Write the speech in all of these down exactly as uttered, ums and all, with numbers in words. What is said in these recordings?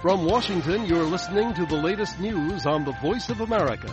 From Washington, you're listening to the latest news on the Voice of America.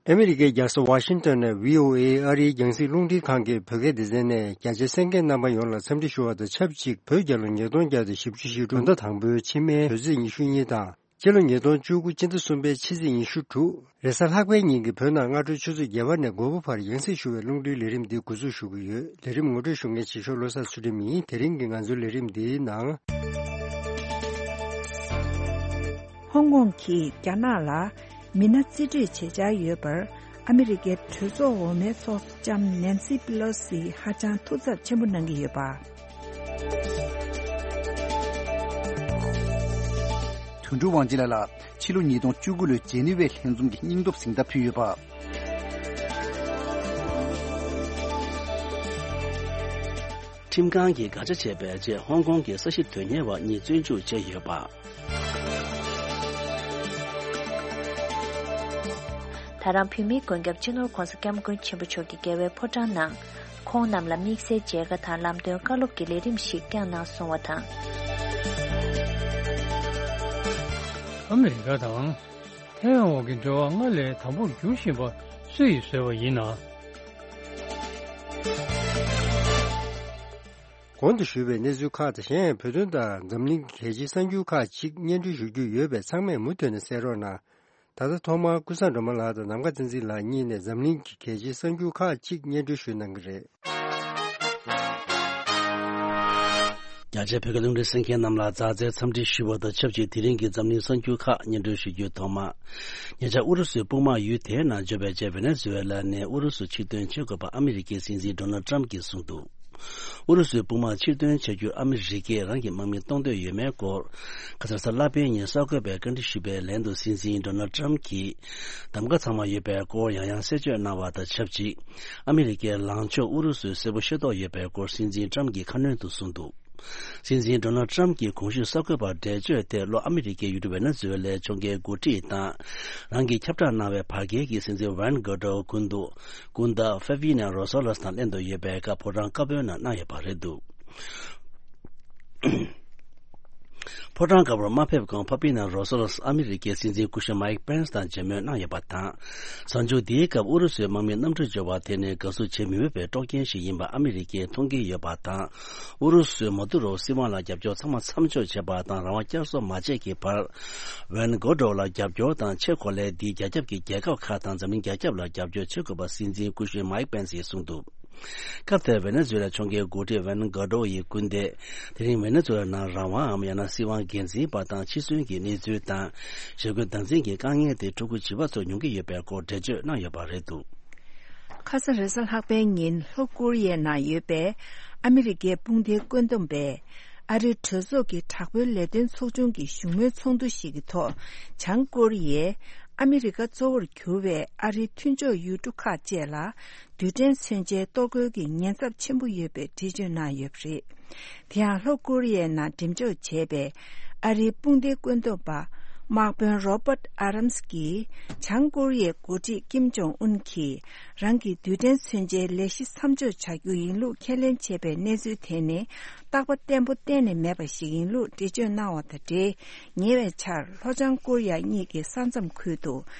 ཨ་མི་རི་ཀའི་རྒྱལ་ས་ཝ་ཤིང་ཏོན་ནས་བྷི་ཨོ་ཨེ་ཨ་རིའི་རྒྱང་སྲིང་རླུང་འཕྲིན་ཁང་གི་བོད་སྐད་སྡེ་ཚན་ནས་རྒྱ་ཆེ་གསན་མཁན་རྣམ་པ་ཡོངས་ལ་འཚམས་འདྲི་ཞུ་བ་དང་ཆབས་ཅིག་བོད་རྒྱལ་ལོ་ཉིས་སྟོང་བརྒྱ་དང་བཞི་བཅུ་ཞེ་དྲུག་ཟླ་དང་པོའི་ཕྱི་མའི་དུས་ཚོད་ཉི་ཤུ་གཉིས་དང་། སྤྱི་ལོ་ཉིས་སྟོང་བཅུ་དགུ་སྤྱི་ཟླ་གསུམ་པའི་ཕྱི་ཚེས་ཉི་ཤུ་དྲུག་རེས་གཟའ་ལྷག་པའི་ཉིན་གྱི་བོད་ནང་སྔ་དྲོའི་ཆུ་ཚོད་བརྒྱད་པ་ནས་དགོས་པ་བར་ཡང་སྲིད་ཞུ་བའི་རླུང་འཕྲིན་ལས་རིམ་འདི་འགོ་འཛུགས་ཞུ་གི་ཡོད། ལས་རིམ་ངོ་སྤྲོད་ཞུ་མཁན་ཆེ་ཤོས་བློ་བཟང་ཚུལ་ཁྲིམས་ཡིན། དེ་རིང་གི་ང་ཚོའི་ལས་རིམ་འདིའི་ནང་། ཧོང་ཀོང་གིས་རྒྱ་ནག་ལ་མི་སྣ་རྩིས་སྤྲོད་བྱེད་འཆར་ཡོད་པར། ཨ་མི་རི་ཀའི་གྲོས་ཚོགས་འོག་མའི་ཚོགས་གཙོ་ལྕམ་ནན་སི་པི་ལོ་སི་ཧ་ཅང་ཐུགས་འཚབ་ཆེན་པོ་གནང་གི་ཡོད་པ། དོན་གྲུབ་དབང་ཆེན་ལགས་ལ་ཕྱི་ལོ་ཉིས་སྟོང་བཅུ་དགུ་ལོའི་ཇེ་ནི་ཝའི་ལྷན་འཛོམས་ཀྱི་སྙིང་སྟོབས་གཟེངས་རྟགས་ཕུལ་ཡོད་པ། ཁྲིམས་ཁང་གིས་དགག་བྱ་བྱས་པའི་རྗེས་ཧོང་ཀོང་གི་ས་ཞིང་དོན་གཉེར་བ་གཉིས་བཙོན་འཇུག་བྱས་ཡོད་པ། ད་རང་བོད་མིའི་མགོན་སྐྱབས་སྤྱི་ནོར་༸གོང་ས་༸སྐྱབས་མགོན་ཆེན་པོ་མཆོག་གི་རྒྱལ་བའི་ཕོ་བྲང་ནང་། ཁོང་རྣམས་ལ་དམིགས་བསལ་མཇལ་ཁ་དང་ལམ་སྟོན་བཀའ་སློབ་ཀྱི་ལས་རིམ་ཞིག་བསྐྱངས་གནང་སོང་བ་དང་། ཨ་མི་རི་ཀ་དང་། ཐའེ་ཝན་འོག་གི་འབྲེལ་བ་སྔར་ལས་དམ་པོར་འགྱུར་བཞིན་པ་སུ་ཡིས་བཟོས་པ་ཡིན་ན། གོང་དུ་ཞུས་པའི་གནས་ཚུལ་ཁག་དང་གཞན་ཡང་བོད་དོན་དང་འཛམ་གླིང་གི་གལ་ཆེའི་གསར་འགྱུར་ཁག་ཅིག་སྙན་སྒྲོན་ཞུ་རྒྱུ་ཡོད་པས་ཚང་མས་མུ་མཐུད་ནས་གསན་རོགས་གནང་། ད་ལྟ་ཐོག་མར་ཀུན་བཟང་སྒྲོལ་མ་ལགས་དང་ནམ་མཁའ་བསྟན་འཛིན་ལགས་གཉིས་ནས་འཛམ་གླིང་གི་གལ་ཆེའི་གསར་འགྱུར་ཁག་ཅིག་སྙན་སྒྲོན་ཞུ་གནང་གི་རེད། རྒྱ་ཆེའི་བོད་སྐད་རླུང་འཕྲིན་གསན་མཁན་རྣམས་ལ་མཛའ་བརྩེའི་འཚམས་འདྲི་ཞུ་བ་དང་ཆབས་ཅིག་དེ་རིང་གི་འཛམ་གླིང་གསར་འགྱུར་ཁག་སྙན་སྒྲོན་ཞུ་རྒྱུའི་ཐོག་མ། ཉེ་ཆར་ཨུ་རུ་སུའི་དཔུང་དམག་ཡུལ་དེའི་ནང་འབྱོར་བའི་རྗེས་ཝེ་ནེ་ཛུ་ཝེ་ལ་ནས་ཨུ་རུ་སུ་ཕྱིར་འདོན་བྱེད་དགོས་པ་ཨ་མི་རི་ཀའི་སྲིད་འཛིན་ཌོ་ནལ་ཊམ་གྱིས་གསུངས་འདུག་ཨུ་རུ་སུའི་དཔུང་དམག་ཕྱིར་འདོན་བྱ་རྒྱུར་ཨ་མི་རི་ཀས་རང་གི་དམག་མི་གཏོང་འདོད་ཡོད་མེད་སྐོར། ཁ་སང་རེས་གཟའ་ལྷག་པའི་ཉིན་གསར་འགོད་པས་བཀའ་འདྲི་ཞུས་པའི་ལན་དུ་སྲིད་འཛིན་ཌོ་ནལ་ཊམ་གྱིས། གདམ་ག་ཚང་མ་ཡོད་པའི་སྐོར་ཡང་ཡང་གསལ་བརྗོད་གནང་བ་དང་ཆབས་ཅིག་ཨ་མི་རི་ཀའི་ལངས་ཕྱོགས་ཨུ་རུ་སུས་གསལ་པོ་ཤེས་རྟོགས་ཡོད་པའི་སྐོར་སྲིད་འཛིན་ཊམ་གྱིས་ཁ་སྣོན་དུ་གསུངས་འདུག་སྲིད་འཛིན་ཌོ་ནལ་ཊམ་གྱིས་གོང་ཞུས་གསར་འགོད་པར་འགྲེལ་བརྗོད་དེ་ལོ་ཨ་མི་རི་ཀའི་ཡུལ་གྲུ་ཝེ་ནེ་ཛུ་ཝེ་ལའི་ཕྱོགས་འགལ་འགོ་ཁྲིད་དང་། རང་གིས་ཁྱབ་བསྒྲགས་གནང་བའི་བར་བརྒལ་གྱི་སྲིད་འཛིན་ཝན་གྷོ་ཌོ་སྐུ་མདོག་སྐུ་ཟླ་ཧྥེ་ཝི་ནེ་རོ་སོ་ལོ་སི་དང་ལྷན་དུ་ཡོད་པའི་སྐབས་ཕོ་བྲང་བཀའ་པོད་ནང་གནང་ཡོད་པ་རེད་འདུག་ཕོ་བྲང་དཀར་པོར་མ་ཕེབས་གོང་ཕ་པི་ནེ་རོ་སོ་ལོ་སི་ཨ་མི་རི་ཀའི་སྲིད་འཛིན་སྐུ་ཞབས་མའིག་པེན་སི་དང་མཇལ་མོལ་གནང་ཡོད་པ་དང་། གཟའ་མཇུག་འདིའི་སྐབས་ཨུ་རུ་སུའི་དམག་མིའི་གནམ་གྲུ་འབྱོར་བ་དེ་ནི་དགའ་བསུ་བྱེད་མི་འོས་པའི་དཀྲོག་རྐྱེན་ཞིག་ཡིན་པ་ཨ་མི་རི་ཀས་མཐོང་གི་ཡོད་པ་དང་། ཨུ་རུ་སུས་མ་དུ་རོ་སྲིད་དབང་ལ་རྒྱབ་སྐྱོར་ཚང་མ་མཚམས་འཇོག་བྱས་པ་དང་རང་དབང་བསྐྱར་གསོ་མ་བྱས་ཀྱི་བར། ཝན་གྷོ་ཌོ་ལ་རྒྱབ་སྐྱོར་དང་ཆེས་གོ་ལའི་འདིའི་རྒྱ་ཁྱབ་ཀྱི་རྒྱལ་ཁབ་ཁག་དང་འཛམ་གླིང་རྒྱ་ཁྱབ་ལ་རྒྱབ་སྐྱོར་བྱེད་དགོས་པ་སྲིད་འཛིན་སྐུ་ཞབས་མའིག་པེན་སིས་གསུངས་འདུག་སྐབས་དེར་ཝེ་ནེ་ཛུ་ཝེ་ལ་ཕྱོགས་འགལ་འགོ་ཁྲིད་ཝན་གྷོ་ཌོ་ཡི་སྐུ་ཟླས། དེ་རིང་ཝེ་ནེ་ཛུ་ཝེ་ལ་ནང་རང་དབངམ་ཡང་ན་སྲིད་དབང་སྒེར་འཛིན་པ་དང་འཆི་གསོན་གྱི་གནས་ཚུལ་དང་། ཞི་རྒོལ་སྡང་འཛིན་གྱི་དཀའ་ངལ་དེ་ཕྲུ་གུ་བྱིས་པ་ཚོར་མྱོང་གི་ཡོད་པའི་སྐོར་འགྲེལ་བརྗོད་གནང་ཡོད་པ་རེད་འདུག་ཁ་སང་རེས་གཟའ་ལྷག་པའི་ཉིན་ལྷོ་ཀོ་རི་ཡའི་ནང་ཡོད་པའི་ཨ་མི་རི་ཀའི་དཔུང་སྡེའི་བཀོད་འདོམས་པས། ཨ་རིའི་གྲོས་ཚོགས་ཀྱི་དྲག་པོའི་ལས་དོན་ཚོགས་ཆུང་གི་བཞུགས་མོལ་ཚོགས་འདུ་ཞིག་གི་ཐོག་བྱང་ཀོ་རི་ཡས་ཨ་མི་རི་ཀ་གཙོ་བོར་གྱུར་བའི་ཨ་རིའི་མཐུན་ཕྱོགས་ཡུལ་གྲུ་ཁག་བཅས་ལ་རྡུལ་ཕྲན་མཚོན་ཆའི་གཏོར་རྒོལ་གྱི་ཉེན་ཚབས་ཆེན་པོ་ཡོད་པའི་འགྲེལ་བརྗོད་གནང་ཡོད་པ་རེད། དེ་ཡང་ལྷོ་ཀོ་རི་ཡའི་ནང་འགྲེམས་འཇོག་བྱས་པའི་ཨ་རིའི་དཔུང་སྡེའི་བཀོད་འདོམས་པ་དམག་དཔོན་རོ་པར་ཨ་རམ་སི་གིས་བྱང་ཀོ་རི་ཡའི་འགོ་ཁྲིད་ཀིམ་ཇོང་ཨུན་གྱིས་རང་གི་རྡུལ་ཕྲན་མཚོན་ཆའི་ལས་གཞི་མཚམས་འཇོག་བྱ་རྒྱུ་ཡིན་ལུགས་ཁས་ལེན་བྱས་པའི་གནས་ཚུལ་དེ་ནི་རྟག་པ་བརྟན་པོ་གཏན་ནས་མེད་པ་ཞིག་ཡིན་ལུགས་འགྲེལ་བརྗོད་གནང་བ་དང་འབྲེལ། ཉེ་བའི་ཆར་ལྷོ་བྱང་ཀོ་རི་ཡ་གཉིས་ཀྱི་ས་མཚམས་ཁུལ་དུ་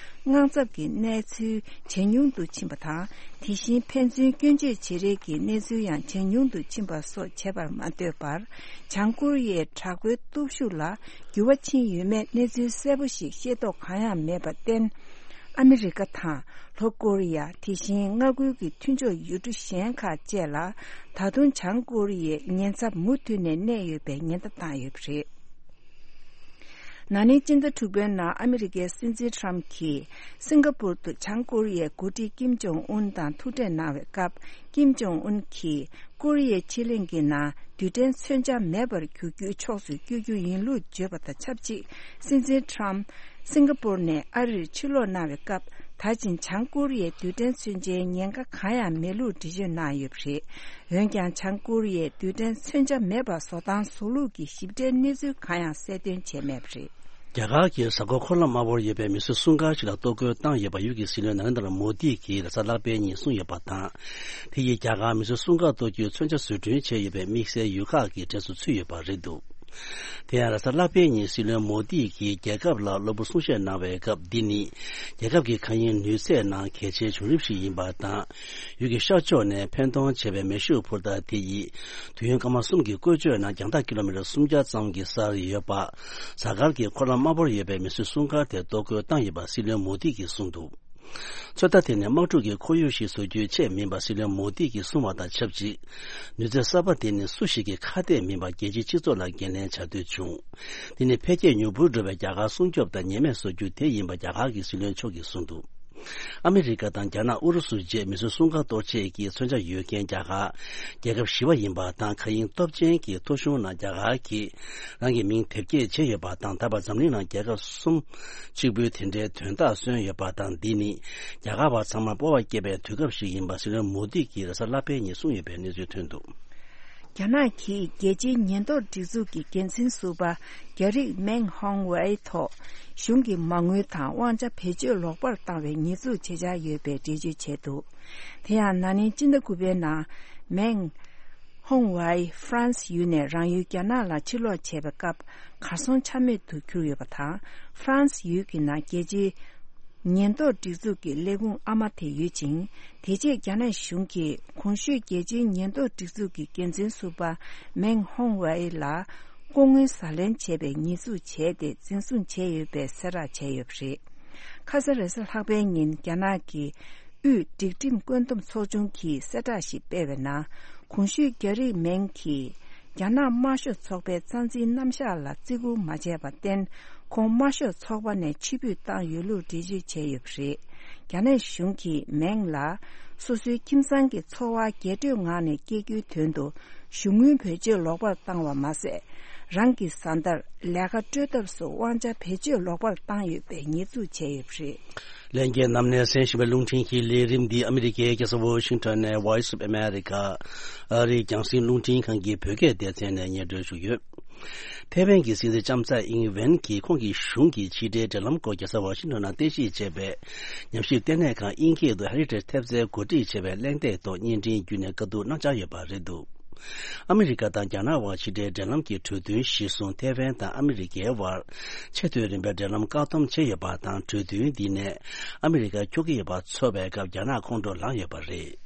དངངས་འཚབ་ཀྱི་གནས་ཚུལ་ཇེ་ཉུང་དུ་ཕྱིན་པ་དང་། དེ་བཞིན་ཕན་ཚུན་སྐྱོན་བརྗོད་བྱེད་རེས་ཀྱི་གནས་ཚུལ་ཡང་ཇེ་ཉུང་དུ་ཕྱིན་པ་སོགས་བྱས་པར་མ་ལྟོས་པར། བྱང་ཀོ་རི་ཡའི་དྲག་པོའི་སྟོབས་ཤུགས་ལ་འགྱུར་བ་ཕྱིན་ཡོད་མེད་གནས་ཚུལ་གསལ་པོ་ཞིག་ཤེས་རྟོགས་གང་ཡང་མེད་པར་བརྟེན། ཨ་མི་རི་ཀ་དང་ལྷོ་ཀོ་རི་ཡ། དེ་བཞིན་མངའ་ཁུལ་གྱི་མཐུན་ཕྱོགས་ཡུལ་གྲུ་གཞན་ཁག་བཅས་ལ་ད་དུང་བྱང་ཀོ་རི་ཡའི་ཉེན་ཚབས་མུ་མཐུད་ནས་གནས་ཡོད་པའི་ཉེན་བརྡ་བཏང་ཡོད་པ་རེད། ན་ནིང་སྤྱི་ཟླ་དྲུག་པའི་ནང་ཨ་མི་རི་ཀའི་སྲིད་འཛིན་ཊམ་གྱིས་སིང་ག་པུར་དུ་བྱང་ཀོ་རི་ཡའི་འགོ་ཁྲིད་ཀིམ་ཇོང་ཨུན་དང་ཐུག་འཕྲད་གནང་བའི་སྐབས། ཀིམ་ཇོང་ཨུན་གྱིས་ཀོ་རི་ཡའི་ཕྱེད་གླིང་གི་ནང་རྡུལ་ཕྲན་མཚོན་ཆ་མེད་པར་གྱུར་རྒྱུའི་ཕྱོགས་སུ་བསྐྱོད་རྒྱུ་ཡིན་ལུགས་བརྗོད་པ་དང་ཆབས་ཅིག་སྲིད་འཛིན་ཊམ་སིང་ག་པུར་ནས་ཨ་རིར་ཕྱིར་ལོག་གནང་བའི་སྐབས། ད་ཕྱིན་བྱང་ཀོ་རི་ཡའི་རྡུལ་ཕྲན་མཚོན་ཆའི་ཉེན་ཁ་གང་ཡང་མེད་ལུགས་འགྲེལ་བརྗོད་གནང་ཡོད་པ་རེད། འོན་ཀྱང་། བྱང་ཀོ་རི་ཡས་རྡུལ་ཕྲན་མཚོན་ཆ་མེད་པ་བཟོ་སྟངས་བཟོ་ལུགས་ཀྱི་ཞིབ་ཕྲའི་གནས་ཚུལ་གང་ཡང་གསལ་སྟོན་བྱས་མེད་པ་རེད། རྒྱ་གར་གྱི་གཟའ་འཁོར་འཁོར་ལམ་དམར་པོར་ཡོད་པའི་མི་གསོད་སྲུང་སྐར་ཞིག་ལ་གཏོར་རྒོལ་བཏང་ཡོད་པ་ཡུལ་གྱི་སྲིད་བློན་ན་རེན་དྲ་མོ་དི་གིས་རེས་གཟའ་ལྷག་པའི་ཉིན་གསུངས་ཡོད་པ་དང་། དེ་ཡིས་རྒྱ་གར་མི་གསོད་སྲུང་སྐར་གཏོར་རྒྱུའི་མཚོན་ཆ་བཟོ་སྐྲུན་བྱས་ཡོད་པའི་དམིགས་བསལ་ཡུལ་ཁག་གི་གྲས་སུ་ཚུད་ཡོད་པ་རེད་འདུག་དེ་ཡང་རེས་གཟའ་ལྷག་པའི་ཉིན་སྲིད་བློན་མོ་དི་གིས་རྒྱལ་ཁབ་ལ་གློ་བུར་གསུང་བཤད་གནང་བའི་སྐབས། འདི་ནི་རྒྱལ་ཁབ་ཀྱི་མཁའ་དབྱིངས་ནུས་ཚད་ནང་གལ་ཆེའི་བྱུང་རིམ་ཞིག་ཡིན་པ་དང་། ཡུལ་གྱི་ཤར་ཕྱོགས་ནས་འཕེན་གཏོང་བྱས་པའི་མེ་ཤུགས་འཕུར་མདའ་དེ་ཡིས་དུས་ཡུན་སྐར་མ་གསུམ་གྱི་བཀོལ་སྤྱོད་ནང་རྒྱང་ཐག་ཀི་ལོ་མི་ཊར་སུམ་བརྒྱ་ཙམ་གྱི་སར་ཡོད་པ། གཟའ་སྐར་གྱི་འཁོར་ལམ་དམར་པོར་ཡོད་པའི་མི་གསོད་སྲུང་སྐར་དེ་གཏོར་རྒོལ་བཏང་ཡོད་པ་སྲིད་བློན་མོ་དི་གིས་གསུངས་འདུག་ཚོད་ལྟ་དེ་ནི་དམག་འཁྲུག་གི་ཁོར་ཡུག་ཞིག་བཟོ་རྒྱུའི་ཆེད་མིན་པ་སྲིད་བློན་མོ་དི་གིས་གསུངས་པ་དང་ཆབས་ཅིག་ནུས་རྩལ་གསར་པ་དེ་ནི་སུ་ཞིག་གི་ཁ་གཏད་མིན་པར་རྒྱལ་སྤྱིའི་སྤྱི་ཚོགས་ལ་འགན་ལེན་བྱ་འདོད་བྱུང་། དེ་ནི་འཕེལ་རྒྱས་མྱུར་པོར་འགྲོ་བའི་རྒྱ་གར་སྲུང་སྐྱོབ་དང་ཉེས་མེད་བཟོ་རྒྱུ་དེ་ཡིན་པ་རྒྱ་གར་གྱི་སྲིད་བློན་མཆོག་གིས་གསུངས་འདུག་ཨ་མི་རི་ཀ་དང་རྒྱ་ནག་ཨུ་རུ་སུ་བཅས་མི་གསོད་སྲུང་སྐར་གཏོར་ཆེད་ཀྱི་མཚོན་ཆ་ཡོད་མཁན་རྒྱ་གར་རྒྱལ་ཁབ་བཞི་པ་ཡིན་པ་དང་། མཁའ་དབྱིངས་སྟོབས་ཆེན་གྱི་ཐོ་གཞུང་ནང་རྒྱ་གར་གྱིས་རང་གི་མིང་དེབ་སྐྱེལ་བྱས་ཡོད་པ་དང་། ད་བར་འཛམ་གླིང་ནང་རྒྱལ་ཁབ་གསུམ་གཅིག་པུའི་དེ་འདྲའི་དོན་དག་སོན་ཡོད་པ་དང་། འདི་ནི་རྒྱ་གར་བ་ཚང་མར་སྤོབས་པ་སྐྱེས་པའི་དུས་སྐབས་ཤིག་ཡིན་པ་སྲིད་བློན་མོ་དི་གིས་རེས་གཟའ་ལྷག་པའི་ཉིན་གསུངས་ཡོད་པའི་གནས་ཚུལ་ཐོན་འདུག་རྒྱ་ནག་གིས་རྒྱལ་སྤྱིའི་ཉེན་རྟོག་སྒྲིག་འཛུགས་ཀྱི་འགན་འཛིན་ཟུར་པ་རྒྱ་རིགས་མེང་ཧོང་ཝེ་ཐོག་གཞུང་གི་མ་དངུལ་དང་དབང་ཆ་བེད་སྤྱོད་ལོག་པར་བཏང་བའི་ཉེས་འཛུགས་བྱེད་འཆར་ཡོད་པའི་འགྲེལ་བརྗོད་བྱས་འདུག་དེ་ཡང་ན་ནིང་སྤྱི་ཟླ་དགུ་པའི་ནང་མེང་ཧོང་ཝེ་ཧྥ་རན་སི་ཡུལ་ནས་རང་ཡུལ་རྒྱ་ནག་ལ་ཕྱིར་ལོག་བྱས་པའི་སྐབས་གར་སོང་ཆ་མེད་དུ་གྱུར་ཡོད་པ་དང་། ཧྥ་རན་སི་ཡུལ་གྱི་ནང་རྒྱལ་སྤྱིའི་ཉེན་རྟོག་སྒྲིག་འཛུགས་ཀྱི་ལས་ཁུངས་ཨ་མ་དེ་ཡོད་ཅིང་། དེ་རྗེས་རྒྱ་ནག་གཞུང་གིས་གོང་ཞུས་རྒྱལ་སྤྱིའི་ཉེན་རྟོག་སྒྲིག་འཛུགས་ཀྱི་འགན་འཛིན་ཟུར་པ་མེང་ཧོང་ཝེ་ལ་ལྐོག་དངུལ་ཟ་ལེན་བྱས་པའི་ཉེས་འཛུགས་བྱས་ཏེ་འཛིན་བཟུང་བྱས་ཡོད་པའི་གསལ་བསྒྲགས་བྱས་ཡོད་པ་རེད། ཁ་ས་རེས་གཟའ་ལྷག་པའི་ཉིན་རྒྱ་ནག་གི་དབུས་སྒྲིག་ཁྲིམས་བཀོད་འདོམས་ཚོགས་ཆུང་གིས་གསལ་བསྒྲགས་ཤིག་སྤེལ་བའི་ནང་། གོང་ཞུས་རྒྱ་རིགས་མེང་གིས་རྒྱ་ནག་དམར་ཤོག་ཚོགས་པའི་རྩ་འཛིན་རྣམ་གཞག་ལ་བརྩི་བཀུར་མ་བྱས་པར་བརྟེན། ཁོང་དམར་ཤོག་ཚོགས་པ་ནས་ཕྱིར་འབུད་བཏང་ཡོད་ལུགས་འགྲེལ་བརྗོད་བྱས་ཡོད་པ་རེད། རྒྱ་ནག་གཞུང་གིས་མེང་ལ་སོ་སོའི་ཁྱིམ་ཚང་གི་འཚོ་བ་རྒྱས་སྤྲོས་ངང་ནས་སྐྱེལ་རྒྱུའི་དོན་དུ་གཞུང་དངུལ་བེད་སྤྱོད་ལོག་པར་བཏང་བ་མ་ཟད། རང་གི་བཟའ་ཟླར་ལས་ཀ་སྤྲོད་ཐབས་སུ་དབང་ཆ་བེད་སྤྱོད་ལོག་པར་བཏང་ཡོད་པའི་ཉེས་འཛུགས་བྱས་ཡོད་པ་རེད། ལྷན་རྒྱས་རྣམས་ནས་གསན་བཞིན་པའི་རླུང་འཕྲིན་གྱི་ལས་རིམ་འདི་ཨ་མི་རི་ཀའི་རྒྱལ་ས་ཝོ་ཤིང་ཊོན་ནས་Voice of America ཨ་རིའི་རྒྱང་སྲིང་རླུང་འཕྲིན་ཁང་གི་བོད་སྐད་སྡེ་ཚན་ནས་སྙན་སྒྲོན་ཞུ་གི་ཡོད། ཐའེ་ཝན་གྱི་སྲིད་འཛིན་ལྕམ་ཚའེ་ཨིང་ཝེན་གྱིས་ཁོང་གི་གཞུང་གི་ཕྱི་འབྲེལ་འབྲེལ་ལམ་སྐོར་རྒྱལ་ས་ཝོ་ཤིང་ཊོན་ནང་རྟེན་གཞི་བྱས་པའི་ཉམས་ཞིབ་ལྟེ་གནས་ཁང་དབྱིན་སྐད་དུ་Heritage ཐེབས་རྩའི་གོ་སྒྲིག་བྱས་པའི་གླེང་སྟེགས་ཐོག་བརྙན་འཕྲིན་བརྒྱུད་ནས་བཀའ་བསྡུར་གནང་འཆར་ཡོད་པ་རེད་འདུག་ཨ་མི་རི་ཀ་དང་རྒྱ་ནག་དབར་ཕྱི་འབྲེལ་འབྲེལ་ལམ་གྱི་གྲོས་མཐུན་གཞིར་བཟུང་། ཐའེ་ཝན་དང་ཨ་མི་རི་ཀའི་དབར་ཆེས་མཐོའི་རིམ་པའི་འབྲེལ་ལམ་བཀག་སྡོམ་བྱས་ཡོད་པ་དང་། གྲོས་མཐུན་འདི་ནས་ཨ་མི་རི་ཀ་འཁྱོག་གི་ཡོད་པ་ཚོར་བའི་སྐབས་རྒྱ་ནག་ཁོང་ཁྲོ་ལངས་ཡོད་པ་རེད།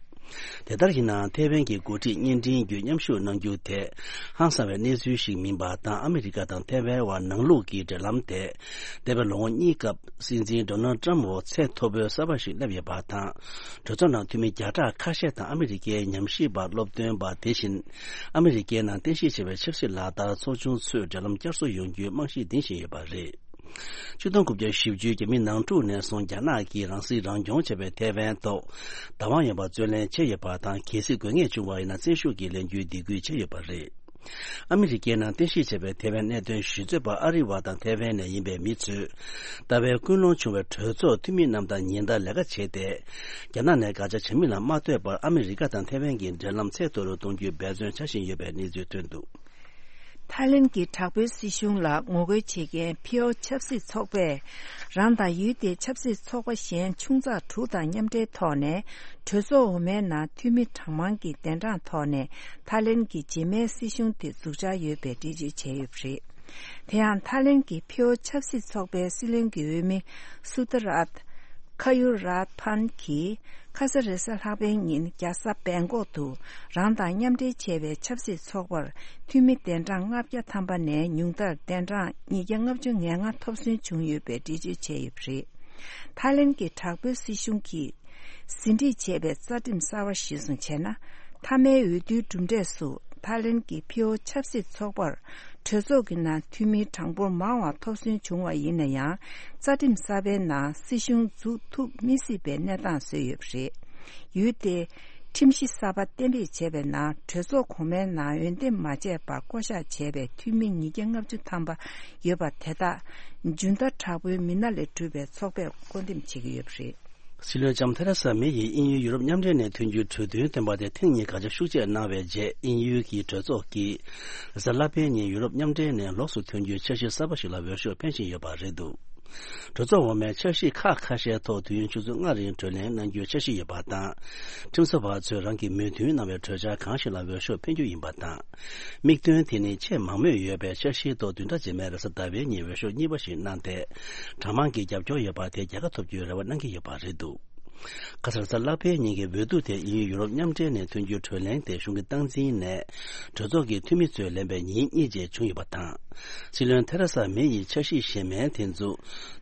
དེ་ལྟར་ཡིན་ནའང་། ཐའེ་ཝན་གྱི་འགོ་ཁྲིད་བརྙན་འཕྲིན་བརྒྱུད་མཉམ་ཞུགས་གནང་རྒྱུ་དེ་ཧང་སང་བའི་གནས་ཚུལ་ཞིག་མིན་པ་དང་། ཨ་མི་རི་ཀ་དང་ཐའེ་ཝན་དབར་ནང་ལུགས་ཀྱི་འབྲེལ་ལམ་དེ་འདས་པའི་ལོ་ངོ་གཉིས་སྐབས་སྲིད་འཛིན་ཌོ་ནལ་ཊམ་འོག་ཚད་མཐོ་པོའི་གསར་པ་ཞིག་སླེབས་ཡོད་པ་དང་། གྲོས་ཚོགས་ནང་འཐུས་མི་བརྒྱ་ཕྲག་ཁ་ཤས་དང་ཨ་མི་རི་ཀའི་ཉམས་ཞིབ་པ། སློབ་སྟོན་པ། དེ་བཞིན་ཨ་མི་རི་ཀའི་ནང་རྟེན་གཞི་བྱས་པའི་ཆབ་སྲིད་ལག་བསྟར་ཚོགས་ཆུང་ཚོས་འབྲེལ་ལམ་བསྐྱར་གསོ་ཡོང་རྒྱུའི་རྨང་གཞི་འདིང་བཞིན་ཡོད་པ་རེད། ཆིག་སྟོང་དགུ་བརྒྱ་བཞི་བཅུའི་རྒྱ་མི་ནང་འཁྲུག་ནས་བཟུང་རྒྱ་ནག་གིས་རང་སྲིད་རང་སྐྱོང་བྱས་པའི་ཐའེ་ཝན་ཐོག་བདག་དབང་ཡོད་པར་རྩོད་ལེན་བྱས་ཡོད་པ་དང་། གལ་སྲིད་དགོས་ངེས་བྱུང་བ་ཡིན་ན་བཙན་ཤུགས་ཀྱིས་ལེན་རྒྱུའི་འདེད་སྐུལ་བྱས་ཡོད་པ་རེད། ཨ་མི་རི་ཀའི་ནང་རྟེན་གཞི་བྱས་པའི་ཐའེ་ཝན་གནད་དོན་ཞིབ་རྩོད་པ་ཨ་རི་བ་དང་ཐའེ་ཝན་ནས་ཡིན་པའི་མི་ཚོས། ལྟ་བའི་ཀུན་སློང་བྱུང་བའི་གྲོས་ཚོགས་འཐུས་མི་རྣམས་དང་ཉིན་ལྟར་ལས་ཀ་བྱས་ཏེ། རྒྱ་ནག་ནས་དགག་བྱ་བྱ་མིན་ལ་མ་ལྟོས་པར་ཨ་མི་རི་ཀ་དང་ཐའེ་ཝན་གྱི་འབྲེལ་ལམ་ཚད་མཐོ་རུ་གཏོང་རྒྱུའི་འབད་བརྩོན་བྱ་བཞིན་ཡོད་པའི་གནས་ཚུལ་ཐོན་འདུག་ཐའི་ལེན་གྱི་དྲག་པོའི་སྲིད་གཞུང་ལ་ངོ་རྒོལ་བྱེད་མཁན་ཕིའོ་ཆབ་སྲིད་ཚོགས་པས། རང་དང་ཡུལ་དེའི་ཆབ་སྲིད་ཚོགས་པ་གཞན་ཆུང་ཙག་དྲུག་དང་མཉམ་འབྲེལ་ཐོག་ནས། གྲོས་ཚོགས་འོག་མའི་ནང་འཐུས་མི་གྲངས་མང་གི་གདན་གྲངས་ཐོག་ནས། ཐའི་ལེན་གྱི་རྗེས་མའི་སྲིད་གཞུང་དེ་འཛུགས་འཆར་ཡོད་པའི་འགྲེལ་བརྗོད་བྱས་ཡོད་པ་རེད། དེ་ཡང་ཐའི་ལེན་གྱི་ཕིའོ་ཆབ་སྲིད་ཚོགས་པའི་སྲིད་བློན་གྱི་འོས་མི་སུ་ཏ་རཱད། ཁ་ཡུ་རཱད་ཕན་གྱིས། ཁ་ས་རེས་གཟའ་ལྷག་པའི་ཉིན་རྒྱལ་ས་བེང་ཀོག་ཏུ་རང་དང་མཉམ་འབྲེལ་བྱས་པའི་ཆབ་སྲིད་ཚོགས་པར་འཐུས་མི་གདན་གྲངས་ལྔ་བརྒྱ་ཐམ་པ་ནས་ཉུང་མཐར་གདན་གྲངས་ཉིས་བརྒྱ་ལྔ་བཅུ་ང་ལྔ་ཐོབ་སོན་བྱུང་ཡོད་པའི་འགྲེལ་བརྗོད་བྱས་ཡོད་པ་རེད། ཐའི་ལེན་གྱི་དྲག་པོའི་སྲིད་གཞུང་གིས་ཟིན་བྲིས་བྱས་པའི་རྩ་ཁྲིམས་གསར་བ་གཞིར་བཟུང་བྱས་ན། མཐའ་མའི་འོས་བསྡུའི་གྲུབ་འབྲས་སུ་ཐའི་ལེན་གྱི་ཕིའོ་ཆབ་སྲིད་ཚོགས་པར་གྲོས་ཚོགས་ཀྱི་ནང་འཐུས་མི་གྲངས་འབོར་མང་བ་ཐོབ་སོན་བྱུང་བ་ཡིན་ན་ཡང་། རྩ་ཁྲིམས་གསར་པའི་ནང་སྲིད་གཞུང་འཛུགས་ཐུབ་མི་སྲིད་པའི་གནས་སྟངས་བཟོས་ཡོད་པ་རེད། ཡུལ་དེ་ཁྲིམས་གཞི་གསར་པ་གཏན་འབེབས་བྱས་པའི་ནང་། གྲོས་ཚོགས་གོང་མའི་ནང་འོས་འདེམས་མ་བྱས་པར་བསྐོ་གཞག་བྱས་པའི་འཐུས་མི་ཉིས་བརྒྱ་ལྔ་བཅུ་ཐམ་པ་ཡོད་པ་དེ་དག་འཇོན་ཐང་དྲག་པོའི་མི་སྣ་ལས་གྲུབ་པའི་ཚོགས་པས་བསྐོ་འདེམས་བྱེད་ཀྱི་ཡོད་པ་རེད། སྲིད་བློན་ལྕམ་ཐེ་རེ་ས་མེ་ཡིས་དབྱིན་ཡུལ་ཡུ་རོབ་མཉམ་འབྲེལ་ནས་ཐོན་རྒྱུའི་གྲོས་མཐུན་བཏོན་པ་དེ་ཐེངས་གཉིས་དགག་བྱ་ཤུགས་ཆེ་གནང་བའི་རྗེས། དབྱིན་ཡུལ་གྱི་གྲོས་ཚོགས་ཀྱིས་རེས་གཟའ་ལྷག་པའི་ཉིན་ཡུ་རོབ་མཉམ་འབྲེལ་ནས་ལོགས་སུ་ཐོན་རྒྱུའི་འཆར་གཞི་གསར་པ་ཞིག་ལ་འོས་ཤོག་འཕེན་བཞིན་ཡོད་པ་རེད་འདུག་གྲོས་ཚོགས་འོག་མའི་འཆར་གཞི་ཁག་ཁ་ཤས་ཐོག་དུས་ཡུན་ཆུ་ཚོད་ལྔ་རིང་གྲོས་གླེང་གནང་རྒྱུའི་འཆར་གཞི་ཡོད་པ་དང་། ཁྲིམས་བཟོ་བ་ཚོས་རང་གི་མོས་མཐུན་གནང་བའི་གྲོས་འཆར་གང་ཞིག་ལ་འོས་ཤོག་འཕེན་རྒྱུ་ཡིན་པ་དང་། དམིགས་དོན་དེ་ནི་ཆེས་མང་མོས་ཡོད་པའི་འཆར་གཞིའི་ཐོག་བདུན་ཕྲག་རྗེས་མའི་རེས་གཟའ་ཟླ་བའི་ཉིན་འོས་ཤོག་གཉིས་པ་ཞིག་གནང་སྟེ། གྲངས་མང་གི་རྒྱབ་སྐྱོར་ཡོད་པ་དེ་རྒྱལ་ཁ་ཐོབ་རྒྱུའི་རེ་བ་གནང་གི་ཡོད་པ་རེད་འདུག་ཁ་སང་རེས་གཟའ་ལྷག་པའི་ཉིན་གྱི་འོས་བསྡུ་དེ་དབྱིན་ཡུལ་ཡུ་རོབ་མཉམ་འབྲེལ་ནས་ཐོན་རྒྱུའི་གྲོས་གླེང་དེ་གཞུང་གི་སྟངས་འཛིན་ནས་གྲོས་ཚོགས་ཀྱི་འཐུས་མི་ཚོས་ལེན་པའི་ཉིན་གཉིས་རྗེས་བྱུང་ཡོད་པ་དང་། སྲིད་བློན་ཐེ་རེ་ས་མེ་ཡི་འཆར་གཞི་གཞན་མིན་དེ་ཚོ་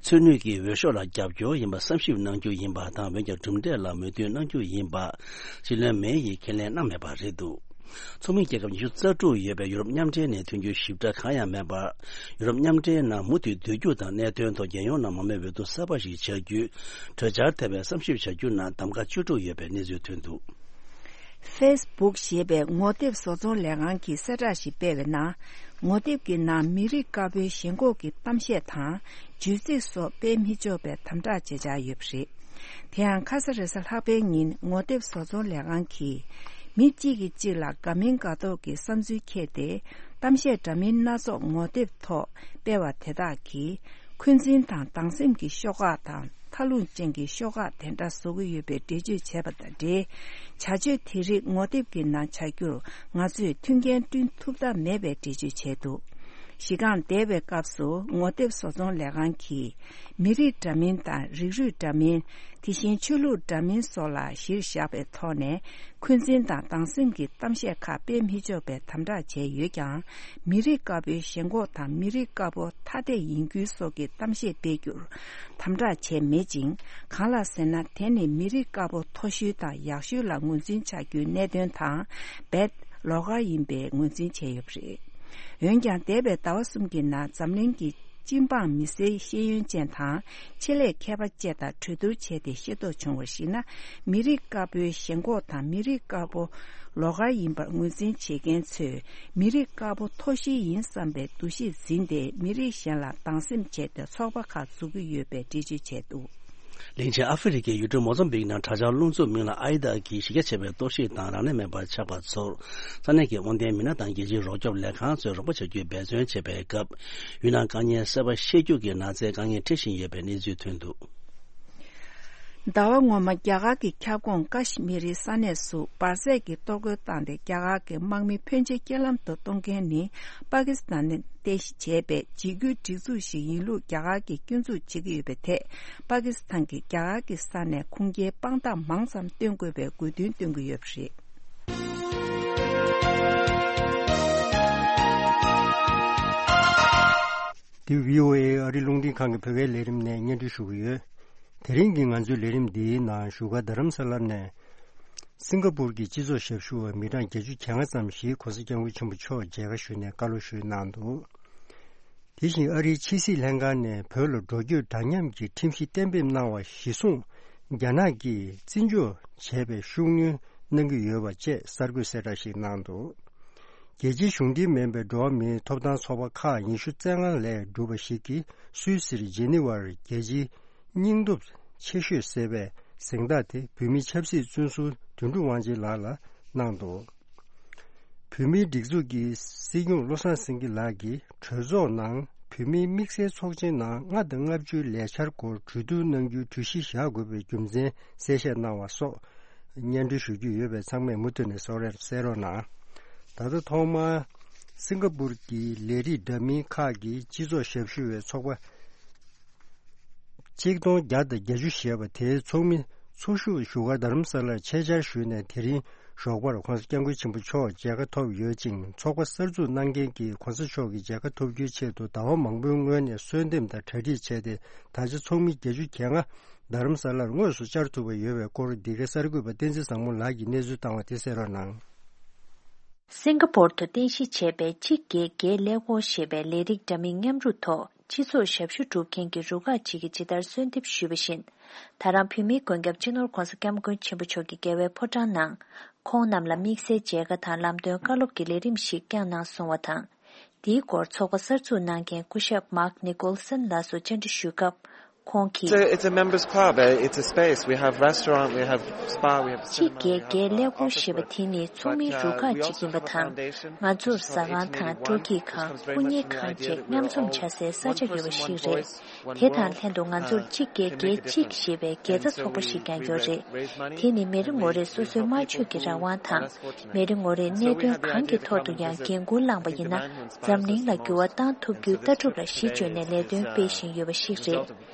མཚོན་ནུས་ཀྱིས་འོས་ཤོག་ལ་རྒྱབ་སྐྱོར་ཡིན་པ་བསམ་ཞིབ་གནང་རྒྱུ་ཡིན་པ་དང་། འོན་ཀྱང་གྲུབ་འབྲས་ལ་མོས་མཐུན་གནང་རྒྱུ་ཡིན་པ་སྲིད་བློན་མེ་ཡིས་ཁས་ལེན་གནང་མེད་པ་རེད་འདུག་ཚོགས་མི་རྒྱལ་ཁབ་ཉི་ཤུ་རྩ་དྲུག་ཡོད་པའི་ཡུ་རོབ་མཉམ་འབྲེལ་ནས་ཐོན་རྒྱུའི་ཞིབ་ཕྲ་གང་ཡང་མེད་པར། ཡུ་རོབ་མཉམ་འབྲེལ་ནང་མུ་མཐུད་སྡོད་རྒྱུ་དང་། གནད་དོན་ཐོག་རྒྱལ་ཡོངས་ནང་མང་མོས་འོས་བསྡུ་གསར་པ་ཞིག་བྱ་རྒྱུའི་གྲོས་འཆར་ཐད་པའི་བསམ་ཞིབ་བྱ་རྒྱུ་ནང་གདམ་ག་བཅུ་དྲུག་ཡོད་པའི་གནས་ཚུལ་ཐོན་འདུག །ཕེ་སི་བུག་ཞེས་པའི་ངོ་དེབ་བཟོ་ཚོང་ལས་ཁང་གིས་གསལ་བསྒྲགས་ཤིག་སྤེལ་བའི་ནང་། ངོ་དེབ་ཀྱི་ནང་མི་རིགས་དཀར་པོའི་ཞེན་ཁོག་གི་གཏམ་བཤད་དང་བརྗོད་ཚིག་སོགས་སྤེལ་མི་ཆོག་པའི་དམ་དྲག་བྱེད་འཆར་ཡོད་པ་རེད། དེ་ཡང་ཁ་ས་རེས་གཟའ་ལྷག་པའི་ཉིན་ངོ་དེབ་བཟོ་ཚོང་ལས་ཁང་གིས། མི་གཅིག་གིས་གཅིག་ལ་དགའ་མིན་དགའ་མདོག་གི་བསམ་ཚུལ་འཁྱེར་ཏེ། གཏམ་བཤད་འདྲ་མིན་སྣ་ཚོགས་ངོ་དེབ་ཐོག་སྤེལ་བ་དེ་དག་གིས། འཁོན་འཛིན་དང་སྡང་སེམས་ཀྱི་ཤོག་ཁག་དང་མཐའ་ལྷུང་ཅན་གྱི་ཤོག་ཁག་དེ་འདྲ་བཟོ་གི་ཡོད་པའི་འགྲེལ་བརྗོད་བྱས་པ་དང་འབྲེལ། བྱ་སྤྱོད་དེ་རིགས་ངོ་དེབ་ཀྱི་ནང་བྱ་རྒྱུར་ང་ཚོས་མཐུན་རྐྱེན་བསྐྲུན་ཐུབ་ཐབས་མེད་པའི་འགྲེལ་བརྗོད་བྱས་འདུག །གཞི་རྐང་འདས་པའི་སྐབས་སུ་ངོ་དེབ་བཟོ་ཚོང་ལས་ཁང་གིས། མི་རིགས་འདྲ་མིན་དང་རིགས་རུས་འདྲ་མིན། དེ་བཞིན་ཆོས་ལུགས་འདྲ་མིན་སོགས་ལ་གཞིར་བཞག་པའི་ཐོག་ནས། འཁོན་འཛིན་དང་སྡང་སེམས་ཀྱི་གཏམ་བཤད་ཁག་སྤེལ་མི་ཆོག་པའི་དམ་དྲག་བྱས་ཡོད་ཀྱང་། མི་རིགས་དཀར་པོའི་ཞེན་ཁོག་དང་མི་རིགས་དཀར་པོ་ཐ་དད་ཡིན་རྒྱུ་སོགས་ཀྱི་གཏམ་བཤད་སྤེལ་རྒྱུར་དམ་དྲག་བྱས་མེད་ཅིང་། གང་ལགས་ཟེར་ན། དེ་ནི་མི་རིགས་དཀར་པོ་མཐོ་ཤོས་དང་ཡག་ཤོས་ལ་ངོས་འཛིན་བྱ་རྒྱུའི་གནད་དོན་དང་རྦད་ལོགས་ཀ་ཡིན་པའི་ངོས་འཛིན་བྱས་ཡོད་པ་རེད། འོན་ཀྱང་། འདས་པའི་ཟླ་བ་གསུམ་གྱི་ནང་འཛམ་གླིང་གི་སྤྱི་འབངས་མི་སེར་ཤེས་ཡོན་ཅན་དང་ཆེད་ལས་མཁས་པ་བཅས་དང་གྲོས་བསྡུར་བྱས་ཏེ་ཤེས་རྟོགས་བྱུང་བར་གཞིགས་ན། མི་རིགས་དཀར་པོའི་ཞེན་ཁོག་དང་མི་རིགས་དཀར་པོ་ལོགས་ཀ་ཡིན་པར་ངོས་འཛིན་བྱེད་མཁན་ཚོས་མི་རིགས་དཀར་པོ་མཐོ་ཤོས་ཡིན་བསམ་པའི་འདུ་ཤེས་འཛིན་ཏེ། མི་རིགས་གཞན་ལ་སྡང་སེམས་བྱས་ཏེ་ཚོགས་པ་ཁག་འཛུགས་ཀྱི་ཡོད་པའི་འགྲེལ་བརྗོད་བྱས་འདུག་ལིན་ཆེན་ཨ་ཧྥེ་རི་ཁའི་ཡུལ་གྲུ་མོ་ཛམ་བིག་ནང་དྲག་ཆར་རླུང་འཚུབ་མིང་ལ་ཨའི་ཏཱ་གིས་གཞི་རྒྱ་ཆེ་བའི་གཏོར་བཤིག་དང་རང་ལས་མེད་པར་ཆགས་པ་ཚོར། ས་གནས་ཀྱི་དབང་ལྡན་མི་སྣ་དང་རྒྱལ་སྤྱིའི་རོགས་སྐྱོབ་ལས་ཁང་ཚོས་རོགས་པ་བྱ་རྒྱུའི་འབད་བརྩོན་བྱེད་པའི་སྐབས། ཡུལ་ནང་དཀའ་ངལ་སེལ་བར་ཤེས་རྒྱུ་གི་ནགས་ཚལ་དཀའ་ངལ་འཕྲད་བཞིན་ཡོད་པའི་གནས་ཚུལ་ཐོན་འདུག་ཟླ་བ་སྔོན་མ་རྒྱ་གར་གྱི་ཁྱབ་ཁོངས་ཀ་ཤི་མིར་ས་གནས་སུ་འབར་རྫས་ཀྱི་གཏོར་རྒོལ་བཏང་སྟེ། རྒྱ་གར་གྱི་དམག་མི་ཕོན་ཆེ་རྐྱེན་ལམ་དུ་གཏོང་མཁན་ནི་པ་ཀི་སི་ཐན་ནས་རྟེན་གཞི་བྱས་པའི་འཇིགས་སྐུལ་སྒྲིག་འཛུགས་ཤིག་ཡིན་ལུགས་རྒྱ་གར་གྱིས་སྐྱོན་འཛུགས་བྱེད་ཀྱི་ཡོད་པའི་ཐད། པ་ཀི་སི་ཐན་གྱིས་རྒྱ་གར་གྱི་ས་ནས་ཁུངས་སྐྱེལ་དཔང་རྟགས་མང་ཙམ་སྟོན་དགོས་པའི་དགོས་འདུན་བཏོན་གྱི་ཡོད་པ་རེད། འདི་བྷི་ཨོ་ཨེ་ཨ་རི་རླུང་འཕྲིན་ཁང་གི་བོད་སྐད་ལས་རིམ་ནས་སྙན་སྒྲོན་ཞུ་གི་ཡོད། དེ་རིང་གི་ང་ཚོའི་ལས་རིམ་འདིའི་ནང་བཞུགས་སྒར་རྡ་རམ་ས་ལ་ནས། སིང་ག་པུར་གྱི་སྤྱི་ཚོགས་ཞབས་ཞུ་བ་མི་གྲངས་བརྒྱད་ཅུ་གྱ་ལྔ་ཙམ་ཞིག་གོང་ས་སྐྱབས་མགོན་ཆེན་པོ་མཆོག་མཇལ་ཁ་ཞུས་ནས་བཀའ་སློབ་ཞུས་གནང་འདུག་དེ་བཞིན་ཨ་རིའི་ཕྱི་སྲིད་ལྷན་ཁང་ནས་བོད་ལ་འགྲོ་སྐྱོད་འདྲ་མཉམ་གྱི་ཁྲིམས་གཞི་གཏན་འབེབས་གནང་བ་གཞིར་བཟུང་རྒྱ་ནག་གིས་བརྩི་འཇོག་བྱས་པའི་ཤུགས་སྣོན་གནང་གི་ཡོད་པ་བཅས་གསར་འགོད་གསལ་བསྒྲགས་ཤིག་གནང་འདུག་རྒྱལ་སྤྱིའི་གཞུང་འབྲེལ་མིན་པའི་འགྲོ་བ་མིའི་ཐོབ་ཐང་ཚོགས་པ་ཁག་ཉི་ཤུ་རྩ་ལྔ་ལས་གྲུབ་པ་ཞིག་གིས་སུད་སིར་ཇི་ནི་ཝར་རྒྱལ་སྤྱིའི་སྙིང་སྟོབས་ཆེ་ཤོས་ཟེར་བའི་གཟེངས་རྟགས་དེ་བོད་མིའི་ཆབ་སྲིད་བཙོན་ཟུར་དོན་གྲུབ་དབང་ཆེན་ལགས་ལ་གནང་འདུག་བོད་མིའི་སྒྲིག་འཛུགས་ཀྱི་སྲིད་སྐྱོང་བློ་བཟང་སེང་གེ་ལགས་ཀྱིས་གྲོས་ཚོགས་ནང་བོད་མིའི་དམིགས་བསལ་ཚོགས་ཆེན་ནང་ལྔ་དང་ལྔ་བཅུའི་ལས་འཆར་སྐོར་གྲོས་བསྡུར་གནང་རྒྱུའི་གྲོས་གཞི་བཞག་དགོས་པའི་རྒྱུ་མཚན་གསལ་བཤད་གནང་བ་སོགས་སྙན་སྒྲོན་ཞུ་རྒྱུ་ཡོད་པས་ཚང་མས་མུ་མཐུད་ནས་གསན་རོགས་གནང་། ད་ལྟ་ཐོག་མར་སིང་ག་པུར་གྱི་ལས་རིགས་འདྲ་མིན་ཁག་གི་སྤྱི་ཚོགས་ཞབས་ཞུ་བའི་ཚོགས་པ་ཆིག་སྟོང་བརྒྱ་དང་བརྒྱད་ཅུ་ཞེས་པ་དེའི་ཚོགས་མི་ཚོགས་ཞུགས་བཞུགས་སྒར་རྡ་རམ་ས་ལར་ཆེད་བཅར་ཞུས་ནས། དེ་རིང་ཞོགས་པར་༸གོང་ས་༸སྐྱབས་མགོན་ཆེན་པོ་མཆོག་མཇལ་ཁ་ཐོབ་ཡོད་ཅིང་། ཚོགས་པ་གསར་འཛུགས་གནང་མཁན་གྱིས་༸གོང་ས་མཆོག་གི་མཇལ་ཁ་ཐོབ་རྒྱུའི་ཆེད་དུ་ཟླ་བ་མང་པོའི་སྔོན་ནས་གསོལ་འདེབས་དང་གྲ་སྒྲིག་བྱས་ཏེ། ད་ཆ་ཚོགས་མི་བརྒྱད་ཅུ་གྱ་ལྔ་རྡ་རམ་ས་ལར་དངོས་སུ་བཅར་ཐུབ་པ་ཡོད་པའི་སྐོར། འདི་གའི་གསར་འགོད་པ་བསྟན་འཛིན་བཟང་མོ་ལགས་ཀྱིས་གནས་ཚུལ་བཏང་བ་དེ་གསན་རོགས་གནང་། སིང་ག་པོར་དུ་རྟེན་གཞི་བྱས་པའི་གཅིག་བརྒྱད་བརྒྱད་ཀླད་ཀོར་ཞེས་པའི་ལས་རིགས་འདྲ་མིན་མཉམ་རུབ་ཐོག་སྤྱི་ཚོགས་ཞབས་ཞུ་སྒྲུབ་མཁན་གྱི་རུ་ཁག་ཅིག་གིས་ཇི་ལྟར་གསོལ་འདེབས་ཞུས་པ་བཞིན། ད་རང་བོད་མིའི་མགོན་སྐྱབས་སྤྱི་ནོར་༸གོང་ས་༸སྐྱབས་མགོན་ཆེན་པོ་མཆོག་གི་རྒྱལ་བའི་ཕོ་བྲང་ནང་། ཁོང་རྣམས་ལ་དམིགས་བསལ་མཇལ་ཁ་དང་ལམ་སྟོན་བཀའ་སློབ་ཀྱི་ལས་རིམ་ཞིག་བསྐྱངས་གནང་སོང་བ་དང་། དེའི་སྐོར་ཚོགས་པ་གསར་འཛུགས་གནང་མཁན་སྐུ་ཞབས་མཱག་ནི་ཀོལ་སན་ལགས་སུ་བཅར་འདྲི་ཞུས་སྐབས། ཁོང་གིས། It's a, it's a members club. Eh, it's a space. We have restaurant, we have spa, we have གཅིག་བརྒྱད་བརྒྱད་ཀླད་ཀོར་ཞེས་པ་དེ་ནི་ཚོགས་མིའི་རུ་ཁག་ཅིག་ཡིན་པ་དང་། ང་ཚོར་ཟ་ཁང་དང་སྤྲོ་སྐྱིད་ཁང་། སྐུ་ཉིད་ཁང་བཅས་མཉམ་འཛོམས་བྱ་སའི་ས་ཆ་ཡོད་པ་ཞིག་རེད། དེ་དང་ལྷན་དུ་ང་ཚོར་གཅིག་བརྒྱད་བརྒྱད་གཅིག་ཞེས་པའི་དགེ་རྩ་ཚོགས་པ་ཞིག་ཀྱང་ཡོད་རེད། དེ་ནི་མི་རེ་ངོ་རེས་སོ་སོའི་སྨྲ་བརྗོད་ཀྱི་རང་དབང་དང་། མི་རེ་ངོ་རེས་གནད་དོན་གང་གི་ཐོག་ཏུ་ཡང་འགན་འཁུར་བླངས་པ་ཡིན་ན། འཛམ་གླིང་ལ་འགྱུར་བ་བཏང་ཐུབ་རྒྱུའི་ལྟ་གྲུབ་ལ་གཞི་བཅོལ་ནས་ལས་དོན་སྤེལ་བཞིན་ཡོད་པ་ཞིག་རེད།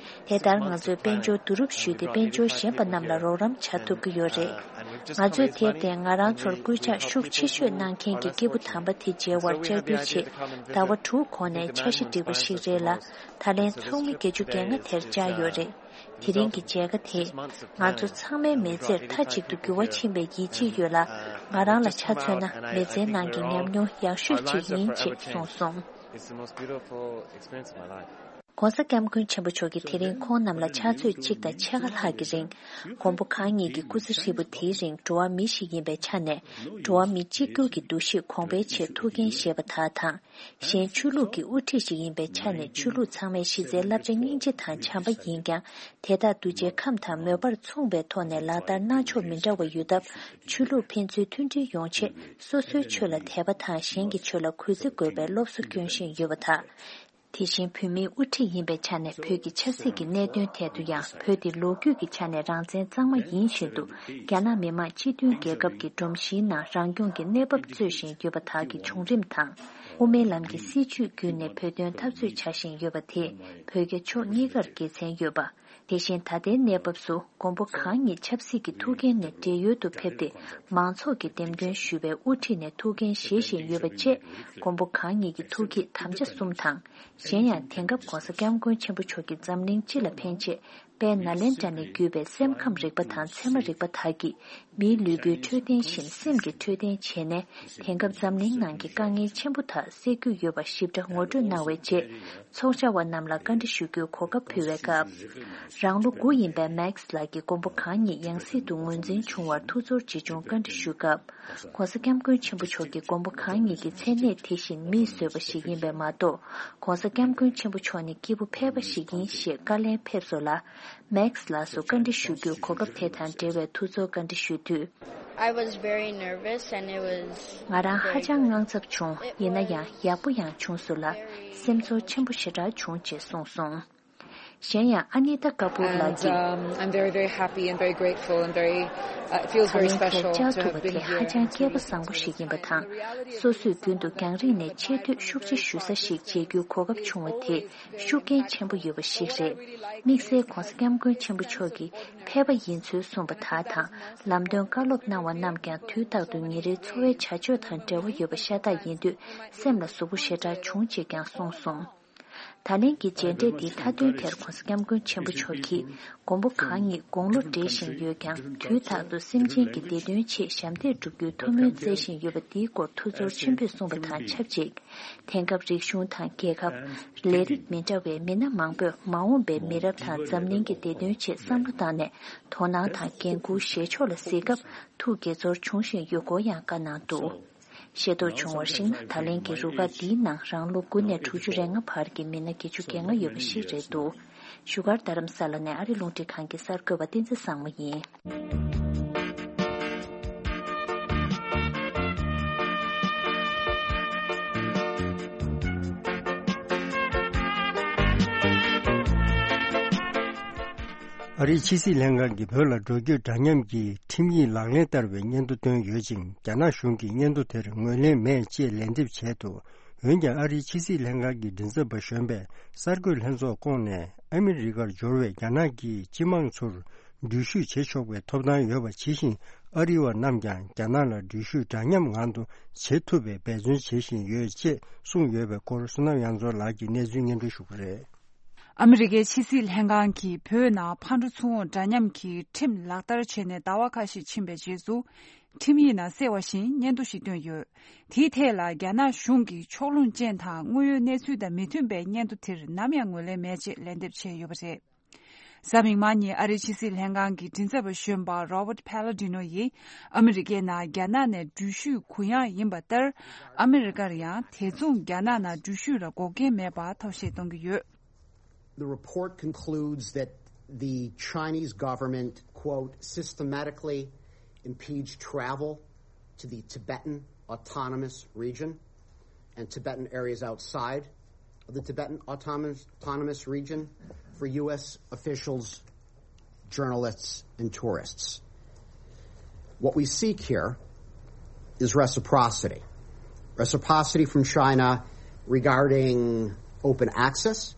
དེ་ལྟར་ང་ཚོས་དཔལ་འབྱོར་བསྡུ་རུབ་ཞུས་ཏེ་དཔལ་འབྱོར་གཞན་པ་རྣམས་ལ་རོགས་རམ་བྱ་ཐུབ་ཀྱི་ཡོད་རེད། ང་ཚོས་དེར་བརྟེན་ང་རང་ཚོར་སྐུལ་ལྕག་ཤུགས་ཆེ་ཤོས་གནང་མཁན་གྱི་སྐྱེས་བུ་དམ་པ་དེ་མཇལ་བར་བཅར་འབུལ་ཆེད་ཟླ་བ་དྲུག་གོང་ནས་འཆར་གཞི་བསྒྲིགས་པ་ཞིག་རེད་ལ། ད་ལན་ཚོགས་མི་བརྒྱད་ཅུ་གྱ་ལྔ་དེར་བཅར་ཡོད་རེད། དེ་རིང་གི་མཇལ་ཁ་དེས་ང་ཚོ་ཚང་མའི་མི་ཚེར་མཐའ་གཅིག་ཏུ་འགྱུར་བ་ཕྱིན་པའི་ཡིད་ཆེས་ཡོད་ལ། ང་རང་ལ་ཆ་མཚོན་ན་མི་ཚེའི་ནང་གི་ཉམས་མྱོང་ཡག་ཤོས་ཅིག་ཡིན་ཅེས་གསུངས་སོང་། It's the most beautiful experience of my life. ྋགོང་ས་ྋསྐྱབས་མགོན་ཆེན་པོ་མཆོག་གིས་དེ་རིང་ཁོང་རྣམས་ལ་ཕྱག་ཚོད་གཅིག་དང་ཕྱེད་ཀ་ལྷག་གི་རིང་། མགོན་པོ་གང་ཉིད་ཀྱི་སྐུ་ཚེ་ཧྲིལ་པོ་དེའི་རིང་འགྲོ་བ་མི་ཞིག་ཡིན་པའི་ཆ་ནས། འགྲོ་བ་མི་གཅིག་གྱུར་གྱི་འདུ་ཤེས་གོང་འཕེལ་ཆེད་ཐུགས་འགན་བཞེས་པ་དག་དང་། གཞན་ཆོས་ལུགས་ཀྱི་དབུ་ཁྲིད་ཞིག་ཡིན་པའི་ཆ་ནས་ཆོས་ལུགས་ཚང་མའི་གཞི་རྩའི་བསླབ་བྱ་སྙིང་རྗེ་དང་བྱམས་པ་ཡིན་ཀྱང་། དེ་དག་གདུལ་བྱའི་ཁམས་དང་མོས་པར་མཚུངས་པའི་ཐོག་ནས་ལག་བསྟར་གནང་ཕྱོགས་མི་འདྲ་བ་ཡོད་སྟབས། ཆོས་ལུགས་ཕན་ཚུན་མཐུན་སྒྲིལ་ཡོང་ཆེད་སོ་སོའི་ཆོས་ལ་དད་པ་དང་གཞན་གྱི་ཆོས་ལ་གུས་བརྩི་དགོས་པའི་སློབ་གསོ་སྐྱོན་བཞིན་ཡོད་པ་དང་། དེ་བཞིན་བོད་མིའི་དབུ་ཁྲིད་ཡིན་པའི་ཆ་ནས་བོད་ཀྱི་ཆབ་སྲིད་ཀྱི་གནད་དོན་ཐད་དུ་ཡང་བོད་དེ་ལོ་རྒྱུས་ཀྱི་ཆ་ནས་རང་བཙན་གཙང་མ་ཡིན་བཞིན་དུ། རྒྱ་ནག་མི་དམངས་སྤྱི་མཐུན་རྒྱལ་ཁབ་ཀྱི་སྒྲོམ་གཞིའི་ནང་རང་སྐྱོང་གི་གནས་བབ་རྩོད་བཞིན་ཡོད་པ་དག་གི་བྱུང་རིམ་དང་། དབུ་མའི་ལམ་གྱི་སྲིད་བྱུས་བརྒྱུད་ནས་བོད་དོན་འཐབ་རྩོད་བྱ་བཞིན་ཡོད་པ་དེས་བོད་རྒྱ་ཕྱོགས་གཉིས་ཀར་དགེ་མཚན་ཡོད་པ། དེ་བཞིན་ད་ལྟའི་གནས་བབ་སུ་མགོན་པོ་གང་ཉིད་ཆབ་སྲིད་ཀྱི་ཐུགས་འགན་ནས་བགྲེས་ཡོལ་དུ་ཕེབས་ཏེ། མང་ཚོགས་ཀྱིས་འདེམས་ཐོན་ཞུས་པའི་དབུ་ཁྲིད་ནས་ཐུགས་འགན་བཞེས་བཞིན་ཡོད་པ་བཅས། མགོན་པོ་གང་ཉིད་ཀྱི་ཐུགས་བསྐྱེད་དམ་བཅའ་གསུམ་དང་། གཞན་ཡང་དེང་སྐབས་ྋགོང་ས་ྋསྐྱབས་མགོན་ཆེན་པོ་མཆོག་གིས་འཛམ་གླིང་སྤྱི་ལ་ཕན་ཆེད། དཔལ་ནཱ་ལེནྡྲ་ནས་བརྒྱུད་པའི་སེམས་ཁམས་རིག་པ་དང་ཚད་མ་རིག་པ་དག་གིས། མིའི་ལུས་པོའི་འཕྲོད་བསྟེན་བཞིན་སེམས་ཀྱི་འཕྲོད་བསྟེན་བྱས་ནས། དེང་སྐབས་འཛམ་གླིང་ནང་གི་དཀའ་ངལ་ཆེན་པོ་དག་སེལ་རྒྱུ་ཡོད་པ་ཞིབ་ཕྲ་ངོ་སྤྲོད་གནང་བའི་རྗེས། ཚོགས་བཅར་བ་རྣམས་ལ་བཀའ་འདྲི་ཞུ་རྒྱུའི་གོ་སྐབས་ཕུལ་བའི་སྐབས། རང་ལོ་དགུ་ཡིན་པའི་མེག་སི་ལགས་ཀྱིས་མགོན་པོ་གང་ཉིད་ཡང་སྲིད་དུ་ངོས་འཛིན་བྱུང་བར་ཐུགས་ཚོར་ཇི་བྱུང་བཀའ་འདྲི་ཞུས་སྐབས། ྋགོང་ས་ྋསྐྱབས་མགོན་ཆེན་པོ་མཆོག་གིས་མགོན་པོ་གང་ཉིད་ཀྱི་མཚན་གནས་དེ་བཞིན་མིས་བཟོས་པ་ཞིག་ཡིན་པས་མ་གཏོགས། ྋགོང་ས་ྋསྐྱབས་མགོན་ཆེན་པོ་མཆོག་ནི་སྐྱེས་བུ་ཕལ་པ་ཞིག་ཡིན་ཞེས་བཀའ་ལན་ཕེབས་སོང་ལ། མེག་སི་ལགས་སུ་བཀའ་འདྲི་ཞུ་རྒྱུའི་གོ་སྐབས་དེ་དང་འབྲེལ་བའི་ཐུགས་ཚོར་བཀའ་འདྲི་ཞུས་དུས། I was very nervous and it was ང་རང་ཧ་ཅང་དངངས་འཚབ་བྱུང་། ཡིན་ན་ཡང་ཡག་པོ་ཡང་བྱུང་སོང་ལ། སེམས་ཚོར་ཆེན་པོ་ཞེ་དྲག་བྱུང་ཅེས་གསུངས་སོང་། གཞན་ཡང་ཨ་ནི་ཏཱ་ཀ་པུར་ལགས་ཀྱིས། And, um, I'm very, very happy and very grateful and very, uh, it feels very special to have been here and to be ད་ལན་དེར་བཅར་ཐུབ་པ་དེ་ཧ་ཅང་སྐལ་པ་བཟང་པོ་ཞིག་ཡིན་པ་དང་། སོ་སོས་རྒྱུན་དུ་རྒྱང་རིང་ནས་ཆེ་བསྟོད་ཤུགས་ཆེ་ཞུ་ས་ཞིག་མཇལ་རྒྱུའི་གོ་སྐབས་བྱུང་བ་དེ་ཤུགས་རྐྱེན་ཆེན་པོ་ཡོད་པ་ཞིག་རེད། དམིགས་བསལ་ྋགོང་ས་ྋསྐྱབས་མགོན་ཆེན་པོ་མཆོག་གིས་ཕལ་པ་ཡིན་ཚུལ་གསུངས་པ་དག་དང་། ལམ་སྟོན་བཀའ་སློབ་གནང་བ་རྣམས་ཀྱང་དུས་རྟག་ཏུ་ཉིན་རེའི་འཚོ་བའི་བྱ་སྤྱོད་དང་འབྲེལ་བ་ཡོད་པ་ཤ་སྟག་ཡིན་དུས། སེམས་ལ་ཟུག་པོ་ཞེ་དྲག་བྱུང་ཅེས་ཀྱང་གསུངས་སོང་། ད་ལན་གྱི་མཇལ་འཕྲད་འདིའི་མཐའ་དོན་དེར་ྋགོང་ས་ྋསྐྱབས་མགོན་ཆེན་པོ་མཆོག་གིས། མགོན་པོ་གང་ཉིད་དགུང་ལོ་བགྲེས་བཞིན་ཡོད་ཀྱང་། དུས་རྟག་ཏུ་སེམས་ཅན་གྱི་བདེ་དོན་ཆེད་ཞབས་འདེགས་སྒྲུབ་རྒྱུའི་ཐུགས་སྨོན་བསྩལ་བཞིན་ཡོད་པ་འདིའི་སྐོར་ཐུགས་ཚོར་ཆེན་པོས་གསུངས་པ་དང་ཆབས་ཅིག་དེང་སྐབས་རིག་གཞུང་དང་རྒྱལ་ཁབ། ལས་རིགས་མི་འདྲ་བའི་མི་སྣ་མང་པོས་མ་འོངས་པའི་མི་རབས་དང་འཛམ་གླིང་གི་བདེ་དོན་ཆེད་བསམ་བློ་བཏང་ནས། དོ་སྣང་དང་འགན་འཁུར་བཞེས་ཕྱོགས་ལ་གཟིགས་སྐབས་ཐུགས་དགྱེས་ཚོར་བྱུང་བཞིན་ཡོད་སྐོར་ཡང་བཀའ་གནང་འདུག་ཤེས་རྟོགས་བྱུང་བར་གཞིགས་ན། ད་ལན་གྱི་རུ་ཁག་འདིའི་ནང་རང་ལོ་དགུ་ནས་དྲུག་ཅུ་རེ་ལྔ་བར་གྱི་མི་སྣ་བརྒྱད་ཅུ་གྱ་ལྔ་ཡོད་པ་ཞིག་རེད་འདུག་བཞུགས་སྒར་རྡ་རམ་ས་ལ་ནས་ཨ་རི་རླུང་འཕྲིན་ཁང་གི་གསར་འགོད་པ་བསྟན་འཛིན་བཟང་མོ་ཡིན། ཨ་རིའི་ཕྱི་སྲིད་ལྷན་ཁང་གིས་བོད་ལ་འགྲོ་སྐྱོད་འདྲ་མཉམ་གྱི་ཁྲིམས་ཡིག་ལག་ལེན་བསྟར་བའི་སྙན་ཐོ་བཏོན་ཡོད་ཅིང་། རྒྱ་ནག་གཞུང་གིས་སྙན་ཐོ་དེར་ངོས་ལེན་མེད་ཅེས་ལན་འདེབས་བྱས་འདུག་འོན་ཀྱང་། ཨ་རིའི་ཕྱི་སྲིད་ལྷན་ཁང་གི་མགྲིན་ཚབ་པ་གཞོན་པས་གསར་འགོད་ལྷན་ཚོགས་བསྐོངས་ནས། ཨ་མི་རི་ཀར་འབྱོར་བའི་རྒྱ་ནག་གི་སྤྱི་དམངས་ཚོར་འགྲུལ་བཞུད་བྱེད་ཆོག་པའི་ཐོབ་ཐང་ཡོད་པ་ཇི་བཞིན། ཨ་རི་བ་རྣམས་ཀྱང་རྒྱ་ནག་ལ་འགྲུལ་བཞུད་འདྲ་མཉམ་ངང་དུ་བྱེད་ཐུབ་པའི་འབད་བརྩོན་བྱེད་བཞིན་ཡོད་ཅེས་གསུངས་ཡོད་པའི་སྐོར། བསོད་ནམས་དབྱངས་མཚོ་ལགས་ཀྱིས་གནས་ཚུལ་སྙན་སྒྲོན་ཞུ་གི་རེད། ཨ་མི་རི་ཀའི་ཕྱི་སྲིད་ལྷན་ཁང་གིས་བོད་ནང་ཕར་འགྲོ་ཚུར་འོང་འདྲ་མཉམ་གྱི་ཁྲིམས་ལག་བསྟར་བྱས་ནས་ཟླ་བ་ཁ་ཤས་ཕྱིན་པའི་རྗེས་སུ། ཁྲིམས་ཡིག་ནང་གསལ་བ་བཞིན་སྙན་ཐོ་ཞིག་བཏོན་ཡོད། དེའི་ཐད་ལ་རྒྱ་ནག་གཞུང་གིས་ཕྱོགས་ལྷུང་ཅན་དང་དངོས་ཡོད་གནས་ཚུལ་དང་མི་མཐུན་པའི་སྙན་ཐོ་དེར་ནམ་ཡང་ངོས་ལེན་མེད་ཅེས་ལན་འདེབས་བྱས་ཡོད་པ་རེད། གཟའ་མིག་དམར་ཉིན་ཨ་རིའི་ཕྱི་སྲིད་ལྷན་ཁང་གི་མགྲིན་ཚབ་པ་གཞོན་པ་Robert Palladino་ཡིས་ཨ་མི་རི་ཀའི་ནང་རྒྱ་ནག་ནས་འགྲུལ་བཞུད་གུ་ཡངས་ཡིན་པ་ལྟར། ཨ་མི་རི་ཀར་ཡང་དེ་མཚུངས་རྒྱ་ནག་ནང་འགྲུལ་བཞུད་ལ་འགོག་རྐྱེན་མེད་པར་ཐབས་ཤེས་གཏོང་གི་ཡོད། The report concludes that the Chinese government, quote, systematically impedes travel to the Tibetan Autonomous Region and Tibetan areas outside of the Tibetan Autonomous, Autonomous Region for U S officials, journalists, and tourists. What we seek here is reciprocity. Reciprocity from China regarding open access.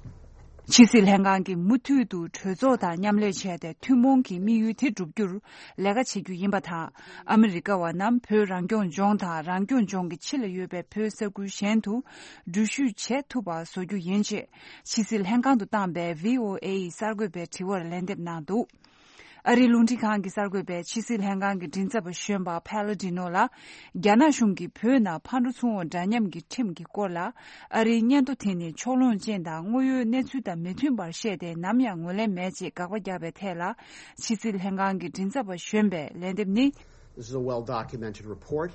ཕྱི་སྲིད་ལྷན་ཁང་གིས་མུ་མཐུད་དུ་གྲོས་ཚོགས་དང་མཉམ་ལས་བྱས་ཏེ་ཐུན་མོང་གི་དམིགས་ཡུལ་དེ་བསྒྲུབ་རྒྱུར་ལས་ཀ་བྱེད་རྒྱུ་ཡིན་པ་དང་། ཨ་མི་རི་ཀ་བ་རྣམས་བོད་རང་སྐྱོང་ལྗོངས་དང་རང་སྐྱོང་ལྗོངས་ཀྱི་ཕྱི་ལ་ཡོད་པའི་བོད་ས་ཁུལ་གཞན་དུ་འགྲུལ་བཞུད་བྱེད་ཐུབ་པ་བཟོ་རྒྱུ་ཡིན་ཞེས་ཕྱི་སྲིད་ལྷན་ཁང་དུ་བཏང་པའི་ཝི་ཨོ་ཨེ་ཡི་གསར་འགོད་པའི་དྲི་བར་ལན་འདེབས་གནང་འདུག་ཨ་རིའི་རླུང་འཕྲིན་ཁང་གི་གསར་འགོད་པས་ཕྱི་སྲིད་ལྷན་ཁང་གི་མགྲིན་ཚབ་པ་གཞོན་པ་Palladino་ལ། རྒྱ་ནག་གཞུང་གིས་བོད་ནང་ཕར་འགྲོ་ཚུར་འོང་འདྲ་མཉམ་གྱི་ཁྲིམས་ཀྱི་སྐོར་ལ། ཨ་རིའི་སྙན་ཐོ་དེ་ནི་ཕྱོགས་ལྷུང་ཅན་དང་དངོས་ཡོད་གནས་ཚུལ་དང་མི་མཐུན་པར་བཤད་དེ་ནམ་ཡང་ངོས་ལེན་མེད་ཅེས་དགག་པ་བརྒྱབ་པའི་ཐད་ལ། ཕྱི་སྲིད་ལྷན་ཁང་གི་མགྲིན་ཚབ་པ་གཞོན་པས་ལན་འདེབས་ནི། This is a well documented report.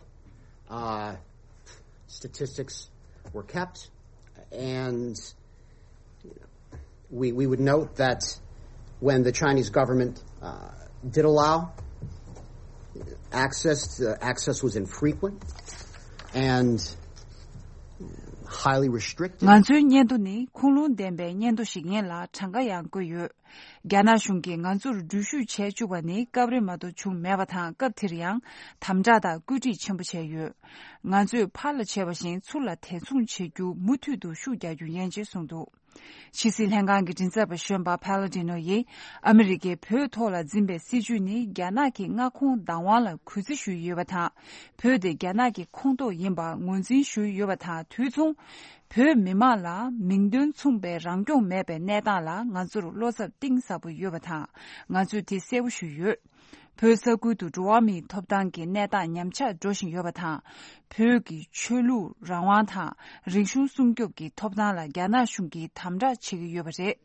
Uh, statistics were kept, and we, we would note that when the Chinese government uh, did allow access, uh, access was infrequent and highly restricted. ང་ཚོའི་སྙན་ཐོ་ནི་ཁུངས་ལུང་ལྡན་པའི་སྙན་ཐོ་ཞིག་ཡིན་ལ་གྲངས་ཀ་ཡང་བཀོད་ཡོད། རྒྱ་ནག་གཞུང་གིས་ང་ཚོར་འགྲུལ་བཞུད་བྱས་བཅུག་པ་ནི་སྐབས་རེ་མ་གཏོགས་བྱུང་མེད་པ་དང་། སྐབས་དེར་ཡང་དམ་དྲག་དང་བཀོད་སྒྲིག་ཆེན་པོ་བྱས་ཡོད། ང་ཚོས་ཕར་ལ་བྱས་པ་བཞིན་ཚུར་ལ་དེ་མཚུངས་བྱེད་རྒྱུ་མུ་མཐུད་དུ་ཤུགས་རྒྱག་རྒྱུ་ཡིན་ཅེས་གསུངས་འདུག་ཕྱི་སྲིད་ལྷན་ཁང་གི་མགྲིན་ཚབ་པ་གཞོན་པ་Palladino་ཡིས་ཨ་མི་རི་ཀས་བོད་ཐོག་ལ་འཛིན་པའི་སྲིད་བྱུས་ནི་རྒྱ་ནག་གི་མངའ་ཁོངས་བདག་དབང་ལ་གུས་བརྩི་ཞུས་ཡོད་པ་དང་། བོད་དེ་རྒྱ་ནག་གི་ཁོངས་གཏོགས་ཡིན་པ་ངོས་འཛིན་ཞུས་ཡོད་པ་དང་། དུས་མཚུངས། བོད་མི་མང་ལ་མིང་དོན་མཚུངས་པའི་རང་སྐྱོང་མེད་པའི་གནས་སྟངས་ལ་ང་ཚོར་བློ་འཚབ་གཏིང་ཟབ་པོ་ཡོད་པ་དང་། ང་ཚོས་དེ་གསལ་པོ་ཞུས་ཡོད། བོད་ས་ཁུལ་དུ་འགྲོ་བ་མིའི་ཐོབ་ཐང་གི་གནས་སྟངས་ཉམས་ཆག་འགྲོ་བཞིན་ཡོད་པ་དང་། བོད་ཀྱི་ཆོས་ལུགས་རང་དབང་དང་རིག་གཞུང་སྲུང་སྐྱོབ་ཀྱི་ཐོབ་ཐང་ལ་རྒྱ་ནག་གཞུང་གིས་དམ་དྲག་བྱེད་ཀྱི་ཡོད་པ་རེད།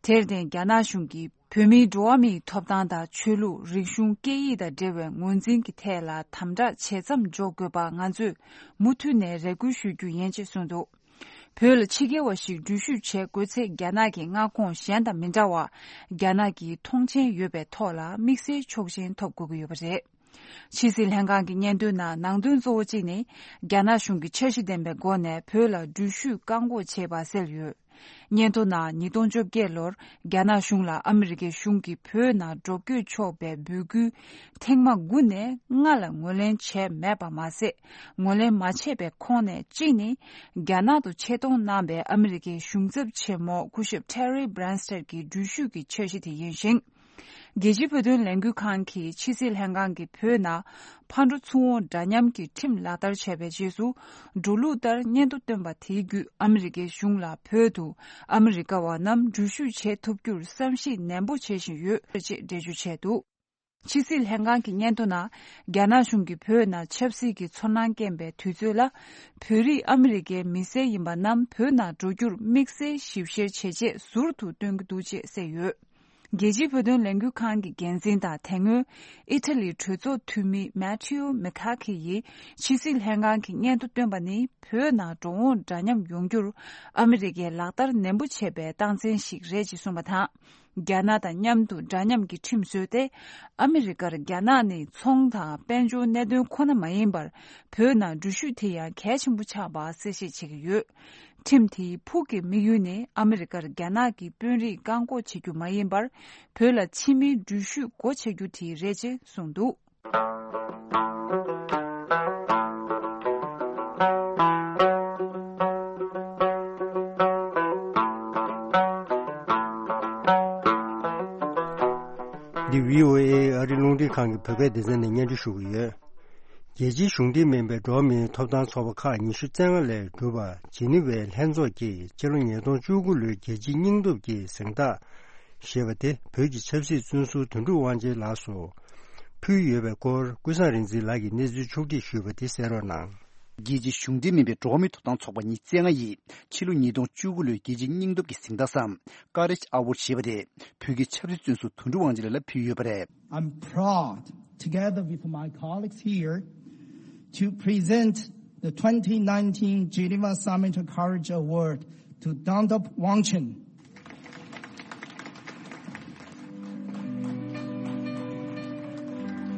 དེར་བརྟེན་རྒྱ་ནག་གཞུང་གིས་བོད་མིའི་འགྲོ་བ་མིའི་ཐོབ་ཐང་དང་ཆོས་ལུགས་རིག་གཞུང་སྐད་ཡིག་དང་འབྲེལ་བའི་ངོས་འཛིན་གྱི་ཐད་ལ་དམ་དྲག་ཇེ་མཚམས་འཇོག་དགོས་པ་ང་ཚོས་མུ་མཐུད་ནས་རེ་སྐུལ་ཞུ་རྒྱུ་ཡིན་ཅེས་གསུངས་འདུག་བོད་ལ་ཕྱི་རྒྱལ་བ་ཞིག་འགྲུལ་བཞུད་བྱེད་དགོས་ཚེ་རྒྱ་ནག་གི་མངའ་ཁོངས་གཞན་དང་མི་འདྲ་བར་རྒྱ་ནག་གིས་མཐོང་མཆན་ཡོད་པའི་ཐོག་ལ་དམིགས་བསལ་ཆོག་མཆན་ཐོབ་དགོས་ཀྱི་ཡོད་པ་རེད། ཕྱི་སྲིད་ལྷན་ཁང་གི་སྙན་ཐོའི་ནང་ནང་དོན་གཙོ་བོ་གཅིག་ནི་རྒྱ་ནག་གཞུང་གིས་འཆར་གཞི་ལྡན་པའི་སྒོ་ནས་བོད་ལ་འགྲུལ་བཞུད་བཀག་འགོག་བྱས་པ་གསལ་ཡོད། སྙན་ཐོ་ནང་ཉིས་སྟོང་བཅོ་བརྒྱད་ལོར་རྒྱ་ནག་གཞུང་ལ་ཨ་མི་རི་ཀའི་གཞུང་གིས་བོད་ནང་འགྲོ་སྐྱོད་ཆོག་པའི་འབོད་སྐུལ་ཐེངས་མ་དགུ་ནས་ལྔ་ལ་ངོས་ལེན་བྱས་མེད་པ་མ་ཟད། ངོས་ལེན་མ་བྱས་པའི་ཁོངས་ནས་གཅིག་ནི། རྒྱ་ནག་ཏུ་ཆེད་གཏོང་གནང་པའི་ཨ་མི་རི་ཀའི་གཞུང་ཚབ་ཆེན་མོ་སྐུ་ཞབས་Terry Branstad་གྱི་འགྲུལ་བཞུད་ཀྱི་འཆར་གཞི་དེ་ཡིན་ཞིང་། རྒྱལ་སྤྱིའི་བོད་དོན་ལས་འགུལ་ཁང་གིས་ཕྱི་སྲིད་ལྷན་ཁང་གིས་བོད་ནང་ཕར་འགྲོ་ཚུར་འོང་འདྲ་མཉམ་གྱི་ཁྲིམས་ལག་བསྟར་བྱས་པའི་རྗེས་སུ། འགྲོ་ལུགས་ལྟར་སྙན་ཐོ་བཏོན་པ་དེའི་བརྒྱུད་ཨ་མི་རི་ཀའི་གཞུང་ལ་བོད་དུ་ཨ་མི་རི་ཀ་བ་རྣམས་འགྲུལ་བཞུད་བྱེད་ཐུབ་རྒྱུར་བསམ་གཞིག་ནན་པོ་བྱེད་བཞིན་ཡོད་ཅེས་འགྲེལ་བརྗོད་བྱས་འདུག་ཕྱི་སྲིད་ལྷན་ཁང་གི་སྙན་ཐོ་ནང་། རྒྱ་ནག་གཞུང་གིས་བོད་ནང་ཆབ་སྲིད་ཀྱི་ཚོར་སྣང་སྐྱེན་པའི་དུས་ཚོད་ལ། བོད་རིགས་ཨ་མི་རི་ཀའི་མི་སེར་ཡིན་པ་རྣམས་བོད་ནང་འགྲོ་རྒྱུར་དམིགས་བསལ་ཞིབ་བཤེར་བྱེད་ཆེད་ཟུར་དུ་སྟོན་གྱི་འདུག་ཅེས་གསལ་ཡོད། རྒྱལ་སྤྱིའི་བོད་དོན་ལས་འགུལ་ཁང་གི་འགན་འཛིན་དང་དེ་སྔོན་ཨི་ཐ་ལིའི་གྲོས་ཚོགས་འཐུས་མི་Matteo Micca་ཡིས་ཕྱི་སྲིད་ལྷན་ཁང་གི་སྙན་ཐོ་བཏོན་པ་ནི་བོད་ནང་འགྲོ་འོང་འདྲ་མཉམ་ཡོང་རྒྱུར་ཨ་མི་རི་ཀས་ལག་བསྟར་ནན་པོ་བྱས་པའི་རྟགས་མཚན་ཞིག་རེད་ཅེས་གསུངས་པ་དང་། རྒྱ་ནག་དང་མཉམ་དུ་འདྲ་མཉམ་གྱི་ཁྲིམས་བཟོས་ཏེ། ཨ་མི་རི་ཀར་རྒྱ་ནག་ནི་ཚོང་དང་དཔལ་འབྱོར་གནད་དོན་ཁོ་ན་མ་ཡིན་པར། བོད་ནང་འགྲུལ་བཞུད་དེ་ཡང་གལ་ཆེན་པོ་ཆགས་པ་གསལ་བཤད་བྱེད་ཀྱི་ཡོད། ཁྲིམས་དེའི་ཕུགས་ཀྱི་དམིགས་ཡུལ་ནི་ཨ་མི་རི་ཀར་རྒྱ་ནག་གི་དཔོན་རིགས་བཀག་འགོག་བྱེད་རྒྱུ་མ་ཡིན་པར། བོད་ལ་ཕྱི་མིའི་འགྲུལ་བཞུད་སྒོ་ཕྱེ་རྒྱུ་དེ་རེད་ཅེས་གསུངས་འདུག་འདི་བྷི་ཨོ་ཨེ་ཨ་རི་རླུང་འཕྲིན་ཁང་གི་བོད་སྐད་སྡེ་ཚན་ནས་སྙན་སྒྲོན་ཞུ་གི་ཡོད། རྒྱལ་སྤྱིའི་གཞུང་འབྲེལ་མིན་པའི་འགྲོ་བ་མིའི་ཐོབ་ཐང་ཚོགས་པ་ཁག་ཉི་ཤུ་རྩ་ལྔ་ལས་གྲུབ་པ་ཇི་ནི་ཝའི་ལྷན་ཚོགས་ཀྱིས་ཕྱི་ལོ་ཉིས་སྟོང་བཅུ་དགུ་ལོའི་རྒྱལ་སྤྱིའི་སྙིང་སྟོབས་ཀྱི་གཟེངས་རྟགས་ཞེས་པ་དེ་བོད་ཀྱི་ཆབ་སྲིད་བཙོན་ཟུར་དོན་གྲུབ་དབང་ཆེན་ལགས་སུ་ཕུལ་ཡོད་པའི་སྐོར་ཀུན་བཟང་རིག་འཛིན་ལགས་ཀྱིས་གནས་ཚུལ་ཕྱོགས་སྒྲིག་ཞུས་པ་དེ་གསན་རོགས་གནང་། རྒྱལ་སྤྱིའི་གཞུང་འབྲེལ་མིན་པའི་འགྲོ་བ་མིའི་ཐོབ་ཐང་ཚོགས་པ་ཉི་ཤུ་རྩ་ལྔ་ཡིས་ཕྱི་ལོ་ཉིས་སྟོང་བཅུ་དགུ་ལོའི་རྒྱལ་སྤྱིའི་སྙིང་སྟོབས་ཀྱི་གཟེངས་རྟགས་སམ་Courage Award་ཞེས་པ་དེ་བོད་ཀྱི་ཆབ་སྲིད་བཙོན་ཟུར་དོན་གྲུབ་དབང་ཆེན་ལགས་ལ་ཕུལ་ཡོད་པ་རེད། I'm proud, together with my colleagues here, to present the twenty nineteen Geneva Summit Courage Award to Dangdop Wangchun.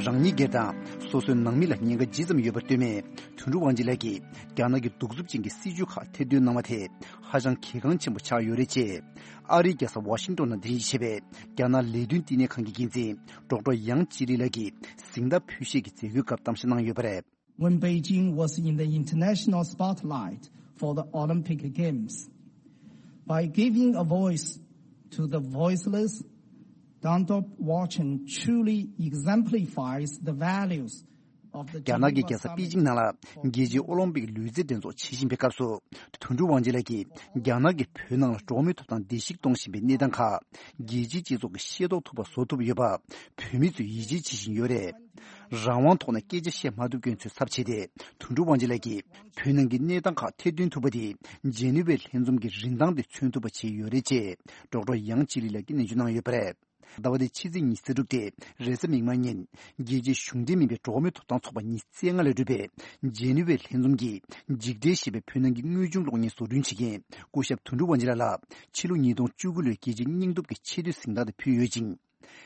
རང་ཉིད་སྒེར་དང་སོ་སོའི་ནང་མི་ལ་ཉེན་ཁ་ཇི་ཙམ་ཡོད་པ་སྟོན་མེད། དོན་གྲུབ་དབང་ཆེན་ལགས་ཀྱིས་རྒྱ་ནག་གི་གདུག་རྩུབ་ཅན་གྱི་སྲིད་བྱུས་ཁག་ཐེར་འདོན་གནང་བ་དེ་ཧ་ཅང་གལ་འགངས་ཆེན་པོ་ཆགས་ཡོད་རེད་ཅེས། ཨ་རིའི་རྒྱལ་ས་ཝ་ཤིང་ཏོན་ནང་གདན་ཞུ་བྱས་པའི་རྒྱ་ནག་ལས་དོན་བསྟི་གནས་ཁང་གི་འགན་འཛིན་ཌོག་ཊར་ཡང་ཅི་ལི་ལགས་ཀྱིས་གཟེངས་རྟགས་ཕུལ་བཞེས་ཀྱི་མཛད་སྒོའི་སྐབས་གཏམ་བཤད་གནང་ཡོད་པ་རེད། When Beijing was in the international spotlight for the Olympic Games, by giving a voice to the voiceless, Dantop Watson truly exemplifies the values of the རྒྱ་ནག་གི་རྒྱལ་ས་པེ་ཅིང་ནང་ལ་རྒྱལ་སྤྱིའི་ཨོ་ལིམ་པིག་ལུས་རྩལ་འགྲན་ཚོགས་ཆེད་བཞིན་པའི་སྐབས་སུ། དོན་གྲུབ་དབང་ཆེན་ལགས་ཀྱིས་རྒྱ་ནག་གིས་བོད་ནང་ལ་འགྲོ་བ་མིའི་ཐོབ་ཐང་བརྡལ་བཤིག་གཏོང་བཞིན་པའི་གནས་སྟངས་ཁག་རྒྱལ་སྤྱིའི་སྤྱི་ཚོགས་ཀྱིས་ཤེས་རྟོགས་ཐུབ་པ་བཟོ་ཐུབ་ཡོད་པ། བོད་མི་ཚོས་ཡིད་ཆེས་བྱེད་བཞིན་ཡོད་རེད། རང་དབང་ཐོག་ནས་སྐད་ཆ་བཤད་མ་ཐུབ་མཁན་ཚོའི་ཚབ་བྱས་ཏེ། དོན་གྲུབ་དབང་ཆེན་ལགས་ཀྱིས་བོད་ནང་གི་གནས་སྟངས་ཁག་ཐེར་འདོན་ཐུབ་པ་དེས་ཇེ་ནི་ཝའི་ལྷན་འཛོམས་ཀྱི་རིན་ཐང་དེ་མཚོན་ཐུབ་པ་བྱས་ཡོད་རེད་ཅེས་ཌོག་ཊར་ཡང་ཅི་ལི་ལགས་ཀྱིས་ནན་བརྗོད་གནང་ཡོད་པ་རེད། ཟླ་བ་འདིའི་ཕྱི་ཚེས་ཉི་ཤུ་རྩ་དྲུག་སྟེ་རེས་གཟའ་མིག་དམར་ཉིན། རྒྱལ་སྤྱིའི་གཞུང་འབྲེལ་མིན་པའི་འགྲོ་བ་མིའི་ཐོབ་ཐང་ཚོགས་པ་ཉི་ཤུ་རྩ་ལྔ་ལས་གྲུབ་པའི་ཇེ་ནི་ཝའི་ལྷན་འཛོམས་ཀྱིས་འཇིགས་བྲལ་ཞེས་པའི་བོད་ནང་གི་དངོས་བྱུང་གློག་བརྙན་བཟོ་སྐྲུན་བྱེད་མཁན་སྐུ་ཞབས་དོན་གྲུབ་དབང་ཆེན་ལགས་ལ་ཕྱི་ལོ་ཉིས་སྟོང་བཅུ་དགུ་ལོའི་རྒྱལ་སྤྱིའི་སྙིང་སྟོབས་ཀྱི་ཆེས་མཐོའི་གཟེངས་རྟགས་དེ་ཕུལ་ཡོད་ཅིང་།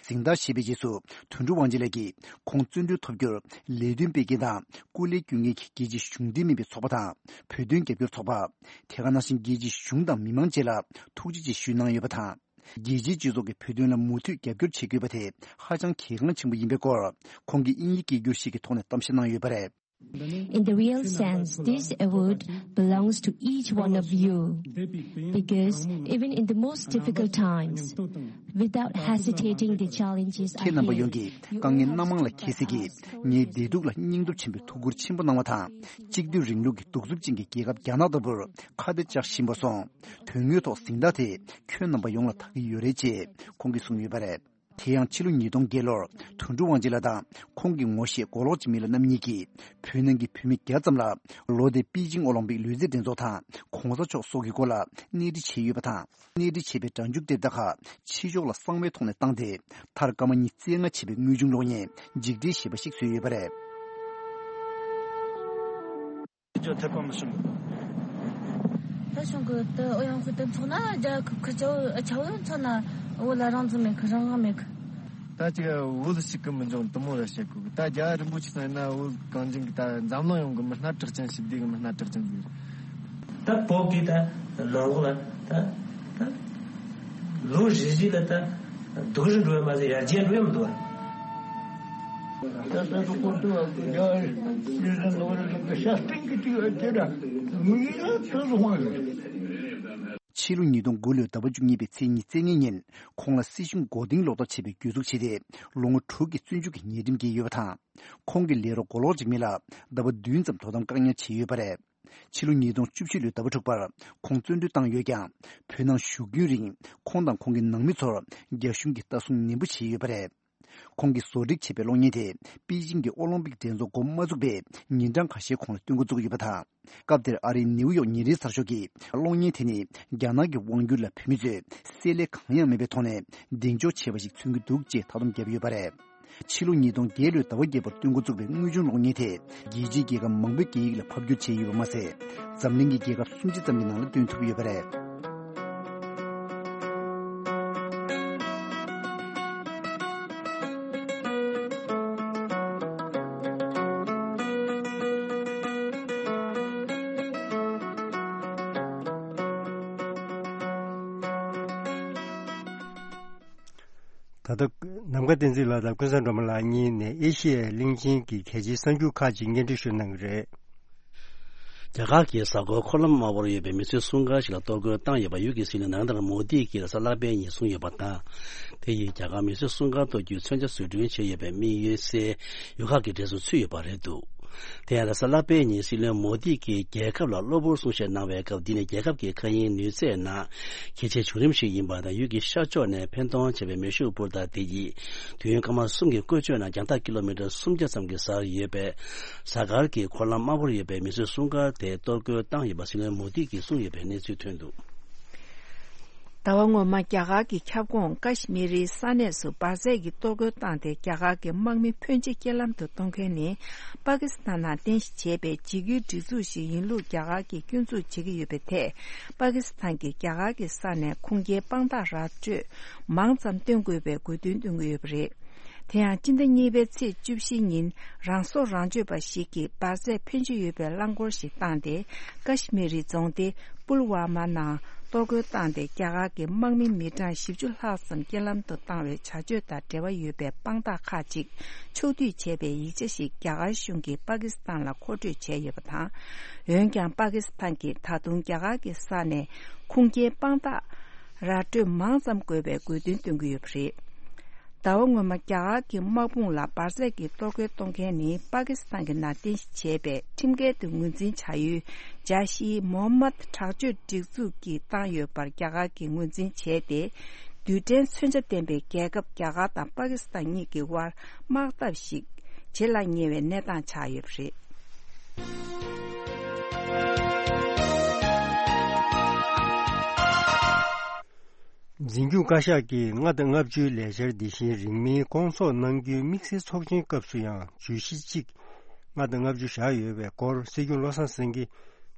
གཟེངས་རྟགས་བཞེས་པའི་རྗེས་སུ་དོན་གྲུབ་དབང་ཆེན་ལགས་ཀྱིས་ཁོང་བརྩོན་འགྲུས་ཐོབ་རྒྱུར་ལས་དོན་སྤེལ་མཁན་དང་སྐུ་ལས་སྐྱོན་མཁན་གྱི་རྒྱལ་སྤྱིའི་གཞུང་འབྲེལ་མིན་པའི་ཚོགས་པ་དང་བོད་དོན་རྒྱབ་སྐྱོར་ཚོགས་པ། དེ་ག་ནང་བཞིན་རྒྱལ་སྤྱིའི་གཞུང་དང་མི་མང་བཅས་ལ་ཐུགས་རྗེ་ཆེ་ཞུས་གནང་ཡོད་པ་དང་། རྒྱལ་སྤྱིའི་སྤྱི་ཚོགས་ཀྱིས་བོད་དོན་ལ་མུ་མཐུད་རྒྱབ་སྐྱོར་བྱེད་དགོས་པ་དེ་ཧ་ཅང་གལ་འགངས་ཆེན་པོ་ཡིན་པའི་སྐོར་ཁོང་གིས་དབྱིན་ཡིག་སྐད་སྒྱུར་ཞིག་གི་ཐོག་ནས་གཏམ་བཤད་གནང་ཡོད་པ་རེད། In the real sense, this award belongs to each one of you, because even in the most difficult times, without hesitating the challenges ཁྱེད་རྣམ་པ་ཡོངས་ཀྱིས་དཀའ་ངལ་སྣ་མང་ལ་འཁྱེལ་སའི་ངའི་བདེ་སྡུག་ལ་སྙིང་སྟོབས་ཆེན་པོས་ཐུགས་ཁུར་ཆེན་པོ་གནང་བ་དང་། གཅིག་སྡུད་རིང་ལུགས་ཀྱི་གདུག་རྩུབ་ཅན་གྱི་རྒྱལ་ཁབ་རྒྱ་ནག་ལྟ་བུར་ཁ་གཏད་བཅག་བཞིན་པར་སོང་། དོན་དངོས་ཐོག་གཟེངས་རྟགས་དེ་ཁྱོད་རྣམ་པ་ཡོངས་ལ་ཐག་གི་ཡོད་རེད་ཅེས་ཁོང་གིས་གསུངས་ཡོད་པ་རེད། དེ་ཡང་ཕྱི་ལོ་ཉིས་སྟོང་བརྒྱད་ལོར་དོན་གྲུབ་དབང་ཆེན་ལགས་དང་ཁོང་གི་ངོ་ཤེས་མགོ་ལོག་འཇིགས་མེད་ལགས་རྣམ་གཉིས་ཀྱིས་བོད་ནང་གི་བོད་མི་བརྒྱ་ཙམ་ལ་ལོ་འདིའི་པེ་ཅིང་ཨོ་ལིམ་པིག་ལུས་རྩལ་འགྲན་ཚོགས་དང་གོང་ས་མཆོག་སོགས་ཀྱི་སྐོར་ལ་གནས་འདྲི་བྱས་ཡོད་པ་དང་། གནས་འདྲི་བྱས་པའི་སྒྲ་འཇུག་དེབ་དག་ཁག་ཕྱི་ཕྱོགས་ལ་གསང་བའི་ཐོག་ནས་བཏང་སྟེ། མཐར་སྐར་མ་ཉི་ཤུ་རྩ་ལྔ་བྱས་པའི་དངོས་བྱུང་གློག་བརྙན་འཇིགས་བྲལ་ཞེས་པ་ཞིག་བཟོས་ཡོད་པ་རེད། ཅོ་ཐེ་པ་མི་ཤོང་གི། ད་ཤོང་གི་ད་ཨོ་ཡང་ཁུ་ཏན་ཚོགས་ན་རྒྱ་ཁུ་ཁུ་ཆའོ་ཆའོ་ཡང་ཚོགས་ན་བོད་ལ་རང་བཙན་མེད་གི་རང་དབང་མེད་གི། ད་ཅིག་བོད་ཞིག་གི་མི་འཇོང་དུ་མོ་ར་བཤད་གི། ད་རྒྱལ་བ་རིན་པོ་ཆེ་ཚང་ཡིན་ན་བོད་གངས་ཅན་གི་ད་འཛམ་གླིང་ཡོངས་གི་མི་སྣ་གྲགས་ཅན་ཞི་བདེ་གི་མི་སྣ་གྲགས་ཅན་ཟིག། ད་བོད་གི་ད་ལོ་ལོ་ལ་ད་ད་ལོ་རེ་རེ་ལ་ད་སྡུག་རུ་འགྲོ་ཡ་མ་ཟད་ཡར་རྒྱས་འགྲོ་ཡ་མི་འདུག་བ། ད་ད་དུ་ཀོ་ཏུ་ཨ་ཀུ་རྒྱ་ཡུལ་ལ་ནོར་ལ་གི་ཤ་སྟེང་གི་ཏི་ཨ་ཅེ་ར་མི་ཡི་ལ་ཏུ་ཧོང་ཡོད། ཕྱི་ལོ་ཉིས་སྟོང་དགུ་ལོའི་ཟླ་བ་བཅུ་གཉིས་པའི་ཚེས་ཉི་ཤུ་རྩ་ལྔ་ཉིན་ཁོང་ལ་སྲིད་གཞུང་མགོ་རྟིང་སློག་ཐབས་བྱས་པའི་གྱོད་འཛུགས་བྱས་ཏེ་ལོ་ངོ་དྲུག་གི་བཙོན་འཇུག་གི་ཉེས་ཁྲིམས་བཀལ་ཡོད་པ་དང་། ཁོང་གི་ལས་རོགས་མགོ་ལོག་འཇིགས་མེད་ལགས་ཟླ་བ་བདུན་ཙམ་དོ་དམ་བཀག་ཉར་བྱས་ཡོད་པ་རེད། ཕྱི་ལོ་ཉིས་སྟོང་བཅུ་བཞི་ལོའི་ཟླ་བ་དྲུག་པར་ཁོང་བཙོན་གྲོལ་བཏང་ཡོད་ཀྱང་། བོད་ནང་བཞུགས་རྒྱུན་རིང་ཁོང་དང་ཁོང་གི་ནང་མི་ཚོར་རྒྱ་གཞུང་གིས་ལྟ་སྲུང་ནན་པོ་བྱས་ཡོད་པ་རེད། ཁོང་གིས་བཟོ་སྒྲིག་བྱས་པའི་གློག་བརྙན་དེ་པེ་ཅིང་གི་ཨོ་ལིམ་པིག་འགྲན་ཚོགས་འགོ་མ་བཙུགས་པའི་ཉིན་གྲངས་ཁ་ཤས་གོང་ལ་སྟོན་འགོ་བཙུགས་ཡོད་པ་དང་། སྐབས་དེར་ཨ་རིའི་ནེའུ་ཡོག་ཉིན་རེའི་གསར་ཤོག་གིས་གློག་བརྙན་དེ་ནི་རྒྱ་ནག་གི་དབང་སྒྱུར་ལ་བོད་མི་ཚོས་བསྲེ་ལྷད་གང་ཡང་མེད་པའི་ཐོག་ནས་གདེང་འཇོག་བྱས་པ་ཞིག་མཚོན་གྱི་འདུག་ཅེས་མཐའ་སྡོམ་བརྒྱབ་ཡོད་པ་རེད། ཕྱི་ལོ་ཉིས་སྟོང་བརྒྱད་ལོའི་ཟླ་བ་བརྒྱད་པར་སྟོན་འགོ་བཙུགས་པའི་དངོས་བྱུང་གློག་བརྙན་དེ་རྒྱལ་སྤྱིའི་རྒྱལ་ཁབ་མང་པོའི་སྐད་ཡིག་ལ་ཕབ་བསྒྱུར་བྱས་ཡོད་པ་མ་ཟད། འཛམ་གླིང་གི་རྒྱལ་ཁབ་སུམ་ཅུ་ཙམ་གྱི་ནང་ལ་སྟོན་ཐུབ་ཡོད་པ་རེད། ད་ལྟ་ནམ་མཁའ་བསྟན་འཛིན་ལགས་དང་ཀུན་བཟང་སྒྲོལ་མ་ལགས་གཉིས་ནས་ཨེ་ཤི་ཡའི་གླིང་ཆེན་གྱི་གལ་ཆེའི་གསར་འགྱུར་ཁག་ཅིག་སྙན་སྒྲོན་ཞུ་གནང་གི་རེད། རྒྱ་གར་གྱི་གཟའ་འཁོར་འཁོར་ལམ་དམར་པོར་ཡོད་པའི་མི་གསོད་སྲུང་སྐར་ཞིག་ལ་གཏོར་རྒོལ་བཏང་ཡོད་པ་ཡུལ་གྱི་སྲིད་བློན་ནཱ་རེན་དྲ་མོ་དི་གིས་རེས་གཟའ་ལྷག་པའི་ཉིན་གསུངས་ཡོད་པ་དང་། དེ་ཡིས་རྒྱ་གར་མི་གསོད་སྲུང་སྐར་གཏོར་རྒྱུའི་མཚོན་ཆ་བཟོ་སྐྲུན་བྱས་ཡོད་པའི་དམིགས་ཡུལ་གསལ་ཡུལ་ཁག་གི་གྲས་སུ་ཚུད་ཡོད་པ་རེད་འདུག་དེ་ཡང་རེས་གཟའ་ལྷག་པའི་ཉིན་སྲིད་བློན་མོ་དི་གིས་རྒྱལ་ཁབ་ལ་གློ་བུར་གསུང་བཤད་གནང་བའི་སྐབས། འདི་ནི་རྒྱལ་ཁབ་ཀྱི་མཁའ་དབྱིངས་ནུས་ཚད་ནང་གལ་ཆེའི་བྱུང་རིམ་ཞིག་ཡིན་པ་དང་། ཡུལ་གྱི་ཤར་ཕྱོགས་ནས་འཕེན་གཏོང་བྱས་པའི་མེ་ཤུགས་འཕུར་མདའ་དེ་ཡིས་དུས་ཡུན་སྐར་མ་གསུམ་གྱི་བཀོལ་སྤྱོད་ནང་རྒྱང་ཐག་ཀི་ལོ་མི་ཊར་སུམ་བརྒྱ་ཙམ་གྱི་སར་ཡོད་པའི་གཟའ་སྐར་གྱི་འཁོར་ལམ་དམར་པོར་ཡོད་པའི་མི་གསོད་སྲུང་སྐར་དེ་གཏོར་རྒོལ་བཏང་ཡོད་པ་སྲིད་བློན་མོ་དི་གིས་གསུངས་ཡོད་པའི་གནས་ཚུལ་ཐོན་འདུག་ཟླ་བ་སྔོན་མ་རྒྱ་གར་གྱི་ཁྱབ་ཁོངས་ཀ་ཤི་མིར་རི་ས་གནས་སུ་འབར་རྫས་ཀྱི་གཏོར་རྒོལ་བཏང་སྟེ། རྒྱ་གར་གྱི་དམག་མི་ཕོན་ཆེ་རྐྱེན་ལམ་དུ་གཏོང་མཁན་ནི་པ་ཀི་སི་ཐན་ནང་རྟེན་གཞི་བྱས་པའི་འཇིགས་སྐུལ་སྒྲིག་འཛུགས་ཤིག་ཡིན་ལུགས་རྒྱ་གར་གྱིས་སྐྱོན་འཛུགས་བྱེད་ཀྱི་ཡོད་པའི་ཐད། པ་ཀི་སི་ཐན་གྱིས་རྒྱ་གར་གྱི་ས་ནས་ཁུངས་སྐྱེལ་དཔང་རྟགས་ར་སྤྲོད་མང་ཙམ་སྟོན་དགོས་པའི་དགོས་འདུན་བཏོན་གྱི་ཡོད་པ་རེད། དེ་ཡང་སྤྱི་ཟླ་གཉིས་པའི་ཚེས་བཅུ་བཞི་ཉིན་རང་སྲོག་རང་གཅོད་པ་ཞིག་གིས་འབར་རྫས་ཕོན་ཆེ་ཡོད་པའི་རླངས་འཁོར་ཞིག་བཏང་སྟེ། ཀ་ཤི་མི་རི་རྫོང་སྡེ་པུལ་ཝ་མ་ནང་གཏོར་རྒོལ་བཏང་སྟེ། རྒྱ་གར་གྱི་དམག་མི་མི་གྲངས་བཞི་བཅུ་ལྷག་ཙམ་རྐྱེན་ལམ་དུ་བཏང་བའི་བྱ་སྤྱོད་དང་འབྲེལ་བ་ཡོད་པའི་དཔང་རྟགས་ཁག་ཅིག་ཕྱོགས་བསྡུས་བྱས་པའི་ཡིག་ཆ་ཞིག་རྒྱ་གར་གཞུང་གིས་པ་ཀི་སི་ཐན་ལ་མཁོ་སྤྲོད་བྱས་ཡོད་པ་དང་། འོན་ཀྱང་པ་ཀི་སི་ཐན་གྱིས་ད་དུང་རྒྱ་གར་གྱི་ས་ནས་ཁུངས་སྐྱེལ་དཔང་རྟགས་ར་སྤྲོད་མང་ཙམ་དགོས་པའི་དགོས་འདུན་བཏོན་གྱི་ཡོད་པ་རེད། ཟླ་བ་སྔོན་མ་རྒྱ་གར་གྱི་དམག་དཔུང་ལ་འབར་རྫས་ཀྱི་གཏོར་རྒོལ་གཏོང་མཁན་ནི་པ་ཀི་སི་ཐན་གྱི་ནང་རྟེན་གཞི་བྱས་པའི་ཁྲིམས་འགལ་དུ་ངོས་འཛིན་བྱ་ཡུལ་ཇཱ་ཤི་མོ་ཧམ་མད་དྲག་སྤྱོད་སྒྲིག་འཛུགས་ཀྱིས་བཏང་ཡོད་པར་རྒྱ་གར་གྱིས་ངོས་འཛིན་བྱས་ཏེ། རྡུལ་ཕྲན་མཚོན་ཆ་ལྡན་པའི་རྒྱལ་ཁབ་རྒྱ་གར་དང་པ་ཀི་སི་ཐན་གཉིས་ཀྱི་དབར་དམག་འཐབ་ཞིག་བྱེད་ལ་ཉེ་བའི་གནས་སྟངས་ཆགས་ཡོད་པ་རེད། འཛིན་སྐྱོང་བཀའ་ཤག་གིས་ལྔ་དང་ལྔ་བཅུའི་ལས་འཆར་འདི་བཞིན་རིང་མིན་སྐོང་ཚོགས་གནང་རྒྱུའི་དམིགས་བསལ་ཚོགས་ཆེན་སྐབས་སུ་ཡང་བརྗོད་གཞི་གཅིག་ལྔ་དང་ལྔ་བཅུ་བཞག་ཡོད་པའི་སྐོར་སྲིད་སྐྱོང་བློ་བཟང་སེང་གེ་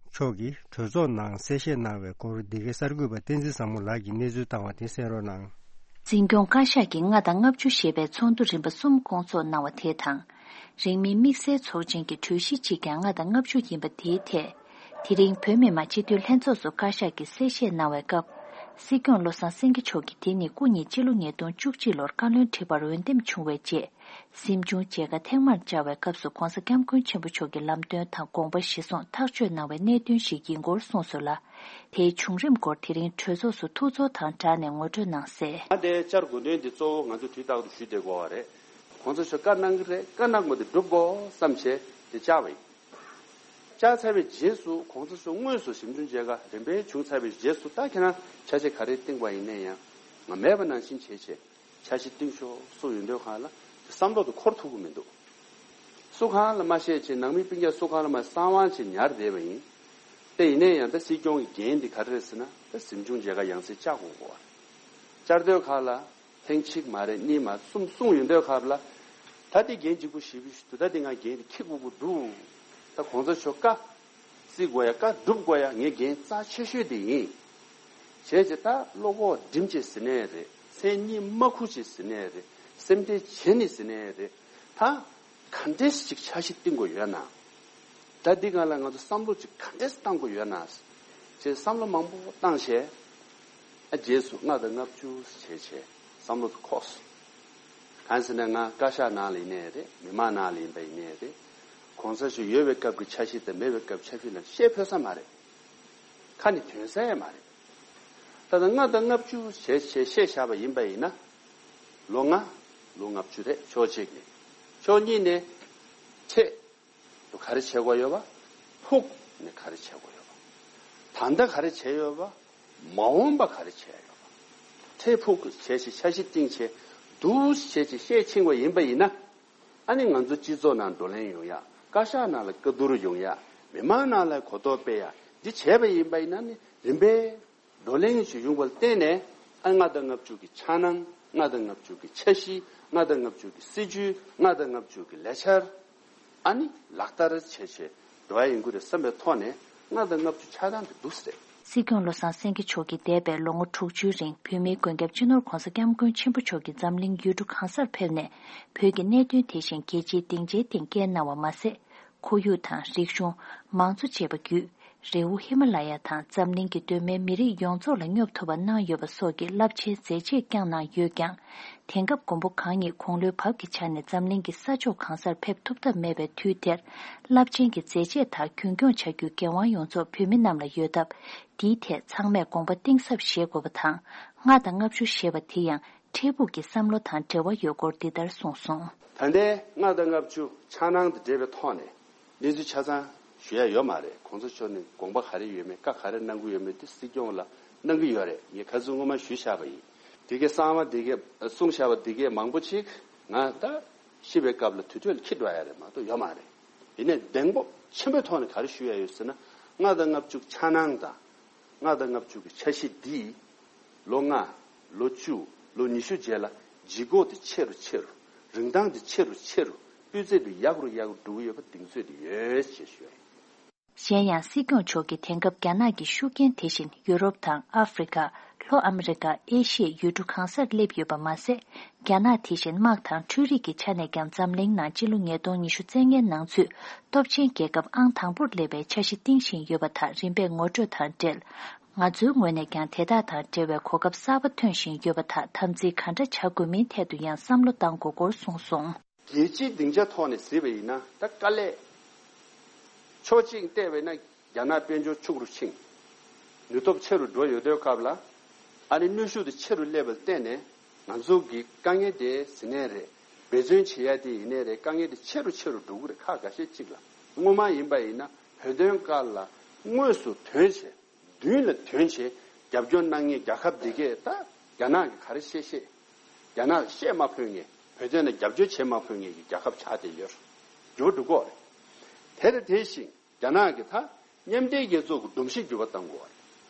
མཆོག་གིས་གྲོས་ཚོགས་ནང་གསལ་བཤད་གནང་བའི་སྐོར། འདི་གའི་གསར་འགོད་པ་བསྟན་འཛིན་བཟང་མོ་ལགས་ཀྱིས་གནས་ཚུལ་བཏང་བ་དེ་གསན་རོགས་གནང་། འཛིན་སྐྱོང་བཀའ་ཤག་གིས་ལྔ་དང་ལྔ་བཅུ་ཞེས་པའི་ཚོགས་འདུ་རིམ་པ་གསུམ་སྐོང་ཚོགས་གནང་བ་དེ་དང་། རིང་མིན་དམིགས་བསལ་ཚོགས་ཆེན་གྱི་གྲོས་གཞི་གཅིག་ཀྱང་ལྔ་དང་ལྔ་བཅུ་ཡིན་པ་དེའི་ཐད། དེ་རིང་བོད་མི་མང་སྤྱི་འཐུས་ལྷན་ཚོགས་སུ་བཀའ་ཤག་གིས་གསལ་བཤད་གནང་བའི་སྐབས། སྲིད་སྐྱོང་བློ་བཟང་སེང་གེ་མཆོག་གིས་དེ་ནི་སྐུ་ཉིད་སྤྱི་ལོ་ཉིས་སྟོང་བཅུ་གཅིག་ལོར་བཀའ་བློན་ཁྲི་པར་འོས་འདེམས་བྱུང་བའི་རྗེས། གཟིམ་ཆུང་མཇལ་ཁ་ཐེངས་མར་བཅར་བའི་སྐབས་སུ་༸གོང་ས་༸སྐྱབས་མགོན་ཆེན་པོ་མཆོག་གི་ལམ་སྟོན་དང་དགོངས་པ་གཞིར་བཟུང་ཐག་གཅོད་གནང་བའི་གནད་དོན་ཞིག་ཡིན་སྐོར་གསུངས་སོང་ལ། དེའི་བྱུང་རིམ་སྐོར་དེ་རིང་གྲོས་ཚོགས་སུ་ཐུགས་ཚོར་དང་སྦྲགས་ནས་ངོ་སྤྲོད་གནང་གསལ། ང་དེ་བཅར་དགོས་དོན་དེ་གཙོ་བོ་ང་ཚོ་དུས་རྟག་ཏུ་ཞུ་བསྡད་དགོས་པ་རེད། ༸གོང་ས་མཆོག་བཀའ་གནང་གི་རེད། བཀའ་གནང་དགོས་དེ་སྒྲུབ་དགོས་བསམ་བྱས་དེ་བཅར་བ་ཡིན། བཅར་ཚར་བའི་རྗེས་སུ་༸གོང་ས་མཆོག་དངོས་སུ་ཞིབ་འཇུག་མཇལ་ཁ་རིམ་པས་བྱུང་ཚར་བའི་རྗེས་སུ། ད་ཁྱེད་རང་ཆ་ཤས་ག་རེ་བཏིང་བ་ཡིན་ནའི་ཡང་ང་མེད་པ་ནང་བཞིན་བྱས་བྱས། འཆར་གཞི་བཏིང་ཤོག་གསུངས་ཡོང་དུས་སྒང་ལ་བསམ་བློ་དེ་འཁོར་ཐུབ་ཀྱི་མི་འདུག་སུ་གང་ལ་མ་བཤད་བྱས་ནང་མི་སྤུན་ཀྱག་སུ་གང་ལ་མ་གསང་བ་བྱས་ཉར་བསྡད་པ་ཡིན། དེ་ཡིན་ནའི་ཡང་ད་སྲིད་སྐྱོང་གི་འགན་འདི་ག་རེ་རེད་ཟེར་ན། ད་གཟིམ་ཆུང་མཇལ་ཁ་ཡང་སེ་བཅར་དགོས་གོ། བཅར་དུས་སྒང་ལ་ཐེངས་གཅིག་མ་རེད། གཉིས་མ་གསུམ་གསུངས་ཡོང་དུས་སྒང་ལ། ད་དེ་འགན་ལྗིད་པོ་ཞེ་པོ་ཞིག་འདུག་ད་དེ་ང་འགན་དེ་འཁྱེར་དགོས་ཀྱི་འདུག་ད་༸གོང་ས་མཆོག་བཀའ། བརྩི་དགོས་ཡ། བཀའ་སྒྲུབ་དགོས་ཡ་ངའི་འགན་རྩ་ཆེ་ཤོས་དེ་ཡིན། བྱས་ཙང་ད་བློ་ཁོག་སྒྲིམ་བྱས་ཟེར་ནའི་རེད། མཚན་སྙན་མ་ཁུར་བྱས་ཟེར་ནའི་རེད། སེམས་ཁྲལ་བྱས་ནས་ཟེར་ནའི་རེད། ད་ག་འདྲས་ཅིག་འཆར་གཞི་བཏིང་དགོས་ཡོད་ན། ད་འདི་སྒང་ལ་ང་ཚོ་བསམ་བློ་ཅིག་ག་འདྲས་བཏང་དགོས་ཡོད་ན་ཅེས་བསམ་བློ་མང་པོ་བཏང་བྱས། ཨ་རྗེས་སུ་ལྔ་དང་ལྔ་བཅུ་བྱས་བྱས་བསམ་བློ་དེ་འཁོར་སོང་། གང་ཟེར་ན་ང་བཀའ་ཤག་ནང་ལ་ཡིན་ནའི་རེད། མི་མང་ནང་ལ་ཡིན་པ་ཡིན་ནའི་རེད། ༸གོང་ས་མཆོག་ཡོད་པའི་སྐབས་ཀྱི་འཆར་གཞི་དང་མེད་པའི་སྐབས་འཆར་གཞི་ལ་བཤད་ཕོད་ས་མ་རེད། ཁ་ནས་ཐོན་ས་ཡང་མ་རེད། ད་ལྟ་ལྔ་དང་ལྔ་བཅུ་བྱས་བྱས་བཤད་བཞག་པ་ཡིན་པ་ཡིན་ན། ལོ་ལྔ། ལོ་ལྔ་བཅུ་རེད། ཕྱོགས་གཅིག་ནས། ཕྱོགས་གཉིས་ནས། ཁྲལ་དུ་ག་རེ་བྱེད་དགོས་ཡོད་པ། ཕུགས་ནས་ག་རེ་བྱེད་དགོས་ཡོད་པ། ད་ལྟ་ག་རེ་བྱས་ཡོད་པ། མ་འོངས་པ་ག་རེ་བྱས་ཡོད་པ། ཁྲལ་ཕུགས་བྱས་ཤིག་འཆར་གཞི་བཏིང་བྱས་འདུག་བྱས་ཅིག་བཤད་ཕྱིན་པ་ཡིན་པ་ཡིན་ན། ཨ་ནི་ང་ཚོ་སྤྱི་ཚོགས་ནང་བགྲོ་གླེང་ཡོང་ཡ། བཀའ་ཤག་ནང་ལ་བཀའ་བསྡུར་ཡོང་ཡ། མི་མང་ནང་ལ་གོ་རྟོགས་སྤེལ་ཡ། འདི་བྱས་པ་ཡིན་པ་ཡིན་ན་ནི་རིམ་པས་བགྲོ་གླེང་ཞིག་ཡོང་བ་ལ་བརྟེན་ནས། ཨ་ལྔ་དང་ལྔ་བཅུ་གི་འཆར་སྣང་། ལྔ་དང་ལྔ་བཅུ་གི་འཆར་གཞི། ལྔ་དང་ལྔ་བཅུ་གི་སྲིད་ཇུས། ལྔ་དང་ལྔ་བཅུ་གི་ལས་འཆར། ཨ་ནི་ལག་བསྟར་བྱས་བྱས་འགྲོ་ཡ་ཡིན་དགོས་རེད་བསམ་པའི་ཐོག་ནས་ལྔ་དང་ལྔ་བཅུ་འཆར་སྟངས་དེ་འདུག་ཟེར། སྲིད་སྐྱོང་བློ་བཟང་སེང་གེ་མཆོག་གིས་འདས་པའི་ལོ་ངོ་དྲུག་ཅུའི་རིང་བོད་མིའི་མགོན་སྐྱབས་སྤྱི་ནོར་༸གོང་ས་༸སྐྱབས་མགོན་ཆེན་པོ་མཆོག་གིས་འཛམ་གླིང་ཡུལ་གྲུ་གང་སར་ཕེབས་ནས་བོད་ཀྱི་གནད་དོན་དེ་བཞིན་རྒྱལ་སྤྱིའི་སྡིངས་ཆའི་སྟེང་བསྐྱལ་གནང་བ་མ་ཟད། ཁོར་ཡུག་དང་རིག་གཞུང་། མང་གཙོ་བཅས་པ་བརྒྱུད། རི་བོ་ཧི་མ་ལ་ཡ་དང་འཛམ་གླིང་གི་གདོད་མའི་མི་རིགས་ཡོངས་རྫོགས་ལ་སྙོབ་ཐུབ་པ་གནང་ཡོད་པ་སོགས་ཀྱི་རླབས་ཆེན་མཛད་རྗེས་བསྐྱངས་གནང་ཡོད་ཀྱང་། དེང་སྐབས་མགོན་པོ་གང་ཉིད་དགུང་ལོའི་བབ་ཀྱི་ཆ་ནས་འཛམ་གླིང་གི་ས་ཕྱོགས་གང་སར་ཕེབས་ཐུབ་ཐབས་མེད་པའི་དུས་དེར། རླབས་ཆེན་གྱི་མཛད་རྗེས་དག་རྒྱུན་སྐྱོང་བྱ་རྒྱུའི་འགན་དབང་ཡོངས་རྫོགས་བོད་མི་རྣམས་ལ་ཡོད་སྟབས། འདིའི་ཐད་ཚང་མས་དགོངས་པ་གཏིང་ཟབ་བཞེས་དགོས་པ་དང་། ལྔ་དང་ལྔ་བཅུ་ཞེས་པ་དེ་ཡང་། འཕྲལ་ཕུགས་ཀྱི་བསམ་བློ་དང་འབྲེལ་བ་ཡོད་སྐོར་འདི་ལྟར་གསུངས་སོང་། ད་ལྟའི་ལྔ་དང་ལྔ་བཅུ་འཆར་སྣང་དང་འབྲེལ་བའི་ཐོག་ནས་གནས་ཚུལ་ཆ་ཚང་ཞུ་ཡ་ཡོད་མ་རེད། གོང་ས་མཆོག་ནས་དགོངས་པ་ག་རེ་ཡོད་མེད། བཀའ་ག་རེ་གནང་གི་ཡོད་མེད་དེ་སྲིད་སྐྱོང་ལ་གནང་གི་ཡོད་རེད། ངས་ཁ་སང་སྔོན་མ་ཞུས་བཞག་པ་ཡིན། དེ་གའི་གསང་བ་དེ་གའི་གསུངས་བཞག་པ་དེ་གའི་མང་པོ་ཅིག་ང་ད་ཤི་བའི་སྐབས་ལ་དུར་ཁྲོད་ལ་འཁྱེར་འགྲོ་ཡ་རེད་མ་གཏོགས་ཡོད་མ་རེད། ཡིན་ནའི་གདེང་སྤོབས་ཆེན་པོའི་ཐོག་ནས་ག་རེ་ཞུ་ཡ་ཡོད་ཟེར་ན། ལྔ་དང་ལྔ་བཅུ་འཆར་སྣང་དང་། ལྔ་དང་ལྔ་བཅུ་གི་འཆར་གཞི་འདིས་ལོ་ལྔ། ལོ་བཅུ། ལོ་ཉི་ཤུ་རྗེས་ལ་ལྗིད་ཁོག་དེ་ཆེ་རུ་ཆེ་རུ། རིན་ཐང་དེ་ཆེ་རུ་ཆེ་རུ། སྤུས་ཚད་དེ་ཡག་རུ་ཡག་རུ་འགྲོ་གི་ཡོད་པ་གདེང་ཚོད་དེ་ཡོད་ཅེས་ཞུ་ཡ་ཡིན། གཞན་ཡང་སྲིད་སྐྱོང་མཆོག་གིས་དེང་སྐབས་རྒྱ་ནག་གི་ཤུགས་རྐྱེན་དེ་བཞིན་ཡུ་རོབ་དང་ཨ་ཧྥེ་རི་ཁ། ལྷོ་ཨ་མི་རི་ཀ། ཨེ་ཤི་ཡའི་ཡུལ་གྲུ་གང་སར་སླེབས་ཡོད་པ་མ་ཟད། རྒྱ་ནག་དེ་བཞིན་དམག་དང་འཕྲུལ་རིག་གི་ཆ་ནས་ཀྱང་འཛམ་གླིང་ནང་སྤྱི་ལོ་ཉིས་སྟོང་ཉི་ཤུ་རྩ་ལྔའི་ནང་ཚུད་སྟོབས་ཆེན་རྒྱལ་ཁབ་ཨང་དང་པོར་སླེབས་པའི་འཆར་གཞི་བཏིང་བཞིན་ཡོད་པ་དག་རིམ་པས་ངོ་སྤྲོད་དང་འབྲེལ། ང་ཚོའི་ངོས་ནས་ཀྱང་དེ་དག་དང་འབྲེལ་བའི་གོ་སྐབས་གསར་པ་ཐོན་བཞིན་ཡོད་པ་དག་དམ་འཛིན་ག་འདྲ་བྱ་དགོས་མིན་ཐད་དུ་ཡང་བསམ་བློ་གཏང་དགོས་སྐོར་གསུངས་སོང་། རྒྱལ་སྤྱིའི་སྡིངས་ཆ་ཐོག་ནས་གཟིགས་པ་ཡིན་ན། ད་དཀའ་ལས། ཕྱོགས་གཅིག་བལྟས་པས་ན། རྒྱ་ནག་དཔལ་འབྱོར་ཕྱུག་རུ་ཕྱིན། ནུས་སྟོབས་ཆེ་རུ་འགྲོ་ཡོད་དུས་སྐབས་ལ། ཨ་ནི་ནུས་ཤུགས་དེ་ཆེ་རུ་སླེབས་པར་བརྟེན་ནས། ང་ཚོ་གི་དཀའ་ངལ་དེ་ཟིན་ནའི་རེད། འབད་བརྩོན་བྱེད་ཡ་དེ་ཡིན་ནའི་རེད། དཀའ་ངལ་དེ་ཆེ་རུ་ཆེ་རུ་འགྲོ་གི་རེད། ཁག་འགའ་ཤས་གཅིག་ལ། སྔོན་མ་ཡིན་པ་ཡིན་ན། བོད་དོན་སྐབས་ལ་དངོས་སུ་དོན་བྱས། མདུན་ལ་དོན་བྱས། རྒྱབ་སྐྱོར་གནང་མཁན་རྒྱལ་ཁབ་འདི་གས་ད་རྒྱ་ནག་གིས་ག་རེ་བཤད་བཤད། རྒྱ་ནག་ལ་བཤད་མ་ཕོད་མཁན། བོད་དོན་ལ་རྒྱབ་སྐྱོར་བྱེད་མ་ཕོད་མཁན་གྱི་རྒྱལ་ཁབ་ཆགས་བསྡད་ཡོད། འགྱུར་བ་འགྲོ་གི་རེད། དེ་དང་དེ་བཞིན་རྒྱ་ནག་གིས་ད་མཉམ་འབྲེལ་རྒྱལ་ཚོགས་ཀྱི་སྒྲོམ་གཞི་འགྱུར་བ་གཏང་དགོས་པ་རེད།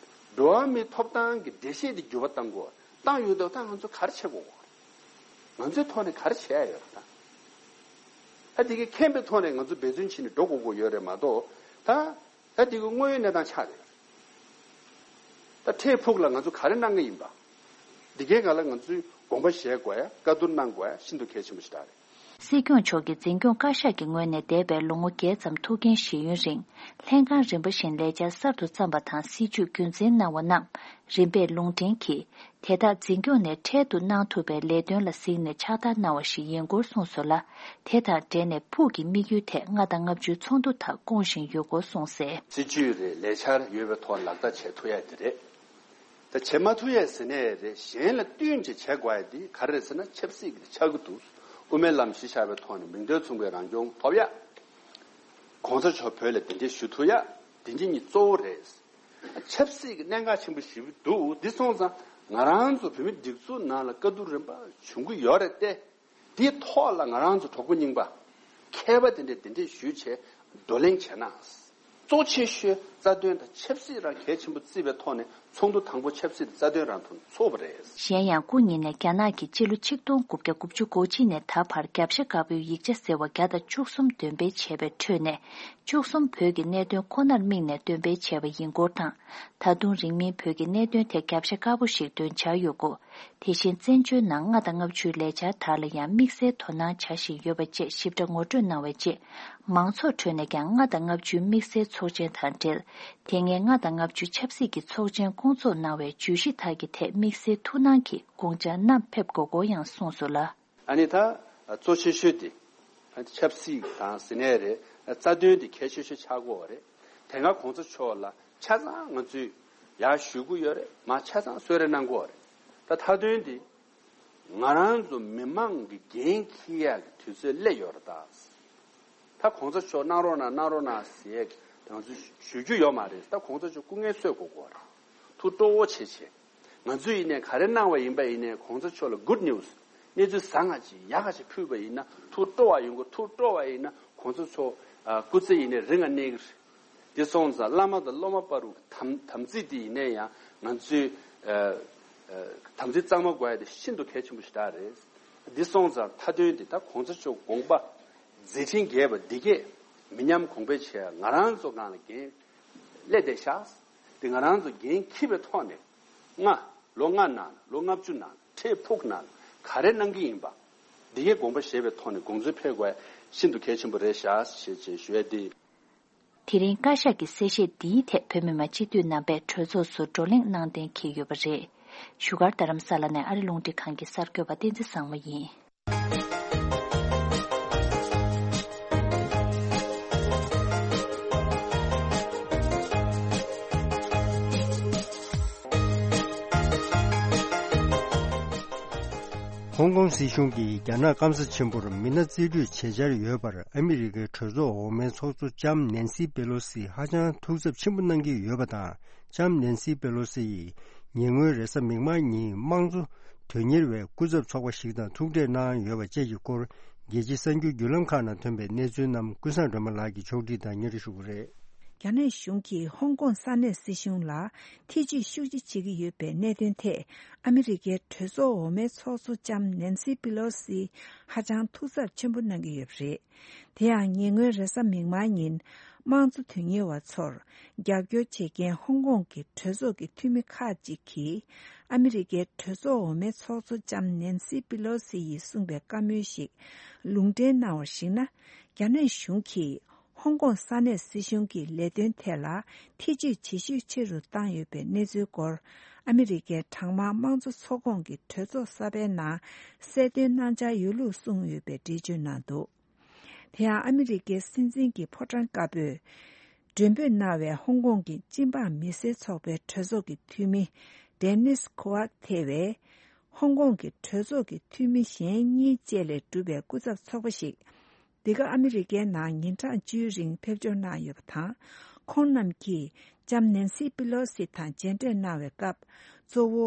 འགྲོ་བ་མིའི་ཐོབ་ཐང་གི་འགྲེལ་བཤད་འདི་འགྱུར་བ་གཏང་དགོས་པ། བཏང་ཡོད་དོ། ད་ང་ཚོ་ག་རེ་བྱེད་དགོས་པ་རེད། ང་ཚོའི་ཐོག་ནས་ག་རེ་བྱེད་ཡ་ཡོད་རེད་ད། ད་དེ་གའི་མཁྱེན་པའི་ཐོག་ནས་ང་ཚོ་འབད་བརྩོན་བྱས་ནས་འགྲོ་དགོས་དགོས་ཡོད་རེད་མ་གཏོགས། ད། ད་འདི་གི་དངོས་ཡོད་གནས་སྟངས་ཆགས་རེད། ད་འཕྲལ་ཕུགས་ལ་ང་ཚོ་ག་རེ་གནང་གི་ཡིན་པ། འདི་གའི་སྒང་ལ་ང་ཚོས་དགོངས་པ་བཞེས་དགོས་ཡ། བཀའ་བསྡུར་གནང་དགོས་ཡ་ཤིན་ཏུ་གལ་ཆེན་པོ་ཞིག་རེད། སྲིད་སྐྱོང་མཆོག་གིས་འཛིན་སྐྱོང་བཀའ་ཤག་གི་ངོས་ནས་འདས་པའི་ལོ་ངོ་བརྒྱད་ཙམ་ཐུགས་འགན་བཞེས་ཡུན་རིང་། ལྷན་ཁང་རིམ་པ་བཞིན་ལས་འཆར་གསར་དུ་བརྩམས་པ་དང་། སྲིད་བྱུས་རྒྱུན་འཛིན་གནང་བ་རྣམས་རིམ་པས་ལུང་འདྲེན་གྱིས། དེ་དག་འཛིན་སྐྱོང་ནས་འཕྲལ་དུ་གནང་ཐུབ་པའི་ལས་དོན་ལ་གཟིགས་ནས་ཕྱག་བསྟར་གནང་བ་ཞིག་ཡིན་སྐོར་གསུངས་སོང་ལ། དེ་དང་འབྲེལ་ནས་ཕུགས་ཀྱི་དམིགས་ཡུལ་ཐད་ལྔ་དང་ལྔ་བཅུའི་ཚོགས་འདུ་དག་སྐོང་བཞིན་ཡོད་སྐོར་གསུངས་གསལ། སྲིད་བྱུས་རེད། ལས་འཆར་ཡོད་པའི་ཐོག་ལག་བསྟར་བྱེད་ཐུབ་ཡ་དེ་རེད། ད་བྱེད་མ་ཐུབ་ཡ་ཟེར་ནའི་རེད། གཞན་ལ་བསྟུན་བྱས་བྱེད་དགོས་ཡ་དེ་ག་རེ་རེད་ཟེར་ན། ཆབ་སྲིད་ཀྱི་ཆགས་ཀྱི་འདུག་དབུ་མའི་ལམ་གཞི་བཞག་པའི་ཐོག་ནས་མིང་དོན་མཚུངས་པའི་རང་སྐྱོང་ཐོབ་ཡ། གོང་ས་མཆོག་བོད་ལ་གདན་འདྲེན་ཞུ་ཐུབ་ཡ། དེ་འདི་གཉིས་གཙོ་བོ་རེད། ཆབ་སྲིད་ཀྱི་གནད་འགག་ཆེན་པོ་ཞིག་འདུག་འདི་སོང་ཙང་ང་རང་ཚོ་བོད་མི་སྒྲིག་འཛུགས་ནང་ལ་དཀའ་སྡུག་རིམ་པ་བྱུང་གི་ཡོད་རེད་དེ། འདིའི་ཐོག་ལ་ང་རང་ཚོ་གྲོགས་པོ་རྙིང་པ་མཁས་པ་དེ་འདྲས་གདན་འདྲེན་ཞུས་བྱས་བགྲོ་གླེང་བྱས་ན། གཙོ་ཆེ་ཤོས་རྩ་དོན་དང་ཆབ་སྲིད་རང་གལ་ཆེན་པོ་བརྩིས་པའི་ཐོག་ནས་ཚོགས་འདུ་དང་པོ་ཆབ་སྲིད་དང་རྩ་དོན་རང་དུ་ཚུགས་པ་རེད། གཞན་ཡང་སྐུ་ཉིད་ནས་རྒྱ་ནག་གིས་སྤྱི་ལོ་ཆིག་སྟོང་དགུ་བརྒྱ་དགུ་བཅུ་གོ་གཅིག་ནས་ད་བར་རྒྱབ་ཤ་དཀར་པོའི་ཡིག་ཆ་ཟེར་བ་བརྒྱ་དང་བཅུ་གསུམ་འདོན་སྤེལ་བྱས་པའི་ཁྲོད་ནས། བཅུ་གསུམ་བོད་ཀྱི་གནད་དོན་ཁོ་ནར་དམིགས་ནས་འདོན་སྤེལ་བྱས་པ་ཡིན་སྐོར་དང་། ད་དུང་རིང་མིན་བོད་ཀྱི་གནད་དོན་ཐད་རྒྱབ་ཤ་དཀར་པོ་ཞིག་འདོན་འཆར་ཡོད་སྐོར། དེ་བཞིན་བཙན་བྱོལ་ནང་ལྔ་དང་ལྔ་བཅུའི་ལས་འཆར་དག་ལ་ཡང་དམིགས་བསལ་དོ་སྣང་བྱ་བཞིན་ཡོད་པ་བཅས་ཞིབ་ཕྲ་ངོ་སྤྲོད་གནང་བའི་རྗེས། མང་ཚོགས་ཁྲོད་ནས་ཀྱང་ལྔ་དང་ལྔ་བཅུའི་དམིགས་བསལ་ཚོགས་ཆེན་དང་འབྲེལ། དེ་སྔའི་ལྔ་དང་ལྔ་བཅུ་ཆབ་སྲིད་ཀྱི་ཚོགས་ཆེན་སྐོང་ཚོགས་གནང་བའི་བརྗོད་གཞི་དག་གི་ཐད་དམིགས་བསལ་ཐུགས་སྣང་གིས་དགོངས་འཆར་བསྣམས་ཕེབས་དགོས་སྐོར་ཡང་གསུངས་སོང་ལ། ཨ་ནི་ད་གཙོ་ཆེ་ཤོས་དེ་ཆབ་སྲིད་དང་ཟེར་ནའི་རེད། རྩ་དོན་དེ་གལ་ཆེ་ཤོས་ཆགས་ཀྱི་ཡོད་རེད། དེ་སྔ་གོང་ས་མཆོག་ལ་ཆ་ཚང་ང་ཚོས་ཡར་ཞུ་གི་ཡོད་རེད། མར་ཆ་ཚང་གསོལ་རས་གནང་གི་ཡོད་རེད། ད་མཐའ་དོན་དེ་ང་རང་ཚོ་མི་མང་གི་འགན་འཁྱེར་ཡག་གི་དུས་ཚོད་སླེབས་ཡོད་རེད་ད། ད་གོང་ས་མཆོག་གནང་རོགས་གནང་། གནང་རོགས་གནང་ཟེར་ང་ཚོས་ཞུ་རྒྱུ་ཡོད་མ་རེད། ད་གོང་ས་མཆོག་སྐུ་ངལ་གསོ་དགོས་ཀྱི་ཡོད་རེད། ཐུགས་སྤྲོ་བོ་བྱེད་བྱེད། ང་ཚོས་ཡིན་ནའི་ག་རེ་གནང་བ་ཡིན་པ་ཡིན་ནའི་གོང་ས་མཆོག་ལ་good news། གནས་ཚུལ་བཟང་ང་ཅིག་ཡག་ག་ཅིག་ཕུལ་བ་ཡིན་ན་ཐུགས་སྤྲོ་བ་ཡོང་གི། ཐུགས་སྤྲོ་བ་ཡིན་ན་གོང་ས་མཆོག་ཨ་སྐུ་ཚེ་ཡིན་ནའི་རིང་ང་གནས་ཀྱི་རེད། དེ་སོང་ཙང་བླ་མ་དང་སློབ་མ་བར་དུ་དམ་དམ་ཚིག་དེ་ཡིན་ནའི་ཡང་ང་ཚོས་ཨ་ཨ་དམ་ཚིག་གཙང་མ་དགོས་ཡ་དེ་ཤིན་ཏུ་གལ་ཆེན་པོ་ཞིག་རེད། འདི་སོང་ཙང་མཐའ་དོན་འདི་ད་གོང་ས་མཆོག་དགོངས་པ་མཛད་འཕྲིན་རྒྱས་པ་འདི་གས་མི་ཉམས་གོང་འཕེལ་བྱེད་ཡ་ང་རང་ཚོ་སྒང་ལ་འགན་སླེབས་བསྡད་ཤག་དེ་ང་རང་ཚོ་འགན་འཁྱེར་བའི་ཐོག་ནས་ལྔ་ལོ་ལྔ་ནང་ལོ་ལྔ་བཅུ་ནང་འཕྲལ་ཕུགས་ནང་ག་རེ་གནང་གི་ཡིན་པ་འདི་གས་དགོངས་པ་བཞེས་པའི་ཐོག་ནས་དགོངས་ཚུལ་ཕེབས་དགོས་ཤིན་ཏུ་གལ་ཆེན་པོ་རེད་ཤག་ཞེས་ཞེས་ཞུ་ཡ་དེ། དེ་རིང་བཀའ་ཤག་གི་གསལ་བཤད་འདིའི་ཐད་བོད་མི་མང་སྤྱི་འཐུས་རྣམ་པས་གྲོས་ཚོགས་སུ་བགྲོ་གླེང་གནང་གཏན་འཁེལ་ཡོད་པ་རེད། བཞུགས་སྒར་རྡ་རམ་ས་ལ་ནས་ཨ་རི་རླུང་འཕྲིན་ཁང་གི་གསར་འགོད་པ་བསྟན་འཛིན་བཟང་མོ་ཡིན། ཧོང་ཀོང་སྲིད་གཞུང་གིས་རྒྱ་ནག་སྐམ་ས་ཆེན་པོར་མི་སྣ་རྩིས་སྤྲོད་བྱེད་འཆར་ཡོད་པར་ཨ་མི་རི་ཀའི་གྲོས་ཚོགས་འོག་མའི་ཚོགས་གཙོ་ལྕམ་ནན་སི་པེ་ལོ་སི་ཧ་ཅང་ཐུགས་འཚབ་ཆེན་པོ་གནང་གི་ཡོད་པ་དང་། ལྕམ་ནན་སི་པེ་ལོ་སི་ཡིས་ཉེ་སྔོན་རེས་གཟའ་མིག་དམར་ཉིན་དམངས་གཙོ་དོན་གཉེར་བའི་སྐུ་ཚབ་ཚོགས་པ་ཞིག་དང་ཐུག་འཕྲད་གནང་ཡོད་པ་བཅས་ཀྱི་སྐོར། རྒྱལ་སྤྱིའི་གསར་འགྱུར་བརྒྱུད་ལམ་ཁག་ནང་ཐོན་པའི་གནས་ཚུལ་རྣམས་ཀུན་བཟང་སྒྲོལ་མ་ལགས་ཀྱིས་ཕྱོགས་སྒྲིག་དང་སྙན་སྒྲོན་ཞུ་གི་རེད། རྒྱ་ནག་གཞུང་གིས་ཧོང་ཀོང་ས་གནས་སྲིད་གཞུང་ལ་ཐེ་ཇུས་ཤུགས་ཆེ་བྱེད་ཀྱི་ཡོད་པའི་གནད་དོན་ཐད་ཨ་མི་རི་ཀའི་གྲོས་ཚོགས་འོག་མའི་ཚོགས་གཙོ་ལྕམ་ནན་སི་པི་ལོ་སི་ཧ་ཅང་ཐུགས་འཚབ་ཆེན་པོ་གནང་གི་ཡོད་པ་རེད། དེ་ཡང་ཉེ་སྔོན་རེས་གཟའ་མིག་དམར་ཉིན་དམངས་གཙོ་དོན་གཉེར་བ་ཚོར་རྒྱབ་སྐྱོར་བྱེད་མཁན་ཧོང་ཀོང་གི་གྲོས་ཚོགས་ཀྱི་འཐུས་མི་ཁག་ཅིག་གིས་ ཨ་མི་རི་ཀའི་གྲོས་ཚོགས་འོག་མའི་ཚོགས་གཙོ་ལྕམ་ནན་སི་པི་ལོ་སི་ཡིས་གསུངས་པའི་བཀའ་མོལ་ཞིག་ལུང་འདྲེན་གནང་བར་གཞིགས་ན། རྒྱ་ནག་གཞུང་གིས་ཧོང་ཀོང་ས་གནས་སྲིད་གཞུང་གི་ལས་དོན་ཐད་ལ་ཐེ་ཇུས་ཇེ་ཤུགས་ཆེ་རུ་བཏང་ཡོད་པའི་གནས་ཚུལ་སྐོར། ཨ་མི་རི་ཀའི་གྲངས་མང་དམངས་གཙོ་ཚོགས་ཁོངས་ཀྱི་གྲོས་ཚོགས་གསར་པའི་ནང་གསལ་སྟོན་གནང་འཆར་ཡོད་ལུགས་གསུངས་ཡོད་པའི་འགྲེལ་བརྗོད་གནང་འདུག་དེ་ཡང་ཨ་མི་རི་ཀའི་སྲིད་འཛིན་གྱི་ཕོ་བྲང་དཀར་པོས་མགྲོན་འབོད་གནང་བའི་ཧོང་ཀོང་གི་སྤྱི་འབངས་མི་སེར་ཚོགས་པའི་གྲོས་ཚོགས་ཀྱི་འཐུས་མི་ཌེ་ནིས་ཁོ་ཝག་ཐེ་བས། ཧོང་ཀོང་གི་གྲོས་ཚོགས་ཀྱི་འཐུས་མི་གཞན་གཉིས་བཅས་ལས་གྲུབ་པའི་སྐུ་ཚབ་ཚོགས་པ་ཞིག་འདི་ག་ཨ་མི་རི་ཀའི་ནང་ཉིན་གྲངས་བཅུའི་རིང་ཕེབས་འབྱོར་གནང་ཡོད་པ་དང་། ཁོང་རྣམས་ཀྱིས་ལྕམ་ནན་སི་པི་ལོ་སི་དང་མཇལ་འཕྲད་གནང་བའི་སྐབས། གཙོ་བོ་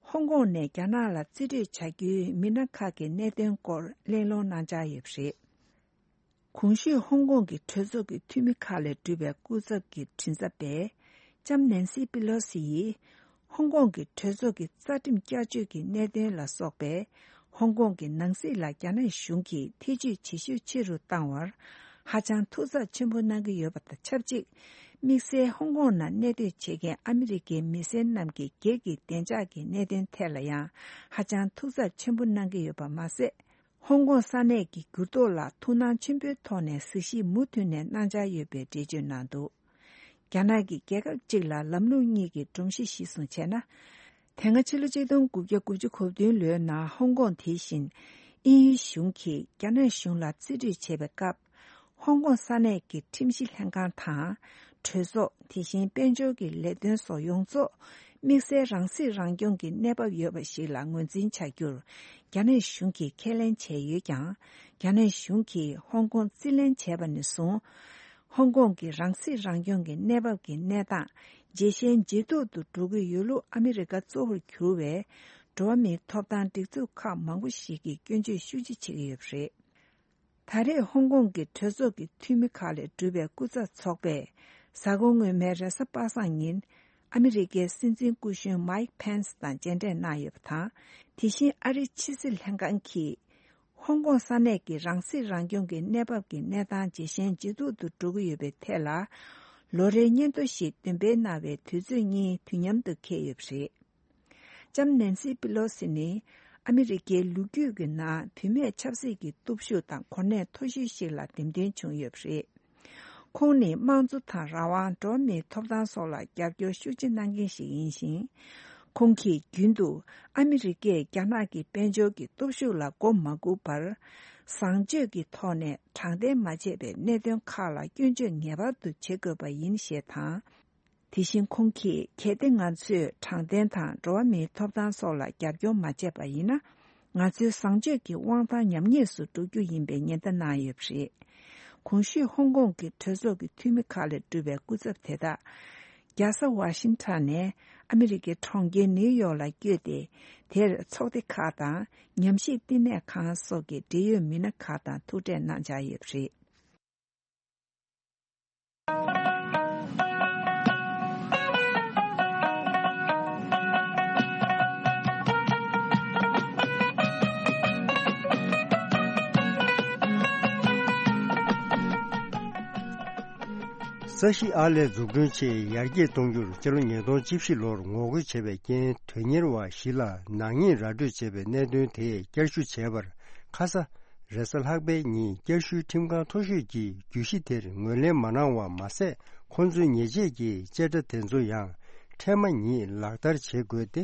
ཧོང་ཀོང་ནས་རྒྱ་ནག་ལ་རྩིས་སྤྲོད་བྱ་རྒྱུའི་མི་སྣ་ཁག་གི་གནད་དོན་སྐོར་གླེང་སློང་གནང་འཆར་ཡོད་པ་རེད། གོང་ཞུས་ཧོང་ཀོང་གི་གྲོས་ཚོགས་ཀྱི་འཐུས་མི་ཁག་ལས་གྲུབ་པའི་སྐུ་ཚབ་ཀྱི་མགྲིན་ཚབ་པས། ལྕམ་ནན་སི་པི་ལོ་སི་ཡིས། ཧོང་ཀོང་གི་གྲོས་ཚོགས་ཀྱི་རྩ་ཁྲིམས་བསྐྱར་བཅོས་ཀྱི་གནད་དོན་ལ་སོགས་པའི། ཧོང་ཀོང་གི་ནང་སྲིད་ལ་རྒྱ་ནག་གཞུང་གིས་ཐེ་ཇུས་ཇེ་ཤུགས་ཆེ་རུ་བཏང་བར། ཧ་ཅང་ཐུགས་འཚབ་ཆེན་པོ་གནང་གི་ཡོད་པ་དང་ཆབས་ཅིག་དམིགས་བསལ་ཧོང་ཀོང་ནང་གནས་སྡོད་བྱེད་མཁན་ཨ་མི་རི་ཀའི་མི་སེར་རྣམས་ཀྱི་སྒེར་གྱི་བདེ་འཇགས་ཀྱི་གནད་དོན་ཐད་ལ་ཡང་ཧ་ཅང་ཐུགས་འཚབ་ཆེན་པོ་གནང་གི་ཡོད་པ་མ་ཟད། ཧོང་ཀོང་ས་གནས་ཀྱི་འགྱུར་ལྡོག་ལ་ཐུགས་སྣང་ཆེན་པོའི་ཐོག་ནས་གཟིགས་ཞིབ་མུ་མཐུད་ནས་གནང་འཆར་ཡོད་པའི་འགྲེལ་བརྗོད་གནང་འདུག་རྒྱ་ནག་གི་རྒྱལ་ཁབ་གཅིག་ལ་ལམ་ལུགས་གཉིས་ཀྱི་སྒྲོམ་གཞི་གཞིར་བཟུང་བྱས་ན། དེ་སྔ་ཕྱི་ལོ་ཆིག་སྟོང་དགུ་བརྒྱ་དགུ་བཅུ་གོ་བདུན་ལོའི་ནང་ཧོང་ཀོང་དེ་བཞིན་དབྱིན་ཡུལ་གཞུང་གིས་རྒྱ་ནག་གཞུང་ལ་རྩིས་སྤྲོད་བྱས་པའི་སྐབས། ཧོང་ཀོང་ས་གནས་ཀྱི་ཁྲིམས་ཞིབ་ལྷན་ཁང་དང་། གྲོས་ཚོགས། དེ་བཞིན་དཔལ་འབྱོར་གྱི་ལས་དོན་སོགས་ཡོངས་རྫོགས་དམིགས་བསལ་རང་སྲིད་རང་སྐྱོང་གི་གནས་བབ་ཡོད་པ་ཞིག་ལ་ངོས་འཛིན་བྱ་རྒྱུར་རྒྱ་ནག་གཞུང་གིས་ཁས་ལེན་བྱས་ཡོད་ཀྱང་། རྒྱ་ནག་གཞུང་གིས་ཧོང་ཀོང་རྩིས་ལེན་བྱས་པ་ནས་བཟུང་། ཧོང་ཀོང་གི་རང་སྲིད་རང་སྐྱོང་གི་གནས་བབ་ཀྱི་གནས་སྟངས་ཇེ་ཞན་ཇེ་སྡུག་ཏུ་འགྲོ་གི་ཡོད་ལུགས་ཨ་མི་རི་ཀ་གཙོ་བོར་གྱུར་བའི་འགྲོ་བ་མིའི་ཐོབ་ཐང་སྒྲིག་འཛུགས་ཁག་མང་པོ་ཞིག་གིས་སྐྱོན་བརྗོད་ཤུགས་ཆེ་བྱེད་ཀྱི་ཡོད་པ་རེད། ད་རེས་ཧོང་ཀོང་གི་གྲོས་ཚོགས་ཀྱི་འཐུས་མི་ཁག་ལས་གྲུབ་པའི་སྐུ་ཚབ་ཚོགས་པས་གཟའ་འཁོར་སྔོན་མའི་རེས་གཟའ་པ་སངས་ཉིན་ཨ་མི་རི་ཀའི་སྲིད་འཛིན་སྐུ་གཞོན་མཱིག་ཕེན་སི་དང་མཇལ་འཕྲད་གནང་ཡོད་པ་དང་། དེ་བཞིན་ཨ་རིའི་ཕྱི་སྲིད་ལྷན་ཁང་གིས་ཧོང་ཀོང་ས་གནས་ཀྱི་རང་སྲིད་རང་སྐྱོང་གི་གནས་བབ་ཀྱི་གནས་སྟངས་ཇེ་ཞན་ཇེ་སྡུག་ཏུ་འགྲོ་གི་ཡོད་པའི་ཐད་ལ་ལོ་རེའི་སྙན་ཐོ་ཞིག་འདོན་སྤེལ་གནང་བའི་དུས་ཚོད་གཉིས་དུས་མཉམ་དུ་འཁེལ་ཡོད་པ་རེད། ལྕམ་ནན་སི་པི་ལོ་སི་ནི་ཨ་མི་རི་ཀའི་ལོ་རྒྱུས་ཀྱི་ནང་བུད་མེད་ཆབ་སྲིད་ཀྱི་སྟོབས་ཤུགས་དང་གོ་གནས་མཐོ་ཤོས་ཤིག་ལ་འདེམས་ཐོན་བྱུང་ཡོད་པ་རེད། ཁོང་ནི་དམངས་གཙོ་དང་རང་དབང་། འགྲོ་བ་མིའི་ཐོབ་ཐང་སོགས་ལ་རྒྱབ་སྐྱོར་ཤུགས་ཆེ་གནང་མཁན་ཞིག་ཡིན་ཞིང་། ཁོང་གིས་རྒྱུན་དུ་ཨ་མི་རི་ཀས་རྒྱ་ནག་གི་དཔལ་འབྱོར་གྱི་སྟོབས་ཤུགས་ལ་མགོ་མ་སྒུར་བར། བཟང་སྤྱོད་ཀྱི་ཐོག་ནས་དྲང་བདེན་མ་བྱས་པའི་གནད་དོན་ཁག་ལ་སྐྱོན་བརྗོད་ངེས་པར་དུ་བྱེད་དགོས་པ་ཡིན་ཞེས་དང་། དེ་བཞིན་ཁོང་གིས་གལ་ཏེ་ང་ཚོས་དྲང་བདེན་དང་འགྲོ་བ་མིའི་ཐོབ་ཐང་སོགས་ལ་རྒྱབ་སྐྱོར་མ་བྱས་པ་ཡིན་ན། ང་ཚོའི་བཟང་སྤྱོད་ཀྱི་དབང་ཐང་ཉམས་ཉེས་སུ་འགྲོ་རྒྱུ་ཡིན་པའི་ཉེན་བརྡ་གནང་ཡོད་པ་རེད། གོང་ཞུས་ཧོང་ཀོང་གི་གྲོས་ཚོགས་ཀྱི་འཐུས་མི་ཁག་ལས་གྲུབ་པའི་སྐུ་ཚབ་དེ་དག་རྒྱལ་ས་ཝ་ཤིང་ཊོན་ནས་ཨ་མི་རི་ཀའི་གྲོང་ཁྱེར་ནིའུ་ཡོག་ལ་བསྐྱོད་དེ། དེར་ཚོགས་སྡེ་ཁག་དང་ཉམས་ཞིབ་བསྟི་གནས་ཁང་སོགས་ཀྱི་འབྲེལ་ཡོད་མི་སྣ་ཁག་དང་ཐུག་འཕྲད་གནང་འཆར་ཡོད་པ་རེད། ས་གཞི་ཨར་ལས་འཛུགས་སྐྲུན་ཆེད་ཡར་རྒྱས་གཏོང་རྒྱུར་སྤྱི་ལོ་ཉིས་སྟོང་བཅུ་བཞི་ལོར་ངོ་རྒོལ་བྱས་པའི་རྐྱེན་དོན་གཉེར་བ་བཞི་ལ་ནག་ཉེས་ར་སྤྲོད་བྱས་པའི་གནད་དོན་དེ་བསྐྱར་ཞུ་བྱས་པར་ཁ་ས་རེས་གཟའ་ལྷག་པའི་ཉིན་བསྐྱར་ཞུའི་ཁྲིམས་ཁང་མཐོ་ཤོས་ཀྱིས་བརྗོད་གཞི་དེར་ངོས་ལེན་མ་གནང་བ་མ་ཟད། ཁོང་ཚོའི་ཉེས་ཆད་ཀྱི་བཅད་ཁྲ་དེ་ཚོ་ཡང་འཕྲལ་མ་ཉིད་ལག་བསྟར་བྱེད་དགོས་ཏེ།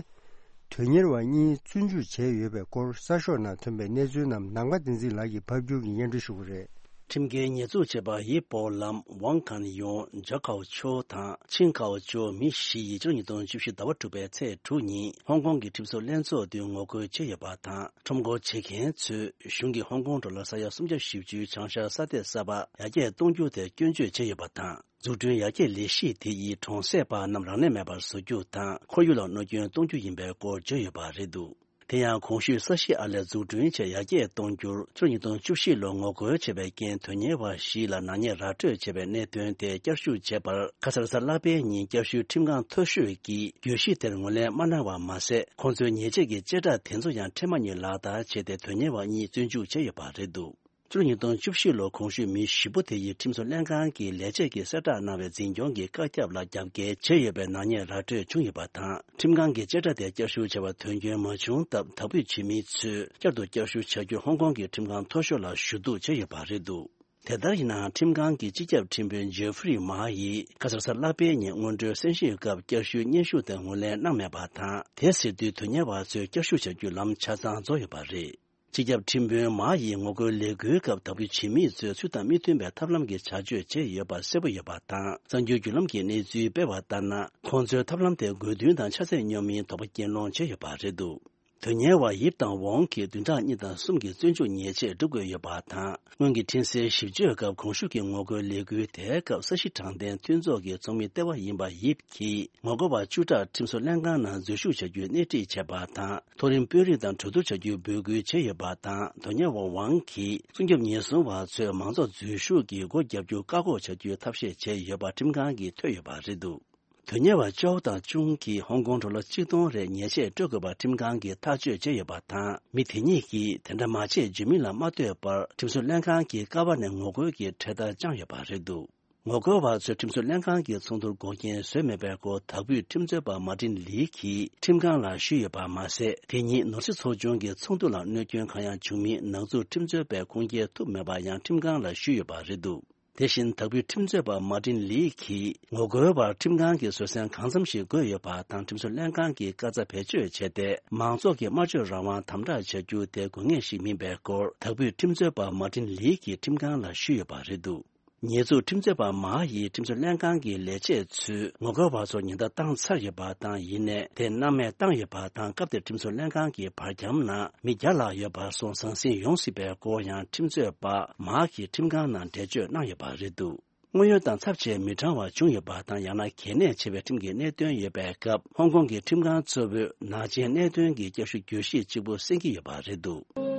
དོན་གཉེར་བ་གཉིས་བཙོན་འཇུག་བྱས་ཡོད་པའི་སྐོར་གསར་ཤོག་ནང་ཐོན་པའི་གནས་ཚུལ་རྣམས་ནམ་མཁའ་བསྟན་འཛིན་ལགས་ཀྱིས་ཕབ་སྒྱུར་གྱིས་སྙན་སྒྲོན་ཞུ་གི་རེད། ཁྲིམས་འགལ་ཉེས་འཛུགས་བྱས་པ་ཡི་པོ་ལམ། ཝང་ཁན་ཡོང་། ཇོ་ཁའོ་ཆོ་དང་ཆིང་ཁའོ་ཅོ་མི་བཞི་ཡིས་ཕྱི་ལོ་ཉིས་སྟོང་བཅུ་བཞི་ཟླ་བ་དྲུག་པའི་ཚེས་དྲུག་ཉིན་ཧོང་ཀོང་གི་ཁྲིམས་བཟོ་ལྷན་ཚོགས་མདུན་ངོ་རྒོལ་བྱས་ཡོད་པ་དང་། ཁྲོམ་སྐོར་བྱེད་མཁན་ཚོས་གཞུང་གིས་ཧོང་ཀོང་ཁྲོད་ལ་ས་ཡ་སུམ་བརྒྱ་བཞི་བཅུའི་བྱང་ཤར་ས་སྡེ་གསར་པ་ཡར་རྒྱས་གཏོང་རྒྱུ་དེར་སྐྱོན་བརྗོད་བྱས་ཡོད་པ་དང་། འཛུགས་སྐྲུན་ཡར་རྒྱས་ལས་གཞི་དེ་ཡིས་གྲོང་གསེབ་པ་རྣམས་རང་ལས་མེད་པར་བཟོ་རྒྱུ་དང་། ཁོར་ཡུག་ལ་གནོད་སྐྱོན་གཏོང་རྒྱུ་ཡིན་པའི་སྐོར་བརྗོད་ཡོད་པ་རེད་འདུག་དེ་ཡང་གོང་ཞུས་ས་གཞི་ཨར་ལས་འཛུགས་སྐྲུན་ཆེད་ཡར་རྒྱས་གཏོང་རྒྱུར་ཕྱི་ལོ་ཉིས་སྟོང་བཅུ་བཞི་ལོར་ངོ་རྒོལ་བྱས་པའི་རྐྱེན་དོན་གཉེར་བ་བཞི་ལ་ནག་ཉེས་ར་སྤྲོད་བྱས་པའི་གནད་དོན་དེ་བསྐྱར་ཞུ་བྱས་པར་ཁ་སང་རེས་གཟའ་ལྷག་པའི་ཉིན་བསྐྱར་ཞུའི་ཁྲིམས་ཁང་མཐོ་ཤོས་ཀྱིས་བརྗོད་གཞི་དེར་ངོས་ལེན་མ་གནང་བ་མ་ཟད། ཁོང་ཚོའི་ཉེས་ཆད་ཀྱི་བཅད་ཁྲ་དེ་ཚོ་ཡང་འཕྲལ་མ་ཉིད་ལག་བསྟར་བྱས་ཏེ་དོན་གཉེར་བ་གཉིས་བཙོན་འཇུག་བྱས་ཡོད་པ་རེད་འདུག་ཕྱི་ལོ་ཉིས་སྟོང་བཅུ་བཞི་ལོར་གོང་ཞུས་མི་བཞི་པོ་དེ་ཡིས་ཁྲིམས་བཟོ་ལྷན་ཁང་གི་ལས་བྱེད་ཀྱིས་གསལ་བསྒྲགས་གནང་བའི་འཛིན་སྐྱོང་གི་བཀའ་ཁྱབ་ལ་རྒྱབ་འགལ་བྱས་ཡོད་པའི་ནག་ཉེས་ར་སྤྲོད་བྱུང་ཡོད་པ་དང་། ཁྲིམས་ཁང་གིས་བཅད་ཁྲ་དེ་བསྐྱར་ཞུ་བྱ་བར་དོན་འཁྱོལ་མ་བྱུང་སྟབས། དག་འབུད་བྱེད་མི་ཚོས་བསྐྱར་དུ་བསྐྱར་ཞུ་བྱ་རྒྱུར་ཧོང་ཀོང་གི་ཁྲིམས་ཁང་མཐོ་ཤོས་ལ་ཞུ་གཏུག་བྱས་ཡོད་པ་རེད་འདུག་དེ་ལྟར་ཡིན་ནའང་། ཁྲིམས་ཁང་གི་སྤྱི་ཁྱབ་ཁྲིམས་དཔོན་ཇེ་ཧྥི་རི་མཱ་ཡིས་ཁ་སང་གཟའ་ལྷག་པའི་ཉིན་སྔོན་འགྲོའི་གསན་བཞེས་སྐབས་བསྐྱར་ཞུའི་སྙན་ཞུ་དེ་ངོས་ལེན་གནང་མེད་པ་དང་། དེ་ཟེར་དུས་དོན་གཉེར་བ་ཚོས་བསྐྱར་ཞུ་བྱ་རྒྱུའི་ལམ་ཆ་ཚང་རྫོགས་ཡོད་པ་རེད། སྤྱི་ཁྱབ་ཁྲིམས་དཔོན་མཱ་ཡིས་ངོ་རྒོལ་ལས་འགུལ་སྐབས་དག་འབུད་བྱེད་མི་ཚོས་ཚུལ་དང་མི་མཐུན་པའི་ཐབས་ལམ་གྱི་བྱ་སྤྱོད་བྱས་ཡོད་པ་གསལ་པོ་ཡོད་པ་དང་། གསར་འགྱུར་བརྒྱུད་ལམ་གྱིས་གནས་ཚུལ་སྤེལ་བ་ལྟར་ན། ཁོང་ཚོའི་ཐབས་ལམ་དེ་དགོས་འདུན་དང་ཆ་ཚད་སྙོམས་མིན་དོགས་པ་རྐྱེན་སློང་བྱས་ཡོད་པ་རེད་འདུག་དོན་གཉེར་བ་ཡིབ་དང་ཝོང་གིས་བདུན་ཕྲག་གཉིས་དང་གསུམ་གྱི་བཙོན་འཇུག་ཉེས་ཆད་སྒྲུབ་དགོས་ཡོད་པ་དང་། སྔོན་གྱི་འཕྲིན་གསལ་ཞིབ་དཔྱོད་སྐབས་གོང་ཞུས་ཀྱི་ངོ་རྒོལ་ལས་འགུལ་དེའི་སྐབས་ས་གཞི་དྲང་བདེན་མཐུན་ཚོགས་ཀྱི་ཚོགས་མི་ལྟེ་བ་ཡིན་པ་ཡིབ་ཀྱིས་ངོ་རྒོལ་བ་བཅུ་ཕྲག་ཁྲིམས་བཟོ་ལྷན་ཁང་ནང་འཛུལ་ཞུགས་བྱ་རྒྱུའི་སྣེ་ཁྲིད་བྱས་པ་དང་། མཐོ་རིམ་དཔོན་རིགས་དང་གྲོས་བསྡུར་བྱ་རྒྱུའི་འབོད་སྐུལ་བྱས་ཡོད་པ་དང་། དོན་གཉེར་བ་ཝང་གིས་སྲུང་སྐྱོབ་ཉེན་སྲུང་བ་ཚོས་མང་ཚོགས་འཛུལ་ཞུགས་ཀྱིས་སྒོ་བརྒྱབ་རྒྱུ་བཀག་འགོག་བྱ་རྒྱུའི་ཐབས་ཤེས་བྱས་ཡོད་པ་ཁྲིམས་ཁང་གིས་ཐོས་ཡོད་པ་རེད་འདུག་དོན་གཉེར་བ་ཅའོ་དང་ཅུང་གིས་ཧོང་ཀོང་ཌོ་ལར་གཅིག་སྟོང་རེ་ཉེས་ཆད་སྤྲོད་དགོས་པ་ཁྲིམས་ཁང་གིས་ཐག་གཅོད་བྱས་ཡོད་པ་དང་། མི་དེ་གཉིས་ཀྱིས་དེ་འདྲ་མ་བྱེད་བརྗོད་མིན་ལ་མ་ལྟོས་པར། ཁྲིམས་བཟོ་ལྷན་ཁང་གི་ཀ་བ་ནས་ངོ་རྒོལ་གྱི་གྲལ་སྟར་བཅངས་ཡོད་པ་རེད་འདུག་ངོ་རྒོལ་བ་ཚོས་ཁྲིམས་བཟོ་ལྷན་ཁང་གི་ཚོགས་འདུར་འགོག་རྐྱེན་བཟོས་མེད་པའི་སྐོར། དག་འབུད་ཁྲིམས་རྩོད་པ་མཱ་ཏིན་ལི་གིས་ཁྲིམས་ཁང་ལ་ཞུས་ཡོད་པ་མ་ཟད། དེ་ཉིན་ནོར་སྲིད་ཚོགས་ཆུང་གི་ཚོགས་འདུ་ལ་གནོད་སྐྱོན་གང་ཡང་བྱུང་མིན་ནག་འཛུགས་ཁྲིམས་རྩོད་པས་ཁུངས་སྐྱེལ་ཐུབ་མེད་པ་ཡང་ཁྲིམས་ཁང་ལ་ཞུས་ཡོད་པ་རེད་འདུག་དེ་བཞིན། དག་འབུད་ཁྲིམས་རྩོད་པ་མཱ་ཏིན་ལི་གིས་ངོ་རྒོལ་བར་ཁྲིམས་ཁང་གིས་བཟོད་བསྲན་གང་འཚམ་ཞིག་དགོས་ཡོད་པ་དང་། ཁྲིམས་བཟོ་ལྷན་ཁང་གིས་བཀའ་རྩ་བེད་སྤྱོད་བྱས་ཏེ། མང་ཚོགས་ཀྱི་སྨྲ་བརྗོད་རང་དབང་དམ་དྲག་བྱ་རྒྱུ་དེ་དགོས་ངེས་ཤིག་མིན་པའི་སྐོར། དག་འབུད་ཁྲིམས་རྩོད་པ་མཱ་ཏིན་ལི་གིས་ཁྲིམས་ཁང་ལ་ཞུས་ཡོད་པ་རེད་འདུག་ཉེས་འཛུགས་ཁྲིམས་རྩོད་པ་མཱ་ཡིས་ཁྲིམས་བཟོ་ལྷན་ཁང་གི་ལས་བྱེད་ཚོས་ངོ་རྒོལ་བ་ཚོར་ཉེན་བརྡ་བཏང་ཚར་ཡོད་པ་དང་། ཡིན་ནའི་དེ་སྣང་མེད་བཏང་ཡོད་པ་དང་། སྐབས་དེར་ཁྲིམས་བཟོ་ལྷན་ཁང་གི་བར་ཁྱམས་ནང་མི་བརྒྱ་ལྷག་ཡོད་པ་སོགས་ཟང་ཟིང་ཡོང་སྲིད་པའི་སྐོར་ཡང་ཁྲིམས་རྩོད་པ་མཱ་གིས་ཁྲིམས་ཁང་ནང་འགྲེལ་བརྗོད་གནང་ཡོད་པ་རེད་འདུག་དངོས་ཡོད་དང་ཚབས་ཆེ་མི་གྲངས་བ་བྱུང་ཡོད་པ་དང་། ཡང་ན་གལ་གནད་ཆེ་བའི་ཁྲིམས་ཀྱི་གནད་དོན་ཡོད་པའི་སྐབས། ཧོང་ཀོང་གི་ཁྲིམས་ཁང་གཙོ་བོས་ནག་ཅན་གནད་དོན་གྱི་བསྐྱར་ཞུ་གྱོད་གཞི་གཅིག་པུ་གསན་གྱི་ཡོད་པ་རེད་འདུག་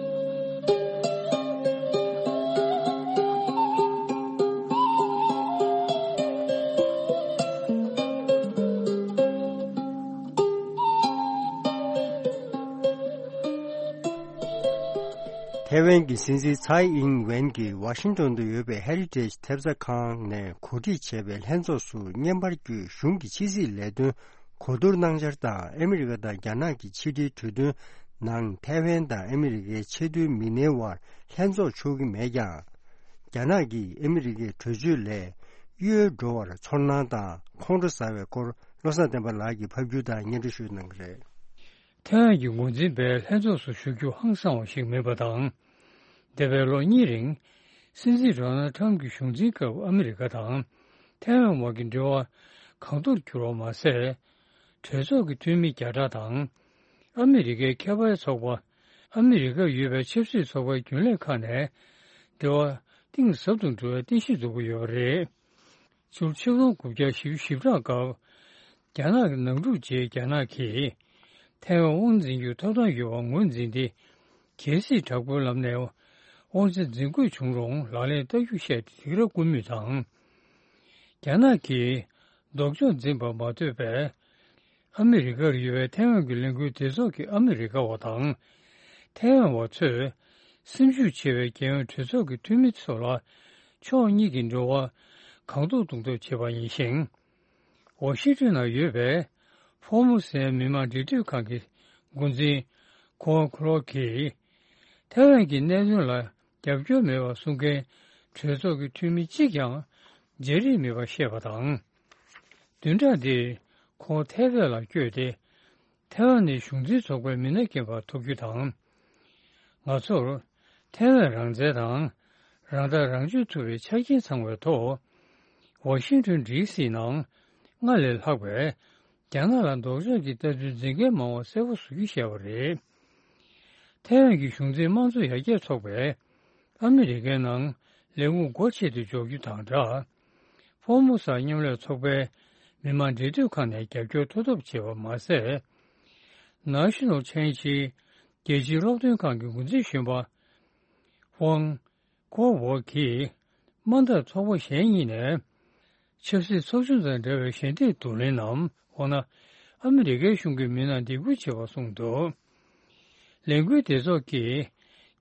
ཐའེ་ཝན་གྱི་སྲིད་འཛིན་ཚའེ་ཨིང་ཝེན་གྱིས་ཝ་ཤིང་ཏོན་དུ་ཡོད་པའི་ཧེ་རི་ཊེཇ་ཐེབས་རྩ་ཁང་ནས་གོ་སྒྲིག་བྱས་པའི་ལྷན་ཚོགས་སུ་བརྙན་པར་བརྒྱུད་གཞུང་གི་ཕྱི་སྲིད་ལས་དོན་གོ་བསྡུར་གནང་འཆར་དང་། ཨ་མི་རི་ཀ་དང་རྒྱ་ནག་གི་ཕྱི་འབྲེལ་གྲོས་མཐུན་ནང་ཐའེ་ཝན་དང་ཨ་མི་རི་ཀའི་ཆེས་མཐོའི་མི་སྣའི་དབར་ལྷན་ཚོགས་ཆོག་གི་མེད་ཀྱང་། རྒྱ་ནག་གིས་ཨ་མི་རི་ཀའི་གྲོས་ཆོད་ལས་གཡོལ་འགྲོ་བར་ཚོར་སྣང་དང་ཁོང་ཁྲོ་ཟ་བའི་སྐོར། བློ་བཟང་བསྟན་པ་ལགས་ཀྱིས་ཕབ་སྒྱུར་དང་སྙན་སྒྲོན་ཞུས་གནང་གི་རེད། ཐའེ་ཝན་གྱི་འགོ་འཛིན་པས་ལྷན་ཚོགས་སུ་ཞུགས་རྒྱུ་ཧང་སང་བ་ཞིག་མིན་པ་དང་། འདས་པའི་ལོ་གཉིས་རིང་། སྲིད་འཛིན་ཌོ་ནལ་ཁྲམ་གྱི་གཞུང་འཛིན་སྐབས་ཨ་མི་རི་ཀ་དང་ཐའེ་ཝན་བར་གྱི་འབྲེལ་བ་གང་མཐོར་གྱུར་བ་མ་ཟད། གྲོས་ཚོགས་ཀྱི་འཐུས་མི་བརྒྱ་ཕྲག་དང་། ཨ་མི་རི་ཀའི་ཁྱད་པར་ཚོགས་པ། ཨ་མི་རི་ཀར་ཡོད་པའི་ཆབ་སྲིད་ཚོགས་པའི་རྒྱུན་ལས་ཁག་ནས་འབྲེལ་བ་གཏིང་ཟབ་ཏུ་འགྲོ་བའི་རྟེན་གཞི་འཛུགས་ཀྱི་ཡོད་པ་རེད། ཕྱི་ལོ་ཆིག་སྟོང་དགུ་བརྒྱ་བཞི་བཅུ་ཞེ་གྲངས་སྐབས། རྒྱ་ནག་གི་ནང་འཁྲུག་རྗེས་རྒྱ་ནག་གིས་ཐའེ་ཝན་དབང་འཛིན་རྒྱུའི་ཐོབ་ཐང་ཡོད་པ་ངོས་འཛིན་ཏེ། གལ་སྲིད་དྲག་པོའི་ལམ་ནས་དབང་ཆ་འཛིན་དགོས་བྱུང་རུང་ལག་ལེན་བསྟར་རྒྱུ་བཤད་དེ་རིགས་ར་བསྐུལ་མུས་དང་། རྒྱ་ནག་གིས་ལྡོག་ཕྱོགས་འཛིན་པ་མ་ཐོས་པའི་ཨ་མི་རི་ཀར་ཡོད་པའི་ཐའེ་ཝན་གྱི་ལས་འགུལ་སྡེ་ཚོགས་ཀྱི་ཨ་མི་རི་ཀ་བ་དང་། ཐའེ་ཝན་བ་ཚོས་སེམས་ཤུགས་ཆེ་བའི་རྒྱལ་ཡོངས་གྲོས་ཚོགས་ཀྱི་འཐུས་མི་ཚོ་ལ་ཕྱོགས་གཉིས་ཀྱི་འབྲེལ་བ་གང་ཐུབ་གཏོང་ཐབས་བྱས་པ་ཡིན་ཞིང་། ཝ་ཤིང་ཏོན་ན་ཡོད་པའི་ཧྥོར་མུ་སའི་མི་དམངས་འབྲེལ་མཐུད་ཁང་གི་འགོ་འཛིན་ཁོ་ཁུ་ལོ་གིས། ཐའེ་ཝན་གྱི་གནད་དོན་ལ་རྒྱབ་སྐྱོར་མེད་པ་གསུང་མཁན་གྲོས་ཚོགས་ཀྱི་འཐུས་མི་གཅིག་ཀྱང་མཇལ་རིགས་མེད་པ་བཤད་པ་དང་། བདུན་ཕྲག་འདིར་ཁོང་ཐའེ་ཝན་ལ་བསྐྱོད་དེ། ཐའེ་ཝན་ནི་གཞུང་འཛིན་ཚོགས་པའི་མི་སྣ་རྐྱེན་པ་ཐུག་རྒྱུ་དང་། ང་ཚོར་ཐའེ་ཝན་རང་བཙན་དང་། རང་ཐག་རང་གཅོད་ཐུབ་པའི་ཆ་རྐྱེན་ཚང་བའི་ཐོག་ཝ་ཤིང་ཏོན་ཌི་སི་ནང་སྔར་ལས་ལྷག་པའི་རྒྱ་ནག་ལ་ལྡོག་ཕྱོགས་ཀྱི་ལྟ་ཚུལ་འཛིན་མཁན་མང་བ་གསལ་པོ་བཟོ་རྒྱུ་བྱས་པ་རེད། ཐའེ་ཝན་གྱི་གཞུང་འཛིན་དམངས་གཙོ་ཡར་རྒྱས་ཚོགས་པས་ཨ་མི་རི་ཀའི་ནང་ལས་ཁུངས་སྒོ་ཕྱེ་སྟེ་འཇོག་རྒྱུ་དང་སྦྲགས། ཧྥོར་མུ་ས་མཉམ་ལས་ཚོགས་པའི་མི་དམངས་འབྲེལ་མཐུད་ཁང་ནས་རྒྱབ་སྐྱོར་ཐོབ་ཐབས་བྱས་པ་མ་ཟད། ནཱ་ཤི་ནལ་ཆའེ་ནས་རྒྱལ་སྤྱིའི་སློབ་སྟོན་ཁང་གི་འགོ་འཛིན་གཞོན་པ་ཧྥང་ཀོ་ཝོ་གིས་དམངས་འཐབ་ཚོགས་པ་གཞན་གཉིས་ནས་ཆབ་སྲིད་ཚོགས་ཆུང་དང་འབྲེལ་བའི་ཞལ་འདེབས་བསྡུ་ལེན་ནམ། འོ་ན་ཨ་མི་རི་ཀའི་གཞུང་གི་མི་སྣར་འདེད་སྐུལ་བྱས་པ་གསུངས་འདུག་ལས་འགུལ་སྡེ་ཚོགས་ཀྱིས་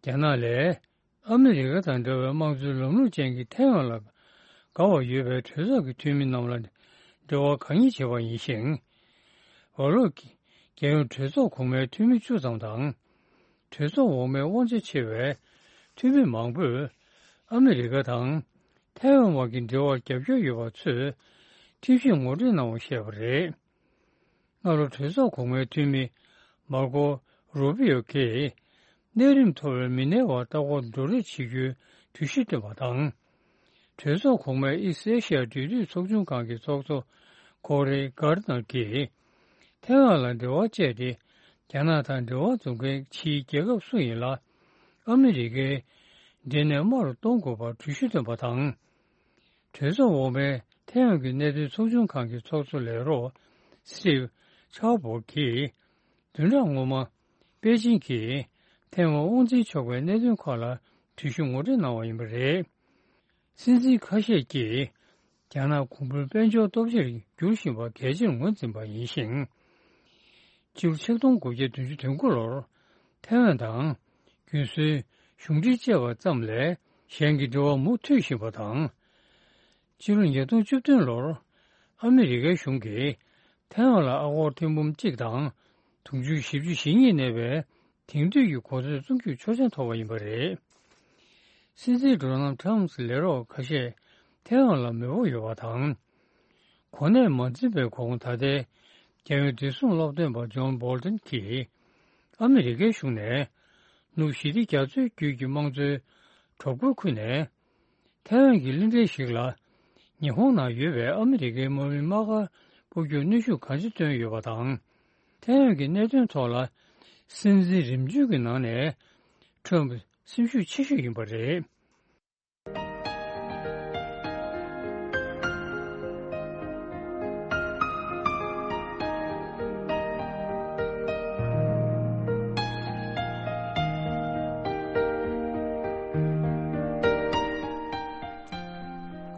རྒྱ་ནག་ལས། ཨ་མི་རི་ཀ་དང་འདྲ་བའི་དམངས་གཙོའི་ལམ་ལུགས་ཅན་གྱི་ཐའེ་ཝན་ལ་དགའ་བ་ཡོད་པའི་གྲོས་ཚོགས་ཀྱི་འཐུས་མི་རྣམས་ལ་འབྲེལ་བ་གང་ཡིན་བྱས་པ་ཡིན་ཞིང་། ཝ་ལོག་གིས་རྒྱལ་ཡོངས་གྲོས་ཚོགས་གོང་མའི་འཐུས་མི་བཅུ་ཙམ་དང་། གྲོས་ཚོགས་འོག་མའི་དབང་ཆ་ཆེ་བའི་འཐུས་མི་མང་པོས་ཨ་མི་རི་ཀ་དང་ཐའེ་ཝན་བར་གྱི་འབྲེལ་བར་རྒྱབ་སྐྱོར་ཡོད་པ་ཚོས་ཁྲིམས་ཞིབ་ངོ་སྤྲོད་གནང་བ་བཤད་པ་རེད། སྔ་ལོ་གྲོས་ཚོགས་གོང་མའི་འཐུས་མི་མར་ཀོ་རུ་པི་ཡོ་གིས་གནས་རིམ་མཐོ་བའི་མི་སྣའི་བར་ལྟ་སྐོར་བགྲོ་གླེང་བྱེད་རྒྱུའི་གྲོས་གཞི་བཏོན་པ་དང་། གྲོས་ཚོགས་གོང་མའི་ཨི་སི་ཨེ་ཤི་ཡ་འབྲེལ་མཐུད་ཚོགས་ཆུང་ཁང་གི་ཚོགས་གཙོ་ཀོ་རེ་གྷར་ནར་གྱིས་ཐའེ་ཝན་ལ་འབྲེལ་བ་བཅད་དེ། རྒྱ་ནག་དང་འབྲེལ་བ་འཛུགས་མཁན་ཕྱིའི་རྒྱལ་ཁབ་སུ་ཡིན་ལ་ཨ་མི་རི་ཀའི་འབྲེལ་གནས་དམའ་རུ་གཏོང་དགོས་པར་གྲོས་གཞི་བཏོན་པ་དང་། གྲོས་ཚོགས་འོག་མའི་ཐའེ་ཝན་གྱི་གནད་དོན་ཚོགས་ཆུང་ཁང་གི་ཚོགས་གཙོ་ལས་རོགས་སི་ཊིབ་ཆའོ་པོ་གིས། བདུན་ཕྲག་སྔོན་མ། པེ་ཅིང་གིས་ཐའེ་ཝན་དབང་འཛིན་ཆོག་པའི་གནད་དོན་ཁག་ལ་གྲོས་གཞི་ངོ་སྤྲོད་གནང་བ་ཡིན་པ་རེད། སྲིད་འཛིན་ཁ་ཤས་ཀྱིས། རྒྱ་ནག་གོང་བུ་དཔལ་འབྱོར་སྟོབས་ཆེར་འགྱུར་བཞིན་པ་གལ་ཆེར་ངོས་འཛིན་པ་ཡིན་ཞིང་། སྤྱི་ལོ་ཆིག་སྟོང་དགུ་བརྒྱ་བདུན་ཅུ་དོན་དགུ་ལོར་ཐའེ་ཝན་དང་རྒྱུན་སྲོལ་གཞུང་འབྲེལ་བཅད་པ་ཙམ་ལས་གཞན་གྱི་འབྲེལ་བ་མུ་མཐུད་བཞིན་པ་དང་། སྤྱི་ལོ་ཉིས་སྟོང་བཅུ་བདུན་ལོར་ཨ་མི་རི་ཀའི་གཞུང་གིས་ཐའེ་ཝན་ལ་ཨ་སྒོར་ཐེར་འབུམ་གཅིག་དང་དུང་ཕྱུར་བཞི་བཅུ་ཞེ་གཉིས་གནས་པའི་དེང་དུས་ཀྱི་གོ་མཚོན་བཙུགས་རྒྱུའི་ཆོག་མཆན་ཐོབ་པ་ཡིན་པ་རེད། སྲིད་འཛིན་ཌོ་ནལ་ཊམ་གྱི་ལས་རོགས་ཁ་ཤས་ཐའེ་ཝན་ལ་མེས་པོ་ཡོད་པ་དང་། གོ་གནས་མ་འཛིན་པའི་གོང་ད་ལྟའི་རྒྱལ་ཡོངས་བདེ་སྲུང་སློབ་སྟོན་པ་ཇོན་བྷོལ་ཏན་གྱིས་ཨ་མི་རི་ཀའི་གཞུང་ནས་ནུབ་ཞི་བདེ་རྒྱ་མཚོའི་རྒྱུད་ཀྱི་དམངས་གཙོའི་གྲོས་འགོ་ཁུར་ནས། ཐའེ་ཝན་གྱི་གླིང་ཕྲན་ཞིག་ལ་ཉི་ཧོང་ནང་ཡོད་པའི་ཨ་མི་རི་ཀའི་དམག་མིའི་དམག་སྒར་སྤོ་རྒྱུར་གནོན་ཤུགས་གང་ཆེ་བཏོན་ཡོད་པ་དང་། ཐའེ་ཝན་གྱི་གནད་དོན་ཐོག་ལ་སྲིད་འཛིན་རིམ་བྱོན་གྱི་ནང་ནས་ཁྲོམ་སེམས་ཤུགས་ཆེ་ཤོས་ཡིན་པ་རེད།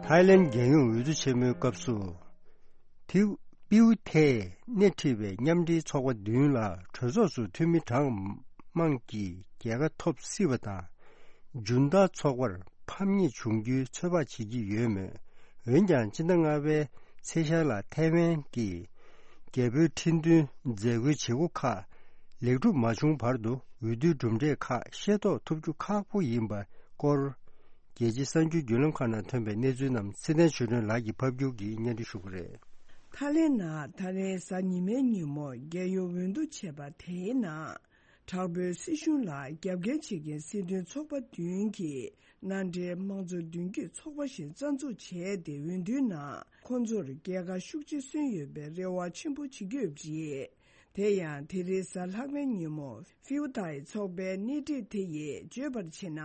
ཐའི་ལེན་རྒྱལ་ཡོངས་འོས་བསྡུ་ཆེན་མོའི་སྐབས་སུ། ཐིའུ་པིའུ་ཐེས་སྣེ་ཁྲིད་པའི་མཉམ་འབྲེལ་ཚོགས་པ་བདུན་ལ་གྲོས་ཚོགས་སུ་འཐུས་མི་གྲངས་མང་གིས་རྒྱལ་ཁ་ཐོབ་སྲིད་པ་དང་། ཇུན་ཏཱ་ཚོགས་པར་ཕམ་ཉེས་བྱུང་རྒྱུའི་ཚོད་དཔག་བྱེད་ཀྱི་ཡོད་མོད། འོན་ཀྱང་སྤྱི་ཟླ་ལྔ་པའི་ཚེས་ཤར་ལ་ཐའེ་ཝན་གྱི་རྒྱལ་པོའི་ཁྲི་འདོན་མཛད་སྒོའི་བྱེད་སྒོ་ཁག་ལེགས་གྲུབ་མ་བྱུང་བར་དུ་འོས་བསྡུའི་གྲུབ་འབྲས་ཁག་ཤེས་རྟོགས་ཐུབ་རྒྱུ་ཁག་པོ་ཡིན་པའི་སྐོར། རྒྱལ་སྤྱིའི་གསར་འགྱུར་བརྒྱུད་ལམ་ཁག་ནང་ཐོན་པའི་གནས་ཚུལ་རྣམས་ཚེ་བརྟན་ཆོས་སྒྲོན་ལགས་ཀྱིས་ཕབ་སྒྱུར་གྱིས་སྙན་སྒྲོན་ཞུ་གི་རེད། ཐའི་ལེན་ནང་ད་རེས་གཟའ་ཉི་མའི་ཉིན་མོ་རྒྱལ་ཡོངས་འོས་བསྡུ་བྱས་པ་དེའི་ནང་། དྲག་པོའི་སྲིད་གཞུང་ལ་རྒྱབ་འགལ་བྱེད་མཁན་སྲིད་དོན་ཚོགས་པ་བདུན་གྱིས་མནའ་འབྲེལ་དམངས་གཙོ་མདུན་སྐྱོད་ཚོགས་པ་ཞིག་རྩ་འཛུགས་བྱས་ཏེ། འོས་བསྡུའི་ནང་ཁོང་ཚོར་རྒྱལ་ཁ་ཤུགས་ཆེ་སོན་ཡོད་པའི་རེ་བ་ཆེན་པོ་བྱེད་ཀྱི་ཡོད་པ་རེད། དེ་ཡང་དེ་རིང་གཟའ་ལྷག་པའི་ཉིན་མོ་ཧྥིའུ་ཐའི་ཚོགས་པའི་སྣེ་ཁྲིད་དེ་ཡིས་བརྗོད་པར་བྱས་ན།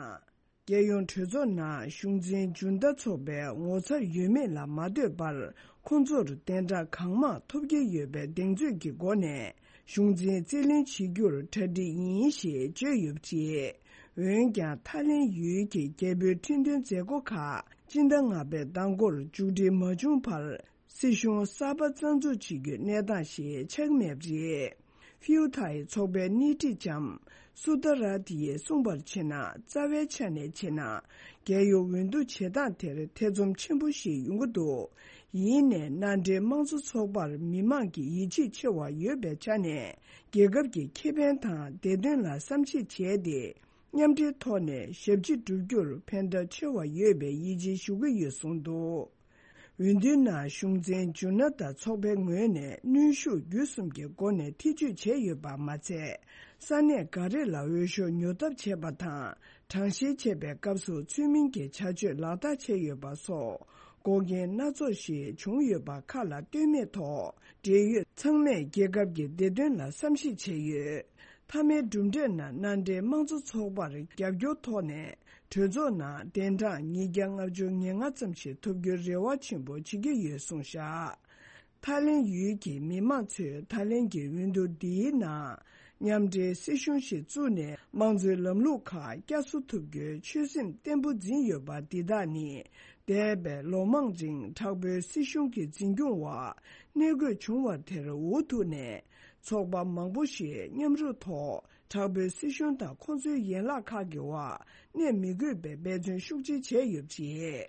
རྒྱལ་ཡོངས་གྲོས་ཚོགས་ནང་གཞུང་འཛིན་ཇུན་ཏཱ་ཚོགས་པའི་ངོ་མཚར་ཡོད་མེད་ལ་མ་ལྟོས་པར། ཁོང་ཚོར་གདན་འདྲ་གང་མང་ཐོབ་ཀྱི་ཡོད་པའི་གདེང་ཚོད་ཀྱི་སྒོ་ནས་གཞུང་འཛིན་རྩིས་ལེན་བྱེད་རྒྱུར་གྲ་སྒྲིག་ཡིན་ཞེས་བརྗོད་ཡོད་པ་རེད། འོན་ཀྱང་ཐའི་ལེན་ཡུལ་གྱི་རྒྱལ་པོའི་ཁྲི་འདོན་མཛད་སྒོ་ཁག་སྤྱི་ཟླ་ལྔ་པའི་ཟླ་འགོར་མཇུག་སྒྲིལ་མ་བྱུང་བར། སྲིད་གཞུང་གསར་པ་རྩ་འཛུགས་བྱེད་རྒྱུའི་གནས་སྟངས་ཤིག་ཆགས་མེད་པ་རེད། ཧྥིའུ་ཐའི་ཚོགས་པའི་སྣེ་ཁྲིད་ལྕམ་སུ་ཏ་ར་ཏི་ཡིས་གསུངས་པར་བྱས་ན། རྩ་བའི་ཆ་ནས་བྱས་ན། རྒྱལ་ཡོངས་འོས་བསྡུ་བྱེད་སྟངས་དེར་ཐེ་ཚོམ་ཆེན་པོ་ཞིག་ཡོང་གི་འདུག་ཡིན་ནའི་མནའ་འབྲེལ་དམངས་གཙོ་ཚོགས་པར་མི་མང་གི་ཡིད་ཆེས་ཆེ་བ་ཡོད་པའི་ཆ་ནས། རྒྱལ་ཁབ་ཀྱི་ཁེ་ཕན་དང་བདེ་དོན་ལ་བསམ་གཞིག་བྱས་ཏེ། མཉམ་འབྲེལ་ཐོག་ནས་ཞབས་ཕྱི་བསྒྲུབ་རྒྱུར་ཕན་ཐོགས་ཆེ་བ་ཡོད་པའི་ཡིད་ཆེས་ཞུ་གི་ཡོད་གསུངས་འདུག་འོས་བསྡུའི་ནང་གཞུང་འཛིན་ཇུ་ན་ཏཱ་ཚོགས་པའི་ངོས་ནས་གནོན་ཤུགས་བརྒྱུད་གསུམ་གྱི་སྒོ་ནས་ཐེ་བྱུས་བྱས་ཡོད་པ་མ་ཚད། ས་གནས་འགའ་རེ་ལ་འོས་ཤོག་ཉོ་ཐབས་བྱས་པ་དང་། གྲངས་བཤེར་བྱེད་པའི་སྐབས་སུ་ཚུལ་མིན་གྱི་བྱ་སྤྱོད་ལག་བསྟར་བྱས་ཡོད་པ་སོགས་འགོག་རྐྱེན་སྣ་ཚོགས་ཤིག་བྱུང་ཡོད་པ་ཁ་ལ་ལྟོས་མེད་ཐོག་འབྲེལ་ཡོད་ཚང་མས་རྒྱལ་ཁབ་ཀྱི་བདེ་དོན་ལ་བསམ་གཞིག་བྱས་ཡོད། མཐའ་མའི་གྲུབ་འབྲས་ནང་མནའ་འབྲེལ་དམངས་གཙོ་ཚོགས་པར་རྒྱབ་སྐྱོར་ཐོག་ནས་གྲོས་ཚོགས་ནང་གདན་གྲངས་ཉིས་བརྒྱ་ལྔ་བཅུ་ང་ལྔ་ཙམ་ཞིག་ཐོབ་རྒྱུའི་རེ་བ་ཆེན་པོ་བྱེད་ཀྱི་ཡོད་གསུངས་བཞག་ཐའི་ལེན་ཡུལ་གྱི་མི་མང་ཚོས་ད་ལན་གྱི་འོས་བསྡུ་འདིའི་ནང་མཉམ་འབྲེལ་སྲིད་གཞུང་ཞིག་བཙུགས་ནས་དམངས་གཙོའི་ལམ་ལུགས་ཁག་བསྐྱར་གསོ་ཐུབ་རྒྱུའི་ཆོད་སེམས་བརྟན་པོ་འཛིན་ཡོད་པ་འདི་དག་ནི། འདས་པའི་ལོ་མང་རིང་དྲག་པོའི་སྲིད་གཞུང་གི་འཛིན་སྐྱོང་འོག་གནས་དགོས་བྱུང་བ་དེར་འུ་ཐུག་ནས། ཚོགས་པ་མང་པོ་ཞིག་མཉམ་རུབ་ཐོག་ དྲག་པོའི་སྲིད་གཞུང་དང་ཁོང་ཚོའི་ཡན་ལག་ཁག་གི་འོག་གནས་མི་དགོས་པའི་འབད་བརྩོན་ཤུགས་ཆེ་བྱས་ཡོད་པ་རེད།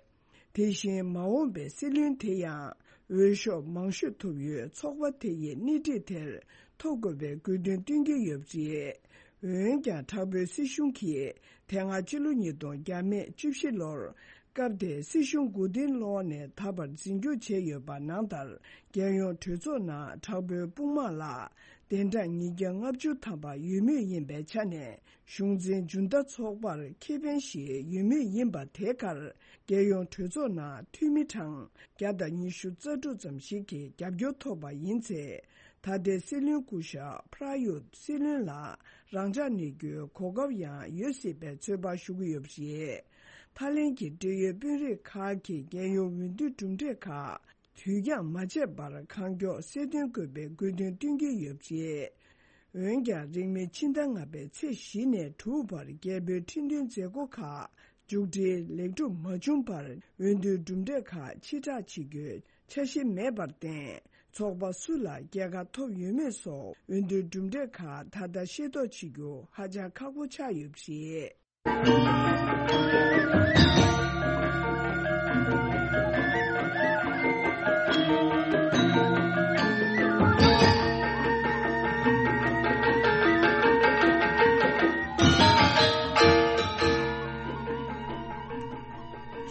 དེ་བཞིན་མ་འོངས་པའི་སྲིད་བློན་དེ་ཡང་འོས་ཤོག་མང་ཤོས་ཐོབ་ཡོད་ཚོགས་པ་དེ་ཡི་སྣེ་ཁྲིད་དེར་ཐོབ་དགོས་པའི་དགོས་འདུན་བཏོན་གྱི་ཡོད་པ་རེད། འོན་ཀྱང་། དྲག་པོའི་སྲིད་གཞུང་གིས་དེ་སྔ་ཕྱི་ལོ་ཉིས་སྟོང་བརྒྱ་མེད་བཅུ་བཞི་ལོར་སྐབས་དེའི་སྲིད་གཞུང་མགོ་རྟིང་སློག་ནས་ད་བར་འཛིན་སྐྱོང་བྱས་ཡོད་པ་ནང་ལྟར། རྒྱལ་ཡོངས་གྲོས་ཚོགས་ནང་དྲག་པོའི་དཔུང་དམག་ལ་གདན་གྲངས་ཉིས་བརྒྱ་ལྔ་བཅུ་ཐམ་པ་ཡོད་མུས་ཡིན་པའི་ཆ་ནས། གཞུང་འཛིན་ཇུན་ཏ་ཚོགས་པར་ཁེ་ཕན་ཞིག་ཡོད་མུས་ཡིན་པ་དེ་གར། རྒྱལ་ཡོངས་གྲོས་ཚོགས་ནང་འཐུས་མི་གྲངས་བརྒྱ་དང་ཉི་ཤུ་རྩ་དྲུག་ཙམ་ཞིག་གིས་རྒྱབ་སྐྱོར་ཐོབ་པ་ཡིན་ཚེ། ད་ལྟའི་སྲིད་བློན་སྐུ་ཞབས་པྲ་ཡུད་སྲིད་བློན་ལ་རང་འཇགས་གནས་རྒྱུའི་གོ་སྐབས་ཡང་ཡོད་སྲིད་པའི་ཚོད་དཔག་ཞུ་གི་ཡོད་པ་རེད། ཐའི་ལེན་གྱི་འབྲེལ་ཡོད་དཔོན་རིགས་ཁག་གིས་རྒྱལ་ཡོངས་འོས་བསྡུ་གྲུབ་འབྲས་ཁག་དུས་འགྱངས་མ་བྱས་པར་གང་མགྱོགས་གསལ་སྟོན་དགོས་པའི་དགོས་འདུན་བཏོན་གྱི་ཡོད་པ་རེད། འོན་ཀྱང་། རིང་མིན་ཕྱི་ཟླ་ལྔ་པའི་ཚེས་བཞི་ནས་དྲུག་བར་རྒྱལ་པོའི་ཁྲི་འདོན་མཛད་སྒོ་ཁག་མཇུག་སྒྲིལ་ལེགས་གྲུབ་མ་བྱུང་བར། འོས་བསྡུའི་གྲུབ་འབྲས་ཁག་ཕྱིར་བསྒྲགས་བྱེད་རྒྱུའི་འཆར་གཞི་མེད་པར་བརྟེན། ཚོགས་པ་སུ་ལ་རྒྱལ་ཁ་ཐོབ་ཡོད་མེད་སོགས་འོས་བསྡུའི་གྲུབ་འབྲས་ཁག་ད་ལྟ་ཤེས་རྟོགས་བྱེད་རྒྱུ་ཧ་ཅང་ཁག་པོ་ཆགས་ཡོད་པ་རེད།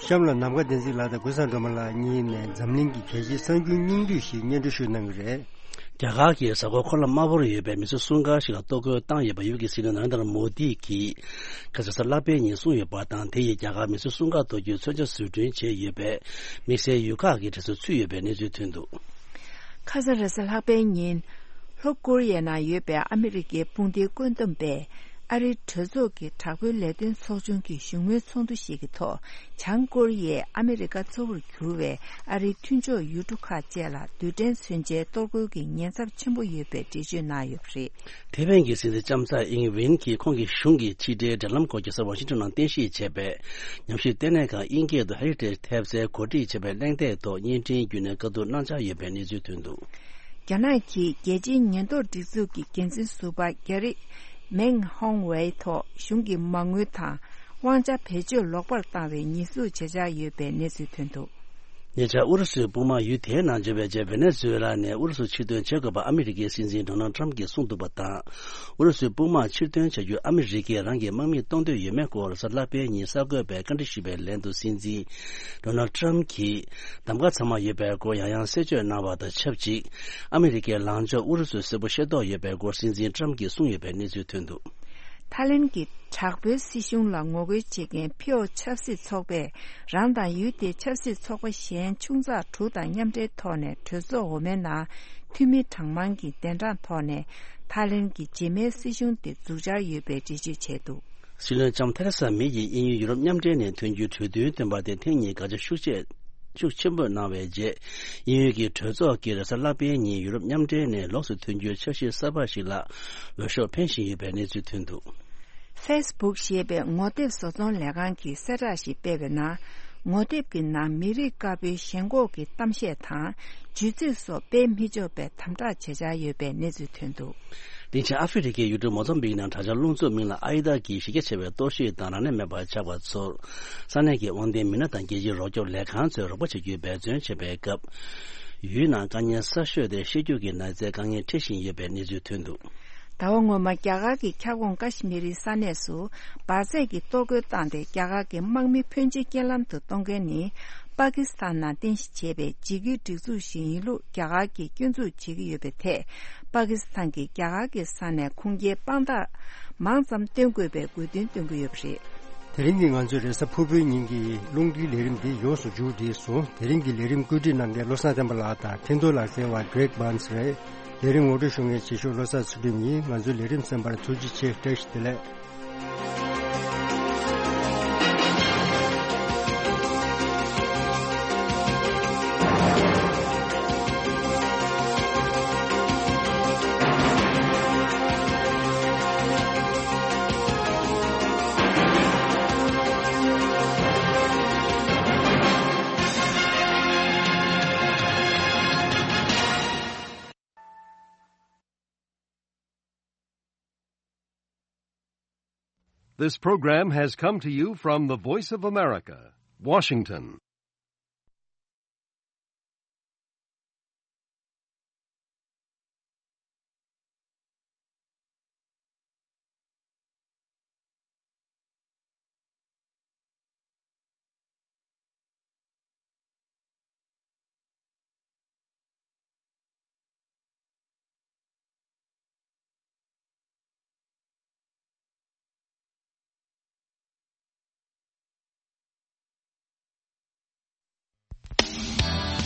གཤམ་ལ་ནམ་མཁའ་བསྟན་འཛིན་ལགས་དང་ཀུན་བཟང་སྒྲོལ་མ་ལགས་གཉིས་ནས་འཛམ་གླིང་གི་གལ་ཆེའི་གསར་འགྱུར་སྙིང་བསྡུས་ཤིག་སྙན་སྒྲོན་ཞུ་གནང་གི་རེད། རྒྱ་གར་གྱི་གཟའ་འཁོར་འཁོར་ལམ་དམར་པོར་ཡོད་པའི་མི་ཚེ་སྲུང་སྐར་ཞིག་ལ་གཏོར་རྒོལ་བཏང་ཡོད་པ་ཡུལ་གྱི་སྲིད་བློན་ན་རེན་དར་མོ་དི་གིས་ཁ་སང་གཟའ་ལྷག་པའི་ཉིན་གསུངས་ཡོད་པ་དང་། དེ་ཡིས་རྒྱ་གར་མི་ཚེ་སྲུང་སྐར་གཏོར་རྒྱུའི་མཚོན་ཆ་བཟོ་སྐྲུན་བྱས་ཡོད་པའི་དམིགས་བསལ་ཡུལ་ཁག་གི་གྲས་སུ་ཚུད་ཡོད་པའི་གནས་ཚུལ་ཐོན་འདུག་ཁ་སང་རེས་གཟའ་ལྷག་པའི་ཉིན། ལྷོ་ཀོ་རི་ཡའི་ནང་ཡོད་པའི་ཨ་མི་རི་ཀའི་དཔུང་སྡེའི་བཀོད་འདོམས་པས། ཨ་རིའི་གྲོས་ཚོགས་ཀྱི་དྲག་པོའི་ལས་དོན་ཚོགས་ཆུང་གི་བཞུགས་མོལ་ཚོགས་འདུ་ཞིག་གི་ཐོག་བྱང་ཀོ་རི་ཡས་ཨ་མི་རི་ཀ་གཙོ་བོར་གྱུར་བའི་ཨ་རིའི་མཐུན་ཕྱོགས་ཡུལ་གྲུ་ཁག་བཅས་ལ་རྡུལ་ཕྲན་མཚོན་ཆའི་གཏོར་རྒོལ་གྱི་ཉེན་ཚབས་ཆེན་པོ་ཡོད་པའི་འགྲེལ་བརྗོད་གནང་ཡོད་པ་རེད། ཐེ་ཝན་གྱི་སྲིད་འཛིན་ལྕམ་ཚའེ་ཨིང་ཝེན་གྱིས་ཁོང་གི་གཞུང་གི་ཕྱི་འབྲེལ་འབྲེལ་ལམ་སྐོར་གྱི་གཟའ་ཝ་ཤིང་ཏོན་ནང་རྟེན་གཞི་བྱས་པའི་ཉམས་ཞིབ་ལྟེ་གནས་ཁང་དབྱིན་སྐད་དུ་Heritage ཐེབས་རྩའི་གོ་སྒྲིག་བྱས་པའི་གླེང་སྟེགས་ཐོག་བརྙན་འཕྲིན་བརྒྱུད་ནས་བཀའ་བསྡུར་གནང་འཆར་ཡོད་པའི་གནས་ཚུལ་ཐོན་འདུག་རྒྱ་ནག་གི་རྒྱལ་སྤྱིའི་ཉེན་རྟོག་སྒྲིག་འཛུགས་ཀྱི་འགན་འཛིན་ཟུར་པ་གྷེ་རི་མེང་ཧོང་ཝེའི་ཐོག་གཞུང་གི་མ་དངུལ་དང་དབང་ཆ་བེད་སྤྱོད་ལོག་པར་བཏང་བའི་ཉེས་འཛུགས་བྱེད་འཆར་ཡོད་པའི་གནས་ཚུལ་ཐོན་འདུག་ཉེ་ཆར་ཨུ་རུ་སུའི་དཔུང་དམག་ཡུལ་དེའི་ནང་འབྱོར་བའི་རྗེས། ཝེ་ནེ་ཛུ་ཝེ་ལ་ནས་ཨུ་རུ་སུ་ཕྱིར་འདོན་བྱེད་དགོས་པ་ཨ་མི་རི་ཀའི་སྲིད་འཛིན་ཌོ་ནལ་ཊམ་གྱིས་གསུངས་འདུག་པ་དང་། ཨུ་རུ་སུའི་དཔུང་དམག་ཕྱིར་འདོན་བྱ་རྒྱུར་ཨ་མི་རི་ཀས་རང་གི་དམག་མི་གཏོང་འདོད་ཡོད་མེད་སྐོར་གཟའ་ལྷག་པའི་ཉིན་གསར་འགོད་པས་བཀའ་འདྲི་ཞུས་པའི་ལན་དུ། སྲིད་འཛིན་ཌོ་ནལ་ཊམ་གྱིས་གདམ་ག་ཚང་མ་ཡོད་པའི་སྐོར་ཡང་ཡང་གསལ་བརྗོད་གནང་བ་དང་ཆབས་ཅིག་ཨ་མི་རི་ཀའི་ལངས་ཕྱོགས་ཨུ་རུ་སུར་གསལ་པོ་ཤེས་རྟོགས་ཡོད་པའི་སྐོར་སྲིད་འཛིན་ཊམ་གྱིས་གསུངས་ཡོད་པའི་གནས་ཚུལ་ཐོན་འདུག་ཐའི་ལེན་གྱི་དྲག་པོའི་སྲིད་གཞུང་ལ་ངོ་རྒོལ་བྱེད་མཁན་ཕིའོ་ཆབ་སྲིད་ཚོགས་པས་རང་དང་ཡུལ་དེའི་ཆབ་སྲིད་ཚོགས་པ་གཞན་ཆུང་ཙག་དྲུག་དང་མཉམ་འབྲེལ་ཐོག་ནས་གྲོས་ཚོགས་འོག་མའི་ནང་འཐུས་མི་གྲངས་མང་གི་གདན་གྲངས་ཐོག་ནས་ཐའི་ལེན་གྱི་རྗེས་མའི་སྲིད་གཞུང་དེ་འཛུགས་འཆར་ཡོད་པའི་འགྲེལ་བརྗོད་བྱས་འདུག་སྲིད་བློན་ལྕམ་ཐེ་རེ་ས་མེ་ཡིས་དབྱིན་ཡུལ་ཡུ་རོབ་མཉམ་འབྲེལ་ནས་ཐོན་རྒྱུའི་གྲོས་མཐུན་བཏོན་པ་དེ་ཐེངས་གཉིས་དགག་བྱ་ཤུགས་ཆེ་ཤུགས་ཆེན་པོ་གནང་བའི་རྗེས། དབྱིན་ཡུལ་གྱི་གྲོས་ཚོགས་ཀྱིས་རེས་གཟའ་ལྷག་པའི་ཉིན་ཡུ་རོབ་མཉམ་འབྲེལ་ནས་ལོགས་སུ་ཐོན་རྒྱུའི་འཆར་གཞི་གསར་པ་ཞིག་ལ་འོས་ཤོག་འཕེན་བཞིན་ཡོད་པའི་གནས་ཚུལ་ཐོན་འདུག །ཧྥེ་སི་བུག་ཞེས་པའི་ངོ་དེབ་བཟོ་ཚོང་ལས་ཁང་གིས་གསལ་བསྒྲགས་ཤིག་སྤེལ་བའི་ནང་། ངོ་དེབ་ཀྱི་ནང་མི་རིགས་དཀར་པོའི་ཞེན་ཁོག་གི་གཏམ་བཤད་དང་། ཇུས་ཚིག་སོགས་སྤེལ་མི་ཆོག་པའི་དམ་དྲག་བྱེད་འཆར་ཡོད་པའི་གནས་ཚུལ་ཐོན་འདུག །དེང་ཕྱིན་ཨ་ཧྥེ་རི་ཁའི་ཡུལ་གྲུ་མོ་ཛམ་བིག་ནང་དྲག་ཆར་རླུང་འཚུབ་མིང་ལ་ཨའི་ད་ཀྱིས་གཞི་རྒྱ་ཆེ་བའི་གཏོར་བཤིག་དང་རང་མནན་མེད་པར་ཆགས་པ་ཚོར། ས་གནས་ཀྱི་དབང་ལྡན་མི་སྣ་དང་རྒྱལ་སྤྱིའི་རོགས་སྐྱོབ་ལས་ཁང་ཚོས་རོགས་པ་བྱ་རྒྱུའི་འབད་བརྩོན་བྱེད་པའི་སྐབས། ཡུལ་ནང་དཀའ་ངལ་གསར་ཤོས་དེ་ཤེད་སྐྱོ་གི་ན་ཚའི་དཀའ་ངལ་འཕྲད་བཞིན་ཡོད་པའི་གནས་ཚུལ་ཐོན་འདུག་ཟླ་བ་སྔོན་མ་རྒྱ་གར་གྱི་ཁྱབ་ཁོངས་ཀ་ཤི་མི་རི་ས་གནས་སུ་འབར་རྫས་ཀྱི་གཏོར་རྒོལ་བཏང་སྟེ། རྒྱ་གར་གྱི་དམག་མི་ཕོན་ཆེ་རྐྱེན་ལམ་དུ་གཏོང་མཁན་ནི། པ་ཀི་སི་ཐན་ནང་རྟེན་གཞི་བྱས་པའི་འཇིགས་སྐུལ་སྒྲིག་འཛུགས་ཤིག་ཡིན་ལུགས་རྒྱ་གར་གྱིས་སྐྱོན་འཛུགས་བྱེད་ཀྱི་ཡོད་པའི་ཐད། པ་ཀི་སི་ཐན་གྱིས་རྒྱ་གར་གྱི་ས་ནས་ཁུངས་སྐྱེལ་དཔང་རྟགས་མང་ཙམ་སྟོན་དགོས་པའི་དགོས་འདུན་བཏོན་གྱི་ཡོད་པ་རེད། དེ་རིང་གི་ང་ཚོའི་རེས་གཟའ་ཕུར་བུའི་ཉིན་གྱི་རླུང་འཕྲིན་ལས་རིམ་འདི་ཡོངས་སུ་མཇུག་བསྒྲིལ་སོང་། དེ་རིང་གི་ལས་རིམ་བཀོད་སྒྲིག་གནང་མཁན་བློ་བཟང་བསྟན་པ་ལགས་དང་འཕྲིན་གཏོང་ལག་རྩལ་བ་Greg Barnes རེད། ལས་རིམ་ངོ་སྤྲོད་ཞུ་མཁན་ཆེ་ཤོས་བློ་བཟང་ཚུལ་ཁྲིམས་ཡིན། ང་ཚོའི་ལས་རིམ་གསན་པར་ཐུགས་རྗེ་ཆེ། བཀྲ་ཤིས་བདེ་ལེགས། This program has come to you from the Voice of America, Washington.